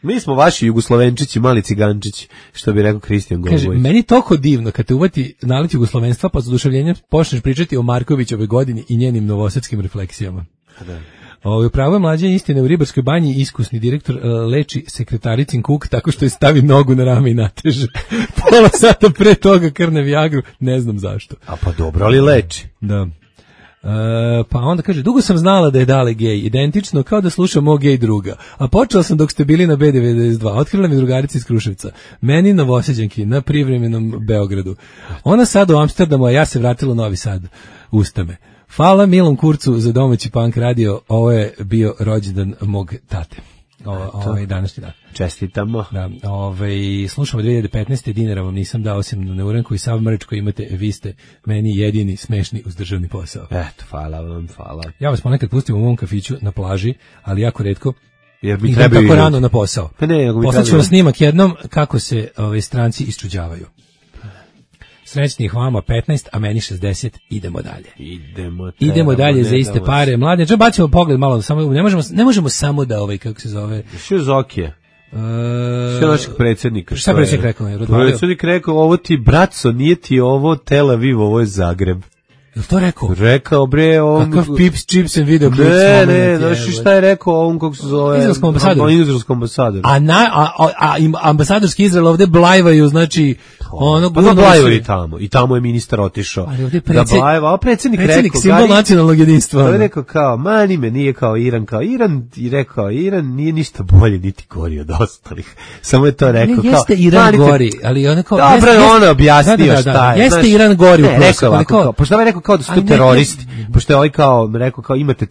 S6: mi smo vaši jugoslovenčići, mali cigančići, što bi rekao Kristijan Golbović.
S7: Kaže, meni toliko divno kad te uvati nalet jugoslovenstva, pa s oduševljenjem počneš pričati o Markovićove godini i njenim novosadskim refleksijama.
S6: Da.
S7: Upravo je mlađe istine, u Ribarskoj banji iskusni direktor leči sekretaricin kuk tako što je stavi nogu na rame i nateže. Pola sata pre toga krne Viagru, ne znam zašto.
S6: A pa dobro, ali leči.
S7: Da. Pa onda kaže, dugo sam znala da je Dale gej, identično kao da slušam mog gej druga, a počela sam dok ste bili na B92, otkrila mi drugarica iz Kruševca, meni Novosađanki na privremenom Beogradu, ona sad u Amsterdamu, a ja se vratila u Novi Sad, ustame. Hvala Milom Kurcu za domaći punk radio, ovo je bio rođendan mog tate. današnji dan.
S6: Čestitamo.
S7: Da, slušamo 2015. dinara vam nisam dao osim na neuranku i sav mrč koji imate, vi ste meni jedini smešni uz državni posao.
S6: Eto, hvala vam, hvala.
S7: Ja vas ponekad pustim u mom kafiću na plaži, ali jako retko.
S6: Jer mi
S7: idem tako rano na posao.
S6: Pa ne,
S7: poslaću vam snimak jednom kako se stranci isčuđavaju. Srećnih vama 15, a meni 60, idemo dalje. Idemo dalje za iste pare. Mlade, čo bacimo pogled malo, samo ne možemo samo da kako se zove.
S6: Što je Zokije? Što našeg predsjednika?
S7: Šta predsjednik rekao?
S6: Predsjednik rekao, ovo ti braco, nije ti ovo Tel Aviv, ovo je Zagreb.
S7: Jel to rekao?
S6: Rekao, bre, on...
S7: Kakav pips, chips and video clips.
S6: Ne, znaš šta je rekao ovom, kako se zove... Izraelskom ambasadoru.
S7: A ambasadorski Izrael ovde blajvaju, znači...
S6: Pa da blajvaju tamo. I tamo je ministar otišao. Da blajva, a predsjednik rekao...
S7: simbol nacionalnog jedinstva.
S6: To je rekao kao, mani me, nije kao Iran, i rekao, Iran nije ništa bolje, niti gori od ostalih. Samo je to rekao kao...
S7: Jeste Iran gori, ali ono kao...
S6: Dobro, on objasnio šta je.
S7: Jeste Iran gori u prostoru.
S6: Pošto je rekao kao da su to teroristi, pošto je ovaj kao rekao kao imate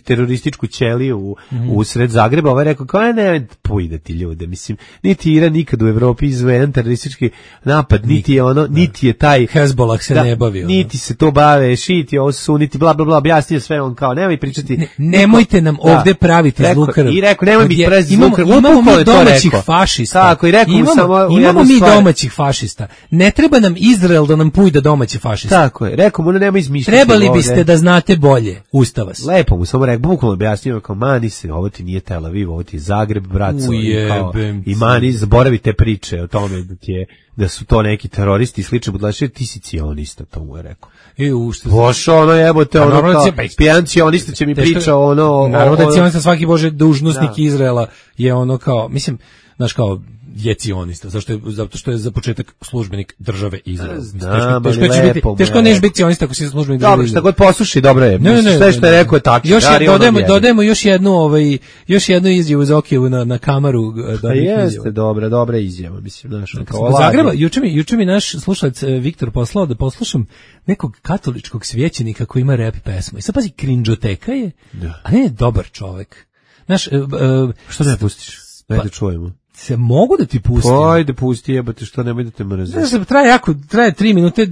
S6: terorističku ćeliju u sred Zagreba, ovaj rekao kao ne pojdati ljude, mislim, niti Iran nikad u Evropi izveden teroristički napad, niti je ono, niti je taj
S7: Hezbollah se ne bavi,
S6: niti se to bave, šiti, ovo su niti bla bla bla, objasnio sve on kao nemoj pričati.
S7: Nemojte nam ovde praviti zlukrv.
S6: I rekao nemoj biti prezid zlukrv.
S7: Imamo mi domaćih fašista.
S6: Tako i rekao samo
S7: imamo mi domaćih fašista. Ne treba nam Izrael da nam pujda domaće fašiste.
S6: Tako je. Rekao mu nema izmišljati.
S7: Trebali biste da znate bolje, usta vas.
S6: Lepo mu samo rekao, bukvalno objasnio kao mani se, ovo ti nije Tel Aviv, ovo ti je Zagreb, braco. I mani, zaboravite priče o tome da su to neki teroristi i slično budalaši, ti si cionista, to mu je rekao. Bošo, ono jebote, ono kao, pijan cionista će mi priča ono...
S7: Naravno da je cionista svaki bože dužnosnik Izraela je ono kao, mislim, znaš kao, je cionista, zato što je za početak službenik države Izrael. Teško neš biti cionista ako si službenik države Izrael.
S6: Dobro, šta god posluši, dobro je. Sve što je rekao je tačno.
S7: Dodajemo još jednu izjavu Zokijevu na kamaru.
S6: Jeste, dobra izjava, mislim.
S7: Zagreba, juče mi naš slušalac Viktor poslao da poslušam nekog katoličkog svećenika koji ima rap pesmu. I sad pazi, krinđoteka je, a ne je dobar čovek.
S6: Što da ne pustiš? Daj da čujemo.
S7: Se mogu da ti pustim.
S6: Ajde, pusti, jebate, što nemoj da te mrzi.
S7: Traje 3 minute.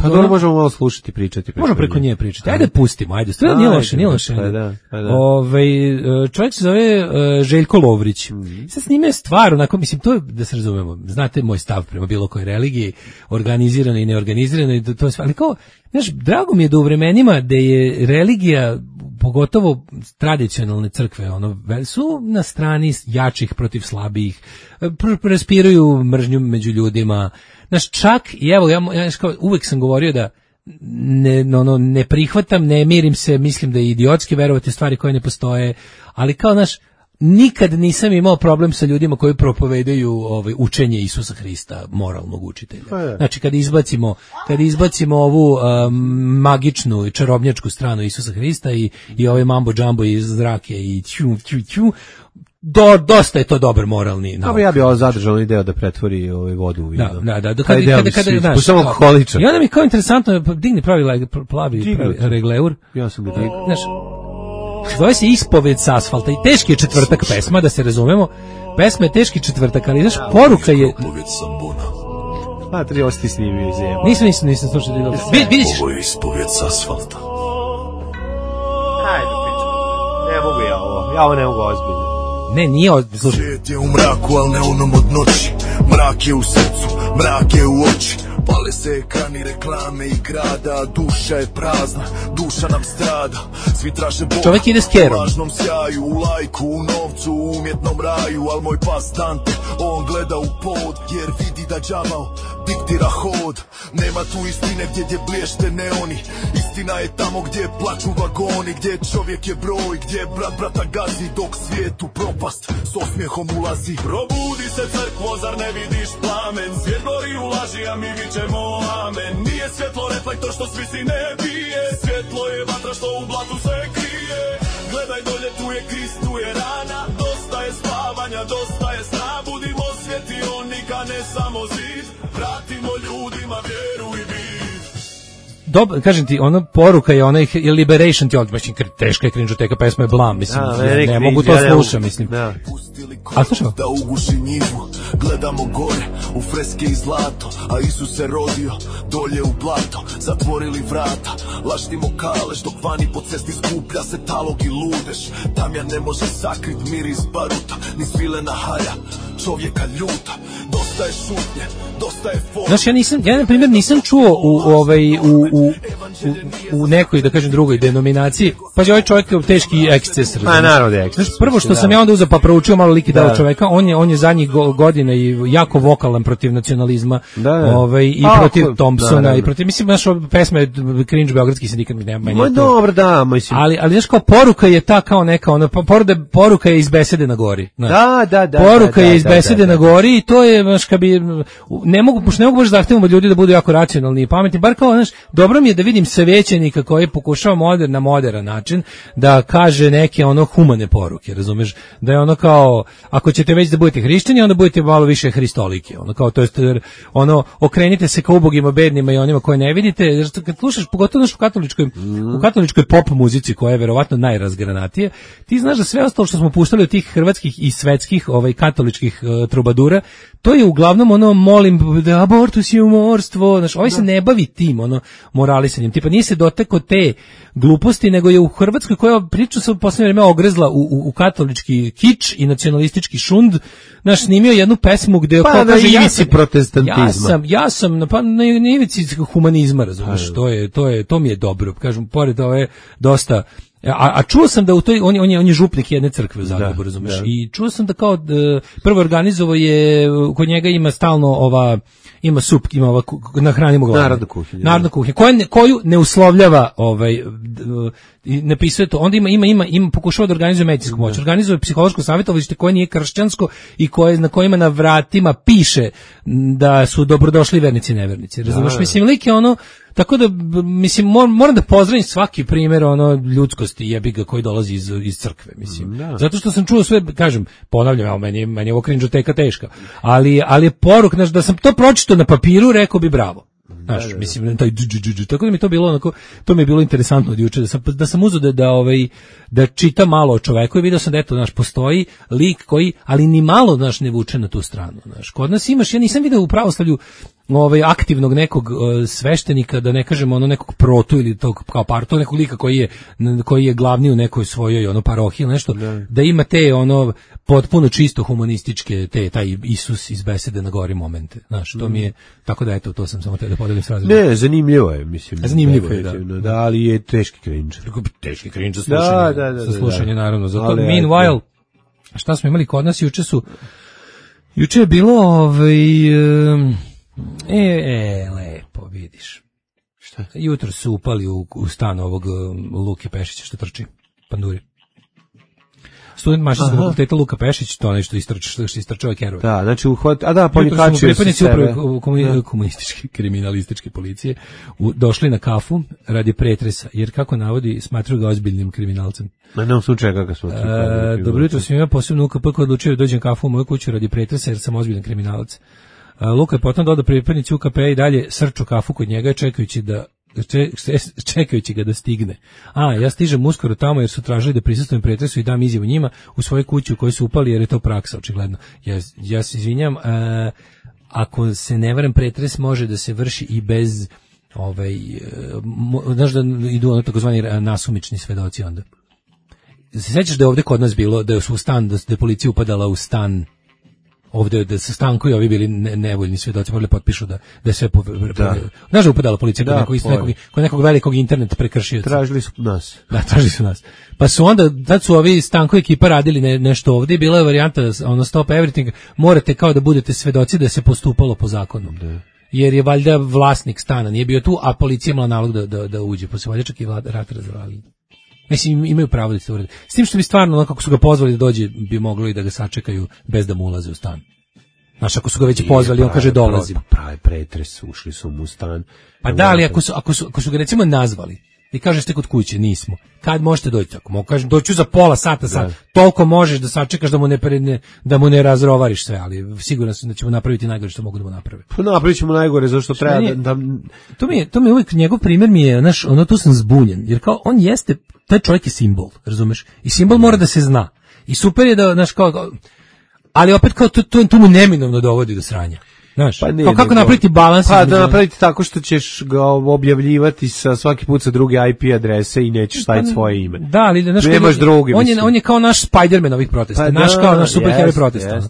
S6: Pa dobro, možemo malo slušati, pričati.
S7: Možemo preko nje pričati. Ajde, pustimo, ajde. Stvarno nije loše. Čovjek se zove Željko Lovrić. Sad s njime je stvar, onako, mislim, to je, da se razumemo, znate moj stav prema bilo kojoj religiji, organizirano i neorganizirano, i to je sve, ali kao, znaš, drago mi je da u vremenima da je religija, pogotovo tradicionalne crkve, su na strani jačih protiv slabijih, raspiruju mržnju među ljudima. Znaš, čak, i evo, ja uvek sam govorio da ne prihvatam, ne mirim se, mislim da je idiotski verovati stvari koje ne postoje, ali kao, znaš, nikad nisam imao problem sa ljudima koji propovedaju učenje Isusa Hrista, moralnog učitelja. Znači, kad izbacimo ovu magičnu i čarobnjačku stranu Isusa Hrista i ove mambo džambo iz zrake i ću, dosta je to dobar moralni nauk.
S6: Ja bih zadržao ideju da pretvori vodu u vino.
S7: Da.
S6: Kada samo alkoholičan.
S7: I onda mi kao interesantno, digni plavi regleur.
S6: Ja sam ga digao.
S7: Znaš, zove se Ispoved s asfalta i teški je četvrtak pesma, da se razumemo. Pesma je teški četvrtak, ali znaš, poruka je...
S6: Tri osti snimio iz jeba.
S7: Nisam slušao. Vidjet ćeš.
S5: Ovo je Ispoved s asfalta.
S6: Ajde, pričam. Ne mogu ja ovo ne mogu ozbiljno.
S7: Ne, nije ozbiljno.
S5: Svijet je u mraku, ali ne onom od noći. Mrak je u srcu, mrak je u oči. Pale se ekrani, reklame i grada. Duša je prazna, duša nam strada. Svi traže Boga,
S7: čovjek ide s kerom.
S5: u lažnom sjaju, u lajku, u novcu, u umjetnom raju. Al moj pas Dante, on gleda u pod, jer vidi da đavao diktira hod. Nema tu istine gdje blješte neoni. Istina je tamo gdje plaču vagoni, gdje čovjek je broj, gdje brat brata gazi, dok svijetu propast s osmijehom ulazi. Probudi se crkvo, zar ne vidiš plamen? Svijet gori u laži, a mi vičemo amen. Nije svjetlo reflektor što svi si ne bije, svjetlo je vatra što u blatu se krije. Gledaj dolje, tu je Krist, tu je rana. Dosta je spavanja, dosta je sna. Budimo svjetionika, ne samo zid. Vratimo ljudima vjeru i vid.
S7: kažem ti, ona poruka je onaj Liberation ti odmah, teška je cringe-oteka, pesma je blam, mislim, ne mogu to slušam, mislim. A slušamo?
S5: Da uguši njivu, gledamo gore u freske i zlato, a Isus se rodio dolje u blato, zatvorili vrata, laštimo kalež, dok vani po cesti skuplja se talog i ludež, tamjan ne može sakrit miris baruta, ni svilena halja, čovjeka ljuta, dosta je šutnje, dosta je forma.
S7: Znaš, ja na primjer nisam čuo u nekoj, da kažem, drugoj denominaciji, pa je ovaj čovjek teški eksces.
S6: A naravno je eksces.
S7: Znaš, prvo što sam ja onda uzeo pa proučio malo lik i delo čoveka, on je zadnjih godina i jako vokalan protiv nacionalizma, i protiv Thompsona i protiv, mislim, naš pesma je cringe beogradski sindikat, mi nema meni.
S6: Dobro, da, mislim.
S7: Ali znaš, kao poruka je ta kao neka, poruka je iz besede na gori.
S6: Da.
S7: Poruka je iz besede na gori i to je, znaš, kad bi ne mogu baš zahtevamo od ljudi da budu jako racionalni i pametni, bar kao, znaš, dobro mi je da vidim svećenika koji pokušava na moderan način da kaže neke humane poruke, razumeš, da je ono kao, ako ćete već da budete hrišćani, onda budete malo više hristolike, kao, to jest, okrenite se ka ubogima, bednima i onima koje ne vidite, jer kad slušaš, pogotovo u katoličkoj pop muzici, koja je verovatno najrazgranatije, ti znaš da sve ostalo što smo puštali od tih hrvatskih i svetskih katoličkih trubadura, to je uglavnom molim da abortus je umorstvo, znaš, ovaj se ne bavi tim, moralisanjem, tipa nije se dotekao te gluposti, nego je u Hrvatskoj, koja priča se u posljednje vreme ogrezla u katolički kič i nacionalistički šund, znaš, snimio jednu pesmu gde
S6: na ivici protestantizma.
S7: Ja sam na ivici humanizma, razumeš, to mi je dobro, kažem, pored ove dosta. A čuo sam da u toj, on je župnik jedne crkve u Zagrebu, razumeš, i čuo sam da kao prvo organizovao je, kod njega ima stalno ima sup, ima nahranimo glavu. Narodna kuhinja. Koju ne uslovljava, ne pisuje to, onda ima pokušava da organizuje medicinsku moć, organizuje psihološko savjetovalište koje nije kršćansko i na kojima na vratima piše da su dobrodošli vernici i nevernici, razumeš, mislim, lik je tako da, mislim, moram da pozdravim svaki primjer ljudskosti jebiga koji dolazi iz crkve, mislim. Zato što sam čuo sve, kažem, ponavljam, meni je ovo cringe-oteka teška, ali je poruk, znaš, da sam to pročitao na papiru, rekao bi bravo. Znaš, mislim, tako da mi to bilo to mi je bilo interesantno od juče, da sam uzeo da čitam malo o čoveku i vidio sam da eto, znaš, postoji lik koji, ali ni malo, znaš, ne vuče na tu stranu, znaš. Kod nas imaš, ja nisam vidio u pravoslavlju aktivnog nekog sveštenika, da ne kažemo nekog protu ili tog kao parto, nekog lika koji je glavni u nekoj svojoj parohiji ili nešto, da ima te potpuno čisto humanističke, taj Isus iz besede na gori momente, znaš, to mi je, tako da eto, to sam samo te da podelim s razredom.
S6: Ne, zanimljivo je, mislim.
S7: Zanimljivo je,
S6: da, ali je teški cringe.
S7: Teški cringe za slušanje, naravno. Zato, meanwhile, šta smo imali kod nas, juče je bilo, lepo, vidiš.
S6: Šta?
S7: Jutro su upali u stan ovog Luke Pešića što trči, panduri. Student mašinskog fakulteta Luka Pešić, to nešto istrčava kerove.
S6: Da, znači ponikačuju se sebe.
S7: Komunističke, kriminalističke policije došli na kafu radi pretresa, jer kako navodi, smatruju ga ozbiljnim kriminalcem.
S6: Ma ne u slučaju kako smo
S7: dobro jutro, sam imao posebno UKP koji odlučio da dođem kafu u moju kuću radi pretresa, jer sam ozbiljan kriminalac. Luka je potom dodao pripadnici UKP i dalje srču kafu kod njega, čekajući ga da stigne. Ja stižem uskoro tamo jer su tražili da prisustvujem pretresu i dam izjavu njima u svojoj kući u kojoj su upali, jer je to praksa, očigledno. Ja se izvinjam, ako se ne varam, pretres može da se vrši i bez znaš da idu takozvani nasumični svedoci onda. Se sjećaš da je ovde kod nas bilo, da je da policija upadala u stan ovde, da se Stanko i ovi bili nevoljni svedoci, morali potpišu da je sve znaš da upadala policija kod nekog velikog internet prekršioca.
S6: Tražili su nas.
S7: Da, tražili su nas. Pa su onda, tad su ovi Stanko ekipa radili nešto ovde i bila je varijanta stop everything, morate kao da budete svedoci da se postupalo po zakonu. Jer je valjda vlasnik stana nije bio tu, a policija imala nalog da uđe, pa se valjda čak i rat razvalili. Mislim, imaju pravo da se urede. S tim što bi stvarno, kako su ga pozvali da dođe, bi moglo i da ga sačekaju bez da mu ulaze u stan. Znaš, ako su ga već pozvali, on kaže dolazim.
S6: Pravi pretres, ušli su mu u stan.
S7: Pa da, ali ako su ga recimo nazvali i kažeš ste kod kuće, nismo. Kad možete doći? Ako mogu kažem, doću za pola sata, sad. Toliko možeš da sačekaš da mu ne razrovariš sve, ali siguran sam da ćemo napraviti najgore što mogu da mu naprave.
S6: Pa napravit ćemo najgore, zašto treba da...
S7: To mi je uvijek, njegov primjer mi je, tu sam zbunjen, jer kao on jeste, taj čovjek je simbol, razumeš? I simbol mora da se zna. I super je da, ali opet kao to mu neminovno dovodi do sranja. Znaš, pa kako napraviti balans?
S6: Pa da napraviti tako što ćeš ga objavljivati svaki put sa druge IP adrese i nećeš staviti svoje ime.
S7: Da, ali znaš,
S6: nemaš drugi.
S7: On je kao naš Spider-Man ovih protesta, kao naš superheroj protesta.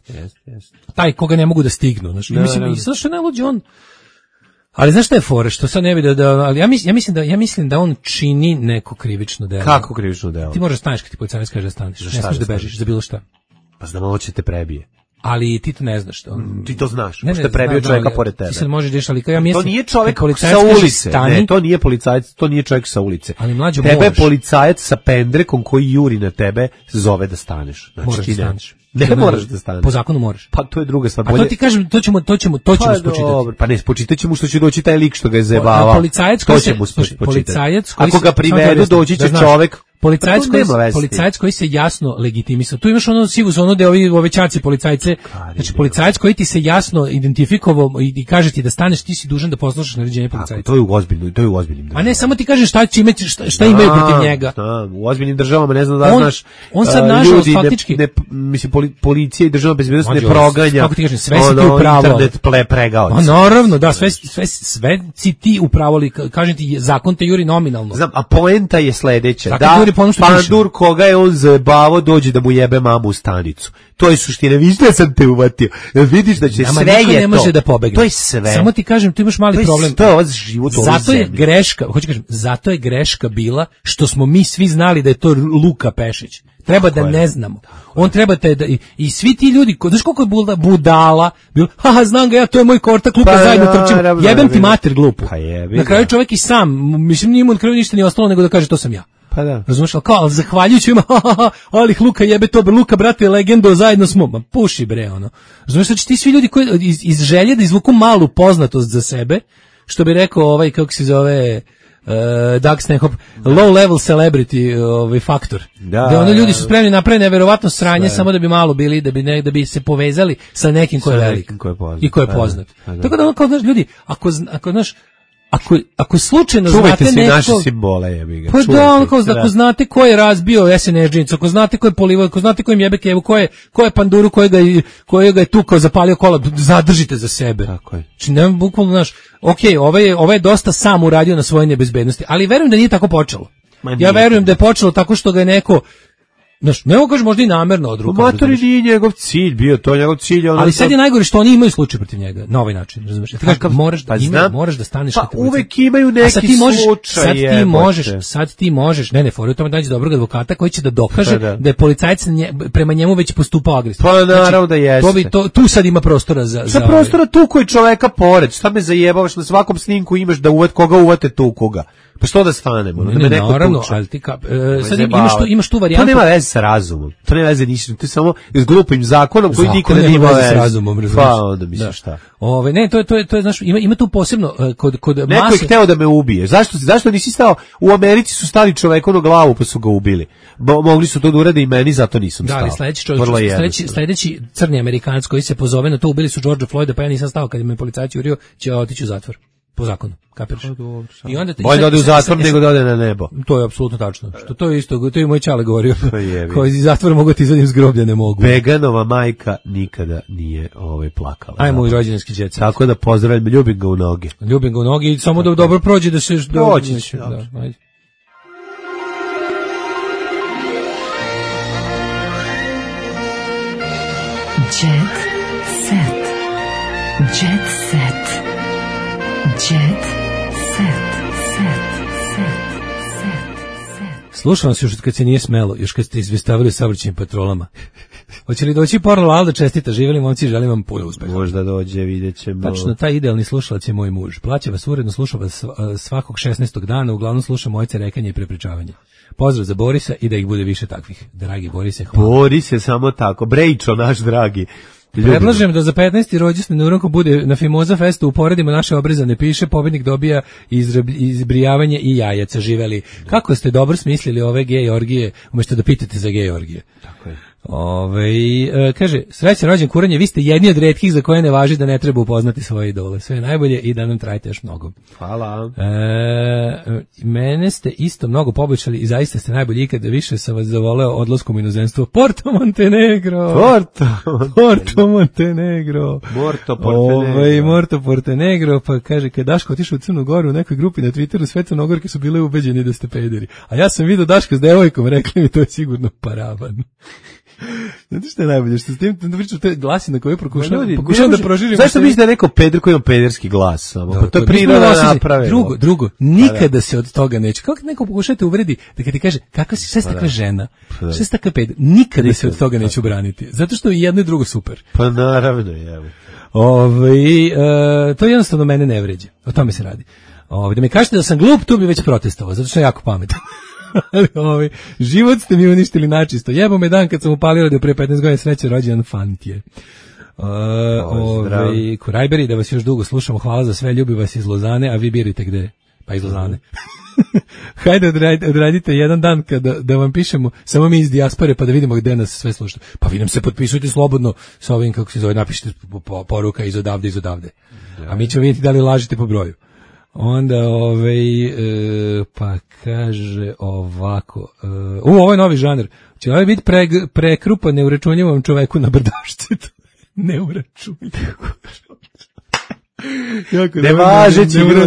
S7: Taj koga ne mogu da stignu, znaš. Mislim, zašto ne luđe on? Ali znaš šta je fora, što sad ne vidi ali ja mislim da on čini neko krivično delo.
S6: Kako krivično delo?
S7: Ti možeš staneš kad ti policajac kaže da staneš. Ne smiješ da bežiš za bilo šta.
S6: Pa znam, ovo će te prebije.
S7: Ali ti to ne znaš.
S6: Ti to znaš, što je prebio čovjeka pored tebe.
S7: Ti sad možeš dešati, ali ja mislim...
S6: To nije čovjek sa ulice, ne, to nije policajac, to nije čovjek sa ulice.
S7: Ali mlađo
S6: tebe je policajac sa pendrekom koji juri na tebe, zove da staneš. Znači,
S7: moraš da staneš.
S6: Ne moraš da staneš.
S7: Po zakonu moraš.
S6: Pa to je druga stvar.
S7: A to ti kažem, to ćemo spočitati.
S6: Dobro, pa ne, spočitat ćemo što će doći taj lik što ga je zajebavao.
S7: Policajac
S6: ako ga privedu, doći će čovjek.
S7: Policajac koji se jasno legitimisao. Tu imaš ono sivu zonu gde ove ćaci policajce, znači policajac koji ti se jasno identifikovao i kaže ti da staneš, ti si dužan da poslušaš naređenje policajca.
S6: To je u ozbiljnim državama.
S7: A ne, samo ti kaže šta imaju protiv njega.
S6: U ozbiljnim državama, ne znam da znaš,
S7: on sad nažalost faktički,
S6: mislim, policija i državna bezbednost ne proganja,
S7: kako ti kažem, sve si ti upravo.
S6: Internet pregaoci.
S7: A naravno, da, sve si ti upravo, kažem ti, zakon te juri nominalno.
S6: Znam, a poenta je sledeća, da pandur koga je on zajebavao dođe da mu jebe mamu u stanicu. To je suština, vidiš da sam te uvatio. Vidiš da će sve je to.
S7: Ne može da pobegne.
S6: To je sve.
S7: Samo ti kažem, tu imaš mali problem.
S6: To je ovaj život u ovoj zemlji.
S7: Zato je greška bila što smo mi svi znali da je to Luka Pešić. Treba da ne znamo. On treba da i svi ti ljudi, znaš koliko je budala, bilo, znam ga ja, to je moj kortak, Luka, zajedno trčimo. Jebem ti mater glupu. Na kraju čovjek i sam, mislim, nije mu na kraju ništa nije ostalo nego da kaže to sam ja.
S6: Pa da.
S7: Razumiješ, ali zahvaljujući ima, ali Luka jebe to, Luka, brate, legendo, zajedno smo, ma puši bre, ono. Razumiješ, znači ti svi ljudi koji iz želje da izvuku malu poznatost za sebe, što bi rekao kako se zove, Doug Stanhope, low level celebrity faktor. Da ono ljudi su spremni napraviti neverovatno sranje samo da bi malo bili, da bi se povezali sa nekim ko je velik i ko je poznat. Tako da ono kao, znaš, ljudi, ako znaš, ako slučajno
S6: čuvajte
S7: znate
S6: neko... Čuvajte si naše simbole, jebi ga.
S7: Pa da, ono kao, ako znate ko je razbio SNSD, ako znate ko je polivao, ako znate ko im jebe kevu, ko je panduru kojega je tukao, zapalio kola, zadržite za sebe.
S6: Tako je.
S7: Znači, nema bukvalno, znaš, ovaj je dosta sam uradio na svojoj nebezbednosti, ali verujem da nije tako počelo. Ja verujem da je počelo tako što ga je neko... Znaš, ne mogu kažem možda i namerno od ruka.
S6: Matori nije njegov cilj bio, to je njegov cilj.
S7: Ali sad je najgore što oni imaju slučaj protiv njega, na ovaj način, razumiješ? Ti kažeš, moraš da staneš.
S6: Pa uvek imaju neki slučaj.
S7: Sad ti možeš, ne, fora u tome da nađe dobrog advokata koji će da dokaže da je policajac prema njemu već postupao agresivno.
S6: Pa naravno da jeste.
S7: Tu sad ima prostora za...
S6: Sa prostora tu koji čoveka pored, šta me zajebavaš, na svakom snimku imaš da koga uvate tu koga. Pa što da stanemo?
S7: Naravno, ali ti sad imaš tu varijantu.
S6: To nema veze sa razumom. To nema veze ništa. To je samo s glupim zakonom koji nikada nije imao veze
S7: s razumom.
S6: Pa onda misliš šta.
S7: Ne, to je znaš, ima tu posebno kod mase.
S6: Neko je hteo da me ubije. Zašto nisi stao? U Americi su stali čoveku na glavu pa su ga ubili. Mogli su to da urade i meni, zato nisam stao.
S7: Da, ali sledeći crni Amerikanac koji se pozove na to, ubili su Georgea Floyda, pa ja nisam stao kad me policajac jurio, će otići u zatvor. Po zakonu, kapiraš? I onda
S6: bolje da ode u zatvor nego da ode na nebo.
S7: To je apsolutno tačno. Što to je isto, to je moj čale govorio. Koji iz zatvora mogu ti izvadim s groblja, ne mogu.
S6: Veganova majka nikada nije plakala.
S7: Ajmo u rođendanski đec.
S6: Tako da pozdravljam, ljubim ga u noge.
S7: Ljubim ga u noge i samo da dobro prođe da se...
S6: Proći će,
S7: dobro. Ajde.
S4: Jet set. Jet set. Jet set.
S7: Slušam vas još kad se nije smelo, još kad ste izvestavili saobraćajnim patrolama. Hoće li doći Porno Alda, čestita, živjeli momci, želim vam puno uspeha.
S6: Možda dođe, vidjet ćemo.
S7: Tačno, taj idealni slušalac je moj muž. Plaća vas uredno, sluša vas svakog 16. dana, uglavnom sluša mojce rekanje i prepričavanje. Pozdrav za Borisa i da ih bude više takvih. Dragi Borise, hvala.
S6: Boris je samo tako, Brejčo naš dragi.
S7: Predlažem da za 15. rođendan na Uranku bude na Fimoza festu, uporedimo naše obrezane piše, pobednik dobija izbrijavanje i jajaca, živeli. Kako ste dobro smislili ove gej orgije, umjesto da pitate za gej orgije.
S6: Tako je.
S7: Kaže, srećan rođen Kuranje, vi ste jedni od retkih za koje ne važi da ne treba upoznati svoje idole. Sve najbolje i da nam trajite još mnogo.
S6: Hvala.
S7: Mene ste isto mnogo poboljšali i zaista ste najbolji ikada, više sam vas zavoleo odlaskom u inozemstvo. Porto Montenegro. Morto Portenegro, pa kaže, kad Daško otišao u Crnu Goru u nekoj grupi na Twitteru, sve Crnogorke su bile ubeđeni da ste pederi. A ja sam vidio Daška s devojkom, rekli mi to je sigurno paravan. Znate što je najbolje, što s tim pričam, to je glasina koju pokušavam da proširim.
S6: Zašto misliš da je neko peder koji ima pederski glas samo? Pa to je priroda naprave.
S7: Drugo, nikada se od toga neće. Kako neko pokušate uvredi da kad ti kaže, kakva si, šta si takva žena, šta si takva peder, nikada se od toga neće obraniti. Zato što je jedno i drugo super.
S6: Pa naravno, jevo.
S7: To jednostavno mene ne vređe. O tome se radi. Da mi kažete da sam glup, tu bi već protestovao, zato što je jako pametan. Život ste mi uništili načisto. Jebo me dan kad sam upalio da pre 15 godina sreće rođendan fantije. Kurajberi, da vas još dugo slušamo, hvala za sve, ljubi vas iz Lozane, a vi birite gde? Pa iz Lozane. Hajde odradite jedan dan da vam pišemo samo mi iz dijaspore pa da vidimo gde nas sve slušate. Pa vi nam se potpisujte slobodno sa ovim, kako se zove, napišite poruka iz odavde. A mi ćemo vidjeti da li lažete po broju. Onda, pa kaže ovako, ovo je novi žanr, će ovaj biti prekrupa neuračunljivom čoveku na brdašcetu. Neuračunljivo.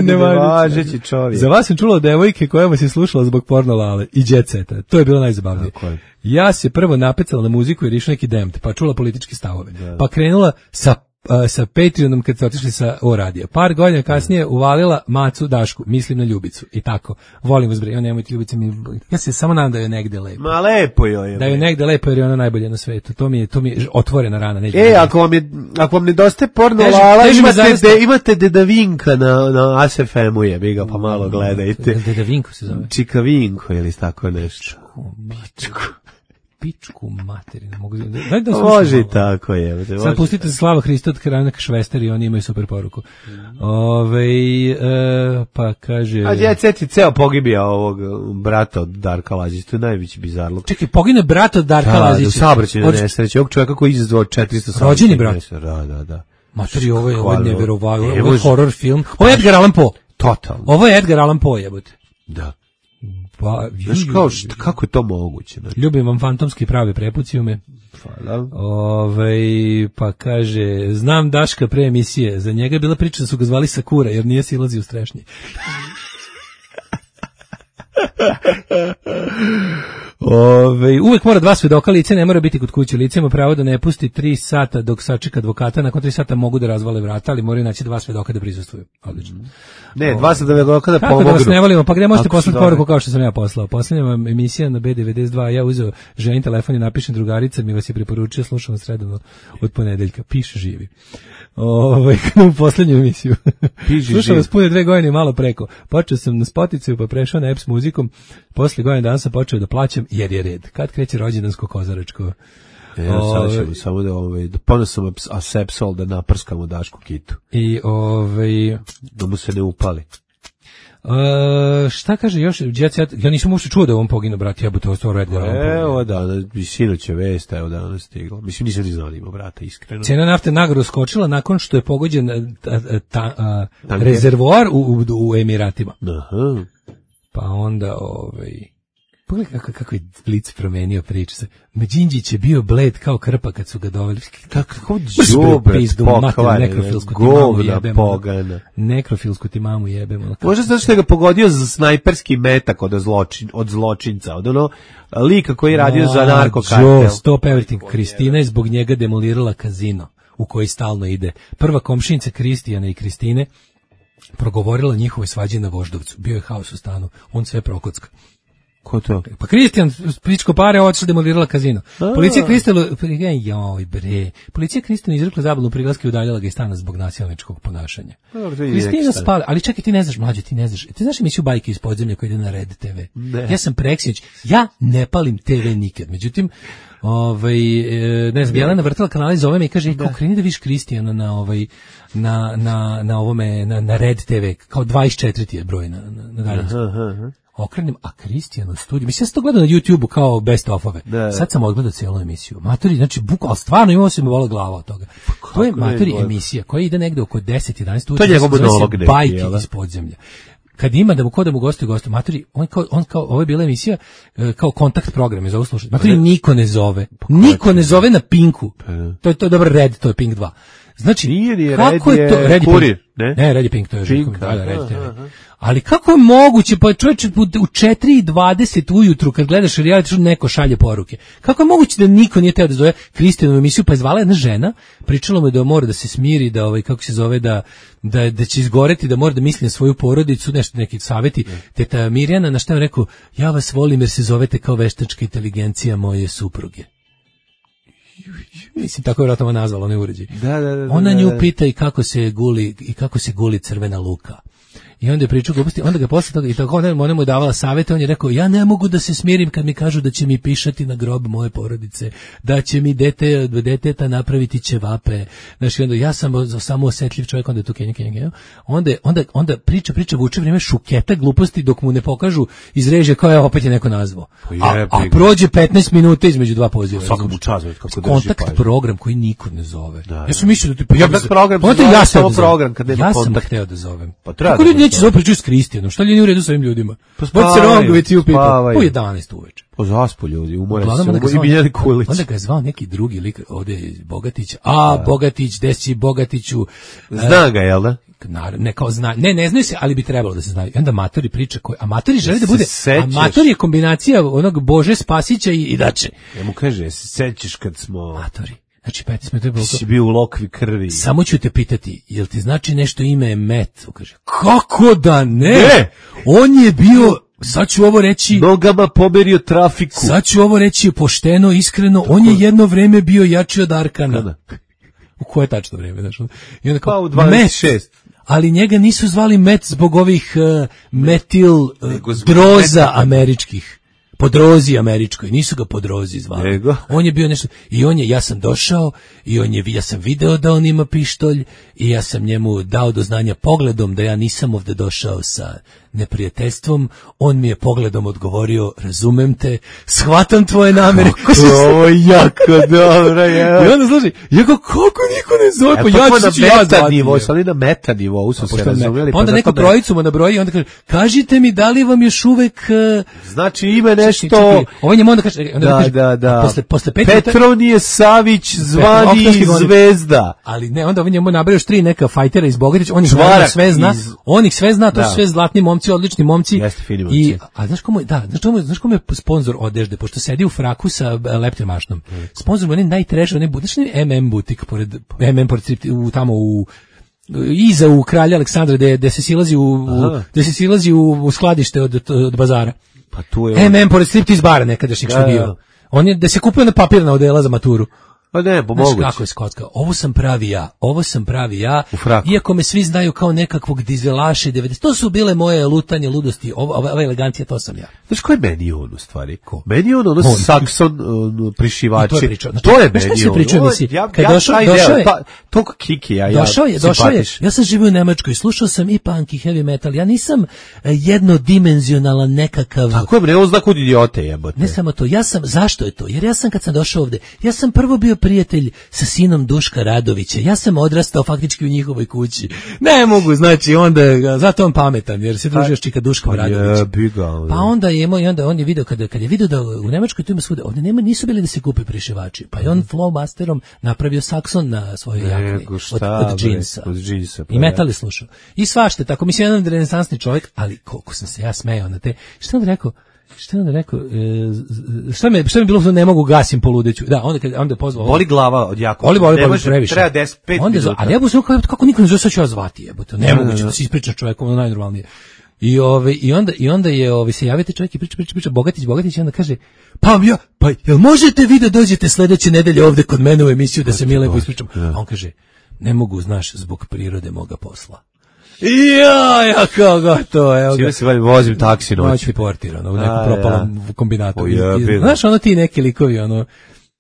S7: Nevažeći čovjek. Za vas sam čula devojke koja vas je slušala zbog porno Lale i Jet Seta. To je bilo najzabavnije. Ja se prvo napecala na muziku jer išla neki demt, pa čula političke stavove. Pa krenula sa Patreonom kad ste otišli sa radija. Par godina kasnije uvalila Macu Dašku, mislim na Ljubicu i tako. Volim vas bre, nemojte Ljubica mi. Ja se samo nadam da je negde lepo.
S6: Ma lepo joj.
S7: Da je negde lepo jer je ona najbolja na svetu. To mi je otvorena rana, neće.
S6: Ako vam nedostaje porno Lala, imate Deda Vinka na ASFM-u je, ga pa malo gledajte.
S7: Deda Vinko se zove.
S6: Čika Vinko ili tako nešto.
S7: Pičku materinu.
S6: Može i tako je.
S7: Sad pustite Slava Hristo od Kranak Švester i oni imaju super poruku. Pa kaže...
S6: A Jet Set je ceo pogibija ovog brata od Darka Lazića, to je najveći bizarluk.
S7: Čekaj, pogine brat od Darka Lazića?
S6: U saobraćajnoj nesreći, ovog čovjeka koji izazvao 400
S7: rođeni brat?
S6: Da.
S7: Materi, ovo je nevjerovatno, ovo je horror film. Ovo je Edgar Allan Poe.
S6: Totalno.
S7: Ovo je Edgar Allan Poe, jebote.
S6: Da. Znaš kako je to moguće?
S7: Ljubim vam fantomski pravi prepucijume.
S6: Hvala.
S7: Pa kaže, znam Daška pre emisije, za njega je bila priča da su ga zvali Sakura, jer nije silazio u strešnji. Uvek mora 2 svedoka, lice ne mora biti kod kuće, lice ima pravo da ne pusti 3 sata dok sačeka advokata, nakon 3 sata mogu da razvale vrata, ali moraju naći 2 svedoka da prisustvuju. Odlično.
S6: Ne, 2 svedoka da pomognu.
S7: Kako da vas ne volimo, pa gde možete poslati poruku kao što sam ja poslao? Posljednja vam emisija na B92, ja uzeo ženin telefon i napišem drugarica, mi vas je preporučio, slušam vas redovno od ponedeljka, piše živi. U posljednju emisiju. Slušao vas pune 2 godine malo preko. Počeo sam na Spotify pa prešao na Apps muzikom. Posle godine dana sam počeo da plaćam jer je red. Kad kreće rođendansko kozaračko?
S6: Sad ćemo samo da ponosam asepsol da naprskamo Dašku kitu.
S7: I
S6: da mu se ne upali.
S7: Šta kaže još Jet Set? Ja nisam uopšte čuo da je on poginuo, brate, jebote, ovo je Edgar Allan Poe.
S6: Evo da, sinoć je vest, evo danas stiglo. Mislim, nisam ni znao da ima brata, iskreno.
S7: Cena nafte nagro skočila nakon što je pogođen rezervoar u Emiratima.
S6: Aha.
S7: Pa onda, pogledaj kako je Blic promenio priču. Đinđić je bio bled kao krpa kad su ga doveli.
S6: Kako džubret pokvare, govna pogana.
S7: Nekrofilsku ti mamu jebemo.
S6: Možda zato što je ga pogodio za snajperski metak od zločinca, od ono lika koji je radio za narkokartel.
S7: Stop everything. Kristina je zbog njega demolirala kazino u koji stalno ide. Prva komšinica Kristijana i Kristine progovorila njihove svađe na Voždovcu. Bio je haos u stanu. On sve prokocka.
S6: Ko to?
S7: Pa Kristijan, pičko pare, otišla demolirala kazino. Policija Kristijanu izrekla zabranu prilaska i udaljala ga iz stana zbog nasilničkog ponašanja. Kristina spala, ali čekaj, ti ne znaš, mlađe, ti ne znaš. Ti znaš emisiju Bajke iz podzemlja koja ide na Red TV? Ne. Ja sam preksinoć, ja ne palim TV nikad. Međutim, ne znam, Jelena vrtala kanala i zove me i kaže, kao kreni da viš Kristijana na Red TV, kao 24 je broj na daljinsku. Okrenem, a Kristijan u studiju, mislim, ja sam to gledao na YouTube-u kao best of-ove. Sad sam odgledao cijelu emisiju. Matori, znači, bukvalno, stvarno imao se mi vola glava od toga. To je Matori emisija koja ide negde oko 10-11 ujutru.
S6: To je njegov monolog.
S7: Bajke iz podzemlja. Kad ima da mu gostuju gostu, Matori, on kao, ovo je bila emisija kao kontakt program, je za uslušati. Matori niko ne zove. Niko ne zove na Pinku. To je dobar Red, to je Pink 2. Znači, kako je to? Red je Kurir, ne, Red je Pink, to je Pink, da, Red TV. Ali kako je moguće, pa čovječe, u 4:20 ujutru kad gledaš reality show neko šalje poruke. Kako je moguće da niko nije teo da zove Kristijanu emisiju, pa je zvala jedna žena, pričala mu da mora da se smiri, da kako se zove, da će izgoreti, da mora da misli na svoju porodicu, nešto neki savjeti. Teta Mirjana na šta je rekao, ja vas volim jer se zovete kao veštačka inteligencija moje supruge. Mislim, tako je vjerojatno nazvala, onaj uređaj. Ona nju pita i kako se guli crvena luka. I onda je pričao gluposti, onda ga posle toga, i tako ona mu je davala savjete, on je rekao, ja ne mogu da se smirim kad mi kažu da će mi pišati na grob moje porodice, da će mi deteta napraviti ćevape, znači onda ja sam samo osetljiv čovjek, onda je tu kenja, onda priča vuče vrijeme šuketa gluposti dok mu ne pokažu iz režije kao je opet je neko nazvao. A prođe 15 minuta između dva poziva.
S6: Svakom u času kako drži
S7: kontakt program koji niko ne zove. Ja sam mislio da ja sam hteo da zovem. Pa treba neće zove priču s Kristijanom, šta li nije u redu s ovim ljudima? What's wrong with you people? Po 11 uveče.
S6: Po zaspu ljudi, umore se, i Miljani Kulić.
S7: Onda ga je zvao neki drugi lik, ovdje je Bogatić, Bogatić, desi Bogatiću.
S6: Zna ga, jel da?
S7: Ne, kao zna, ne znaju se, ali bi trebalo da se znaju. I onda Matori priča, a Matori želi da bude, a Matori je kombinacija onog Bože Spasića i Dače.
S6: Ja mu kaže, se sećaš kad smo...
S7: Matori. Znači, 15 minuta je bilo to.
S6: Si bio u lokvi krvi.
S7: Samo ću te pitati, jel ti znači nešto ime Met? On kaže, kako da ne? On je bio, sad ću ovo reći...
S6: Nogama pomerio trafiku.
S7: Sad ću ovo reći pošteno, iskreno, on je jedno vreme bio jači od Arkana. U koje tačno vreme? Znači, i onda kao,
S6: pa u 26.
S7: Ali njega nisu zvali Met zbog ovih metil droza američkih. Po drozi američkoj, nisu ga po drozi zvali.
S6: Nego.
S7: On je bio nešto, ja sam došao i ja sam video da on ima pištolj i ja sam njemu dao do znanja pogledom da ja nisam ovdje došao sa neprijateljstvom, on mi je pogledom odgovorio, razumem te, shvatam tvoje namere.
S6: Ovo je jako dobro, je.
S7: I onda služi, kako niko ne zove, pa ja ću ja zvati.
S6: Ali na meta nivou su se razumjeli.
S7: Onda neko trojicu mu nabroji i onda kaže, kažite mi da li vam još uvek...
S6: Znači ime nešto...
S7: Ovo njemu onda kaže...
S6: Da.
S7: Posle
S6: Petronije Savić zvani Zvezda.
S7: Ali ne, onda ovo njemu nabraju još 3 neka fajtera iz Bogatića, on ih sve zna, to su sve zlatni momci, odlični momci. A znaš kome je sponsor odežde, pošto sedi u fraku sa leptemašnom. Sponsor mu je najtreš, znaš MM butik pored tamo iza u Kralja Aleksandra gde se silazi u skladište od bazara.
S6: Pa tu je
S7: MM pored striptiz bara nekadašnjeg što bio. On je da se kupio na papirna odela za maturu.
S6: Pa ne, pomogući.
S7: Znaš kako je skotka? Ovo sam pravi ja, iako me svi znaju kao nekakvog dizelaša 90. To su bile moje lutanje, ludosti, ova elegancija, to sam ja.
S6: Znaš ko je meni on u stvari? Ko? Meni on Saxon prišivači.
S7: To je meni on. Kad došao je,
S6: toliko kiki,
S7: došao je, ja sam živio u Nemačkoj, slušao sam i punk i heavy metal, ja nisam jednodimenzionalan nekakav...
S6: Tako je, on zna kod idiote jebote.
S7: Ne samo to, zašto je to? Jer ja sam kad sam došao ovde, ja sam prvo bio prijatelj sa sinom Duška Radovića. Ja sam odrastao faktički u njihovoj kući. Ne mogu, znači onda zato on pametan jer se družio s čika Duškom Radovićem. Pa onda on je video kad je video da u Nemačkoj tu ima svuda, ovdje nisu bili da se kupe prišivači. Pa je on Flowmasterom napravio Saxon na svojoj jakni od džinsa. I metal je slušao. I svašta, tako mislim jedan renesansni čovjek, ali koliko sam se ja smejao na te. Šta on rekao? Šta mi bilo ne mogu gasim po ludeću. Da, onda je pozvao.
S6: Boli glava od jako.
S7: Boli previše.
S6: Treba 10 5 minuta.
S7: Ali ja bih se kako niko ne zove, sad ću ja zvati, jebote. Nemoguće da se ispričaš čovjekom najnormalnije. I onda je se javite čovjek i priča Bogatić i onda kaže pa jel možete vi da dođete sledeće nedelje ovde kod mene u emisiju da se mi lepo ispričamo. A on kaže ne mogu, znaš, zbog prirode moga posla. Ja kao gotovo, evo ga.
S6: Sile se vozim taksi
S7: noći portirano u nekom propalom kombinatu. Znaš, ono ti neki likovi, ono.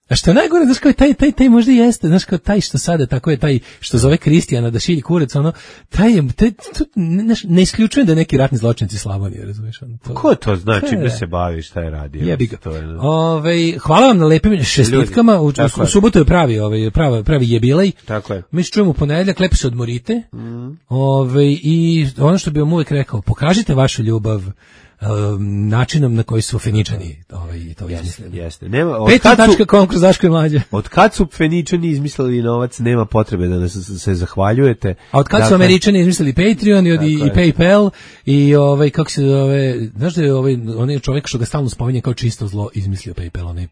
S7: A što je najgore, znaš kao taj možda jeste, znaš kao taj što sada, tako je taj što zove Kristijana da šilji kurac, ono, ne isključujem da je neki ratni zločinci Slavonije, razumiješ?
S6: Ko to zna, čime se bavi, šta je radio?
S7: Jebi ga. Hvala vam na lepim šestitkama, u subotu je pravi jebilej.
S6: Tako je.
S7: Mi se čujemo u ponedeljak, lepo se odmorite. I ono što bih vam uvek rekao, pokažite vašu ljubav načinom na koji su Feničani to izmislili.
S6: Jeste.
S7: Peta.com kroz Daško i Mlađa.
S6: Od kad su Feničani izmislili novac, nema potrebe da se zahvaljujete.
S7: A od kad su Američani izmislili Patreon i PayPal i kako se zove, znaš da je onaj čovjek što ga stalno spominje kao čisto zlo izmislio PayPal, onaj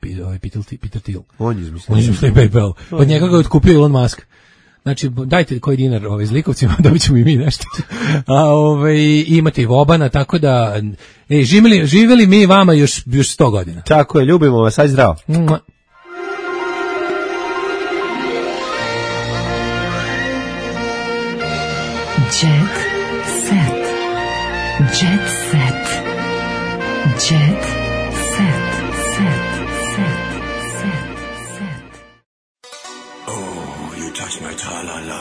S7: Peter Thiel. On izmislio PayPal. Od njega ga otkupio Elon Musk. Znači, dajte koji dinar zlikovcima, dobit ćemo i mi nešto. Imate i Vobana, tako da živeli mi vama još 100 godina.
S6: Tako je, ljubimo vas, aj zdravo.
S4: Jet set. Jet set. Jet set.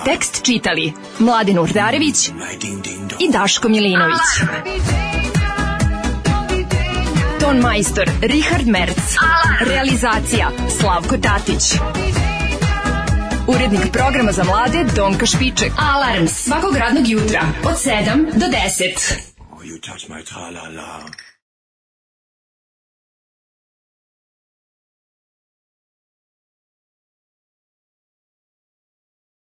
S8: Tekst čitali Mladen Urdarević i Daško Milinović. Ton majstor Richard Merc. Realizacija Slavko Tatić. Urednik programa za mlade Donka Špiček. Alarms svakog radnog jutra od 7 do 10.